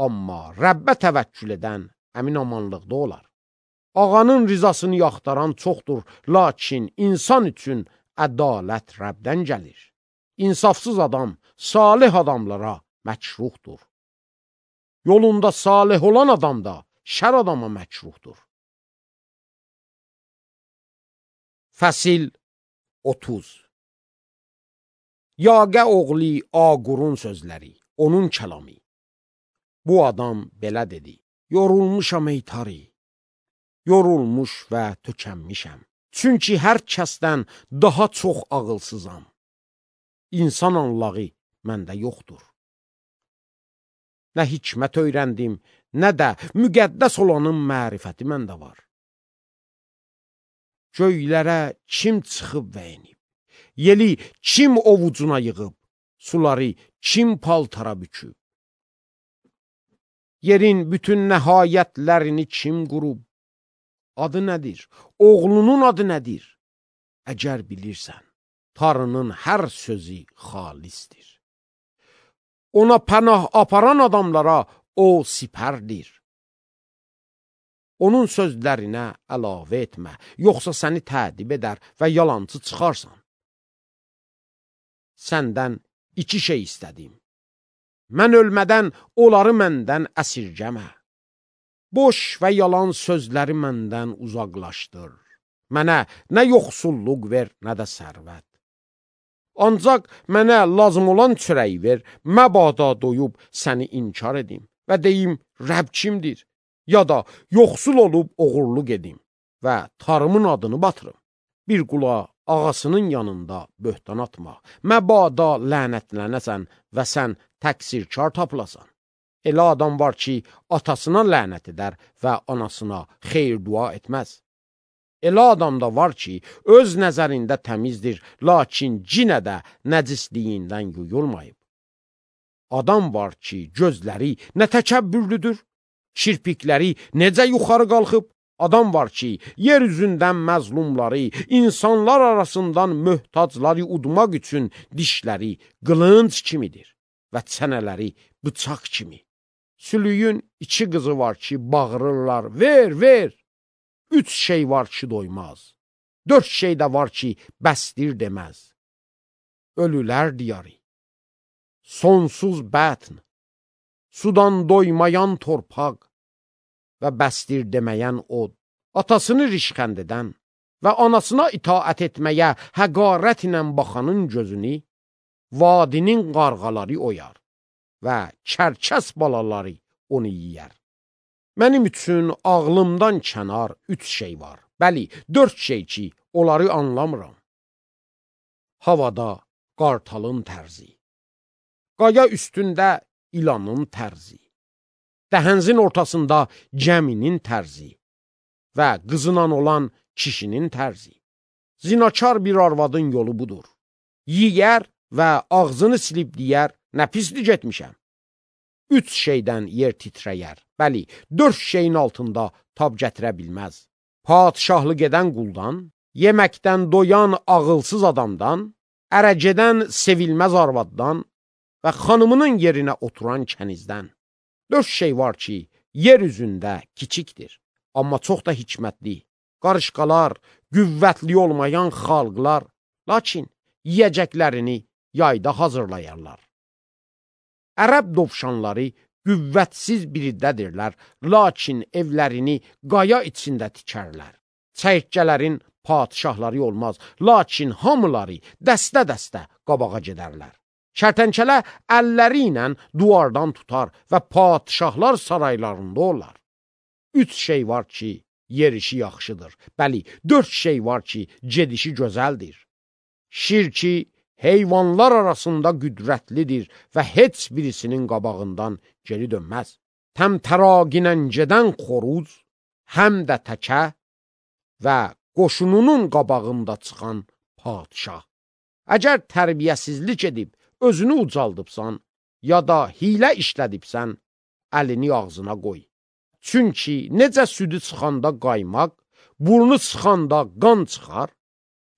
Amma Rəbbə təvəkkül edən əmin-amanlıqda olar. Ağanın rizasını yaxtaran çoxdur, lakin insan üçün ədalət Rəbdən gəlir. İnsafsız adam salih adamlara məkruhdur. Yolunda salih olan adam da şər adama məkruhdur. Fəsil 30. Yaqə oğlu Aqurun sözləri, onun kəlamı. Bu adam belə dedi: yorulmuşam ey tarı, yorulmuş və tökənmişəm. Çünki hər kəsdən daha çox ağılsızam. İnsan anlağı məndə yoxdur. Nə hikmət öyrəndim, nə də müqəddəs olanın mərifəti məndə var. Göylərə kim çıxıb və enib, yeli kim ovucuna yığıb, suları kim paltara büküb, yerin bütün nəhayətlərini kim qurub, adı nədir, oğlunun adı nədir? Əgər bilirsən, tarının hər sözü xalisdir. Ona pənah aparan adamlara o sipərdir. Onun sözlərinə əlavə etmə, yoxsa səni tədib edər və yalancı çıxarsan. Səndən iki şey istədim. Mən ölmədən onları məndən əsirgəmə. Boş və yalan sözləri məndən uzaqlaşdır. Mənə nə yoxsulluq ver, nə də sərvət. Ancaq mənə lazım olan çörəyi ver, məbada doyub səni inkar edim və deyim, Rəbb kimdir? Ya da yoxsul olub oğurluq edim və tarımın adını batırım. Bir qula ağasının yanında böhtan atma, məbada lənətlənəsən və sən təqsirkar tapılasan. Elə adam var ki, atasına lənət edər və anasına xeyir dua etməz. Elə adam da var ki, öz nəzərində təmizdir, lakin cinə də nəcisliyindən yuyulmayıb. Adam var ki, gözləri nə təkəbbürlüdür, Kirpikləri necə yuxarı qalxıb? Adam var ki, yer üzündən məzlumları, insanlar arasından möhtacları udmaq üçün dişləri qılınc kimidir və çənələri bıçaq kimi. Sülüyün 2 qızı var ki, bağırırlar, ver, ver. 3 şey var ki, doymaz. 4 şey də var ki, bəsdir deməz. Ölülər diyarı, sonsuz bətn, sudan doymayan torpaq və bəsdir deməyən od, atasını rişxənd edən və anasına itaət etməyə həqarət ilə baxanın gözünü, vadinin qarğaları oyar və kərkəs balaları onu yiyər. Mənim üçün ağlımdan kənar 3 şey var, bəli, 4 şey ki, onları anlamıram. Havada qartalın tərzi, qaya üstündə ilanın tərzi, dəhənzin ortasında gəminin tərzi və qızınan olan kişinin tərzi. Zinakar bir arvadın yolu budur. Yiyər və ağzını silib deyər, nə pislik etmişəm. 3 şeydən yer titrəyər, bəli, 4 şeyin altında tab gətirə bilməz. Padişahlıq edən quldan, yeməkdən doyan ağılsız adamdan, ərəgedən sevilməz arvaddan və xanımının yerinə oturan kənizdən. 4 şey var ki, yer üzündə kiçikdir, amma çox da hikmətli. Qarışqalar, qüvvətli olmayan xalqlar, lakin yiyəcəklərini yayda hazırlayarlar. Ərəb dovşanları qüvvətsiz biriddədirlər, lakin evlərini qaya içində tikərlər. Çəyirtkələrin padişahları olmaz, lakin hamıları dəstə-dəstə qabağa gedərlər. Kərtənkələ əlləri ilə duvardan tutar və padişahlar saraylarında olar. 3 şey var ki, yerişi yaxşıdır. Bəli, 4 şey var ki, gedişi gözəldir. Şir ki, heyvanlar arasında qüdrətlidir və heç birisinin qabağından geri dönməz. Təmtəraginən gedən xoruz, həm də təkə və qoşununun qabağında çıxan padişah. Əgər tərbiyəsizlik edib, özünü ucaldıbsan, ya da hilə işlədibsən, əlini ağzına qoy. Çünki necə südü çıxanda qaymaq, burnu çıxanda qan çıxar,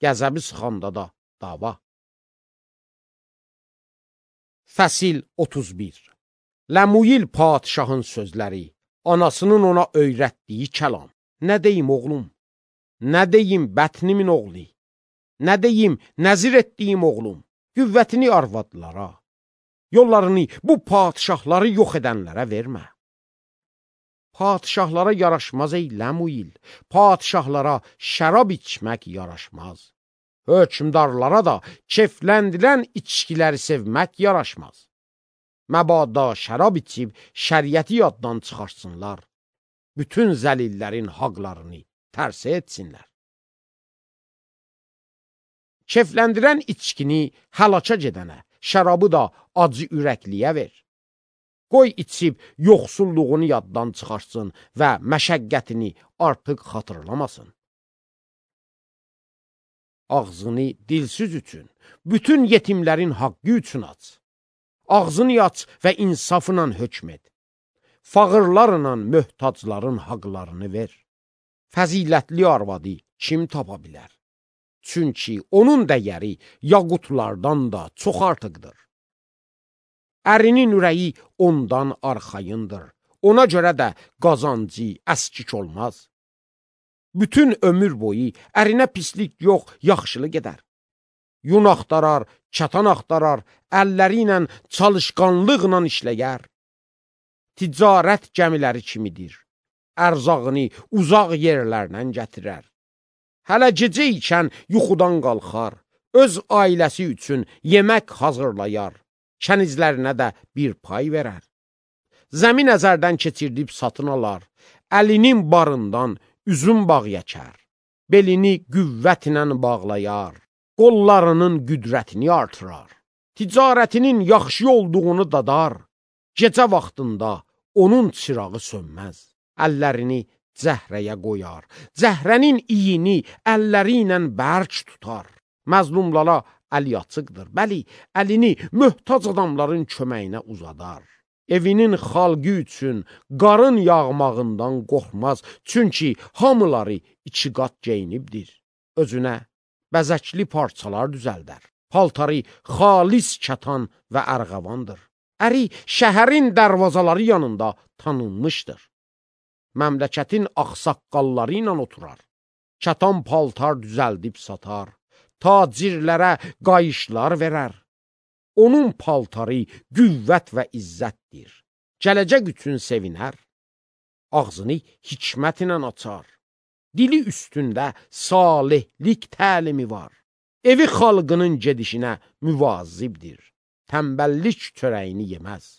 qəzəbi çıxanda da dava. Fəsil 31. Ləmuyil padişahın sözləri, anasının ona öyrətdiyi kəlam. Nə deyim oğlum? Nə deyim bətnimin oğlu? Nə deyim nəzir etdiyim oğlum? Qüvvətini arvadlara, yollarını bu padişahları yox edənlərə vermə. Padişahlara yaraşmaz ey Ləmuyil, padişahlara şərab içmək yaraşmaz. Hökmdarlara da kefləndirən içkiləri sevmək yaraşmaz. Məbada şərab içib şəriəti yaddan çıxarsınlar, bütün zəlillərin haqlarını tərsə etsinlər. Kefləndirən içkini həlaka gedənə, şərabı da acı ürəkliyə ver. Qoy içib yoxsulluğunu yaddan çıxarsın və məşəqqətini artıq xatırlamasın. Ağzını dilsiz üçün, bütün yetimlərin haqqı üçün aç. Ağzını aç və insafla hökm et. Fağırlarla möhtacların haqlarını ver. Fəzilətli arvadı kim tapa bilər? Çünki onun dəyəri yaqutlardan da çox artıqdır. Ərinin ürəyi ondan arxayındır. Ona görə də qazancı əskik olmaz. Bütün ömür boyu ərinə pislik yox, yaxşılıq edər. Yun axtarar, çatan axtarar, əlləri ilə çalışqanlıqla işləyər. Ticarət gəmiləri kimidir. Ərzağını uzaq yerlərdən gətirər. Hələ gecə ikən yuxudan qalxar, öz ailəsi üçün yemək hazırlayar, kənizlərinə də bir pay verər. Zəmin əzərdən keçirdib satın alar, əlinin barından üzüm bağ yəkər, belini qüvvətlə bağlayar, qollarının qüdrətini artırar, ticarətinin yaxşı olduğunu dadar, gecə vaxtında onun çırağı sönməz, əllərini zəhrəyə qoyar, zəhrənin iyini əlləri ilə bərk tutar, məzlumlara əli açıqdır, bəli, əlini möhtac adamların köməyinə uzadar. Evinin xalqı üçün qarın yağmağından qorxmaz, çünki hamıları iki qat geyinibdir. Özünə bəzəkli parçalar düzəldər. Paltarı xalis kətan və ərğavandır. Əri şəhərin dərvazaları yanında tanınmışdır. Məmləkətin ağsaqqalları ilə oturar. Kətan paltar düzəldib satar. Tacirlərə qayışlar verər. Onun paltarı qüvvət və izzətdir. Gələcək üçün sevinər. Ağzını hikmət ilə açar. Dili üstündə salihlik təlimi var. Evi xalqının gedişinə müvazibdir. Təmbəllik çörəyini yeməz.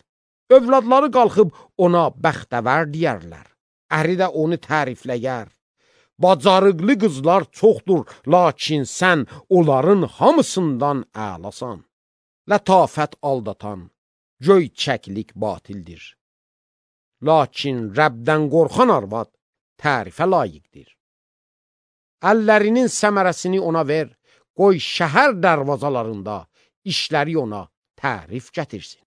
Övladları qalxıb ona bəxtəvər deyərlər. Əri də onu tərifləyər. Bacarıqlı qızlar çoxdur, lakin sən onların hamısından əlasan. Lətafət aldatan, göyçəklik batildir. Lakin Rəbdən qorxan arvad tərifə layiqdir. Əllərinin səmərəsini ona ver, qoy şəhər dərvazalarında işləri ona tərif gətirsin.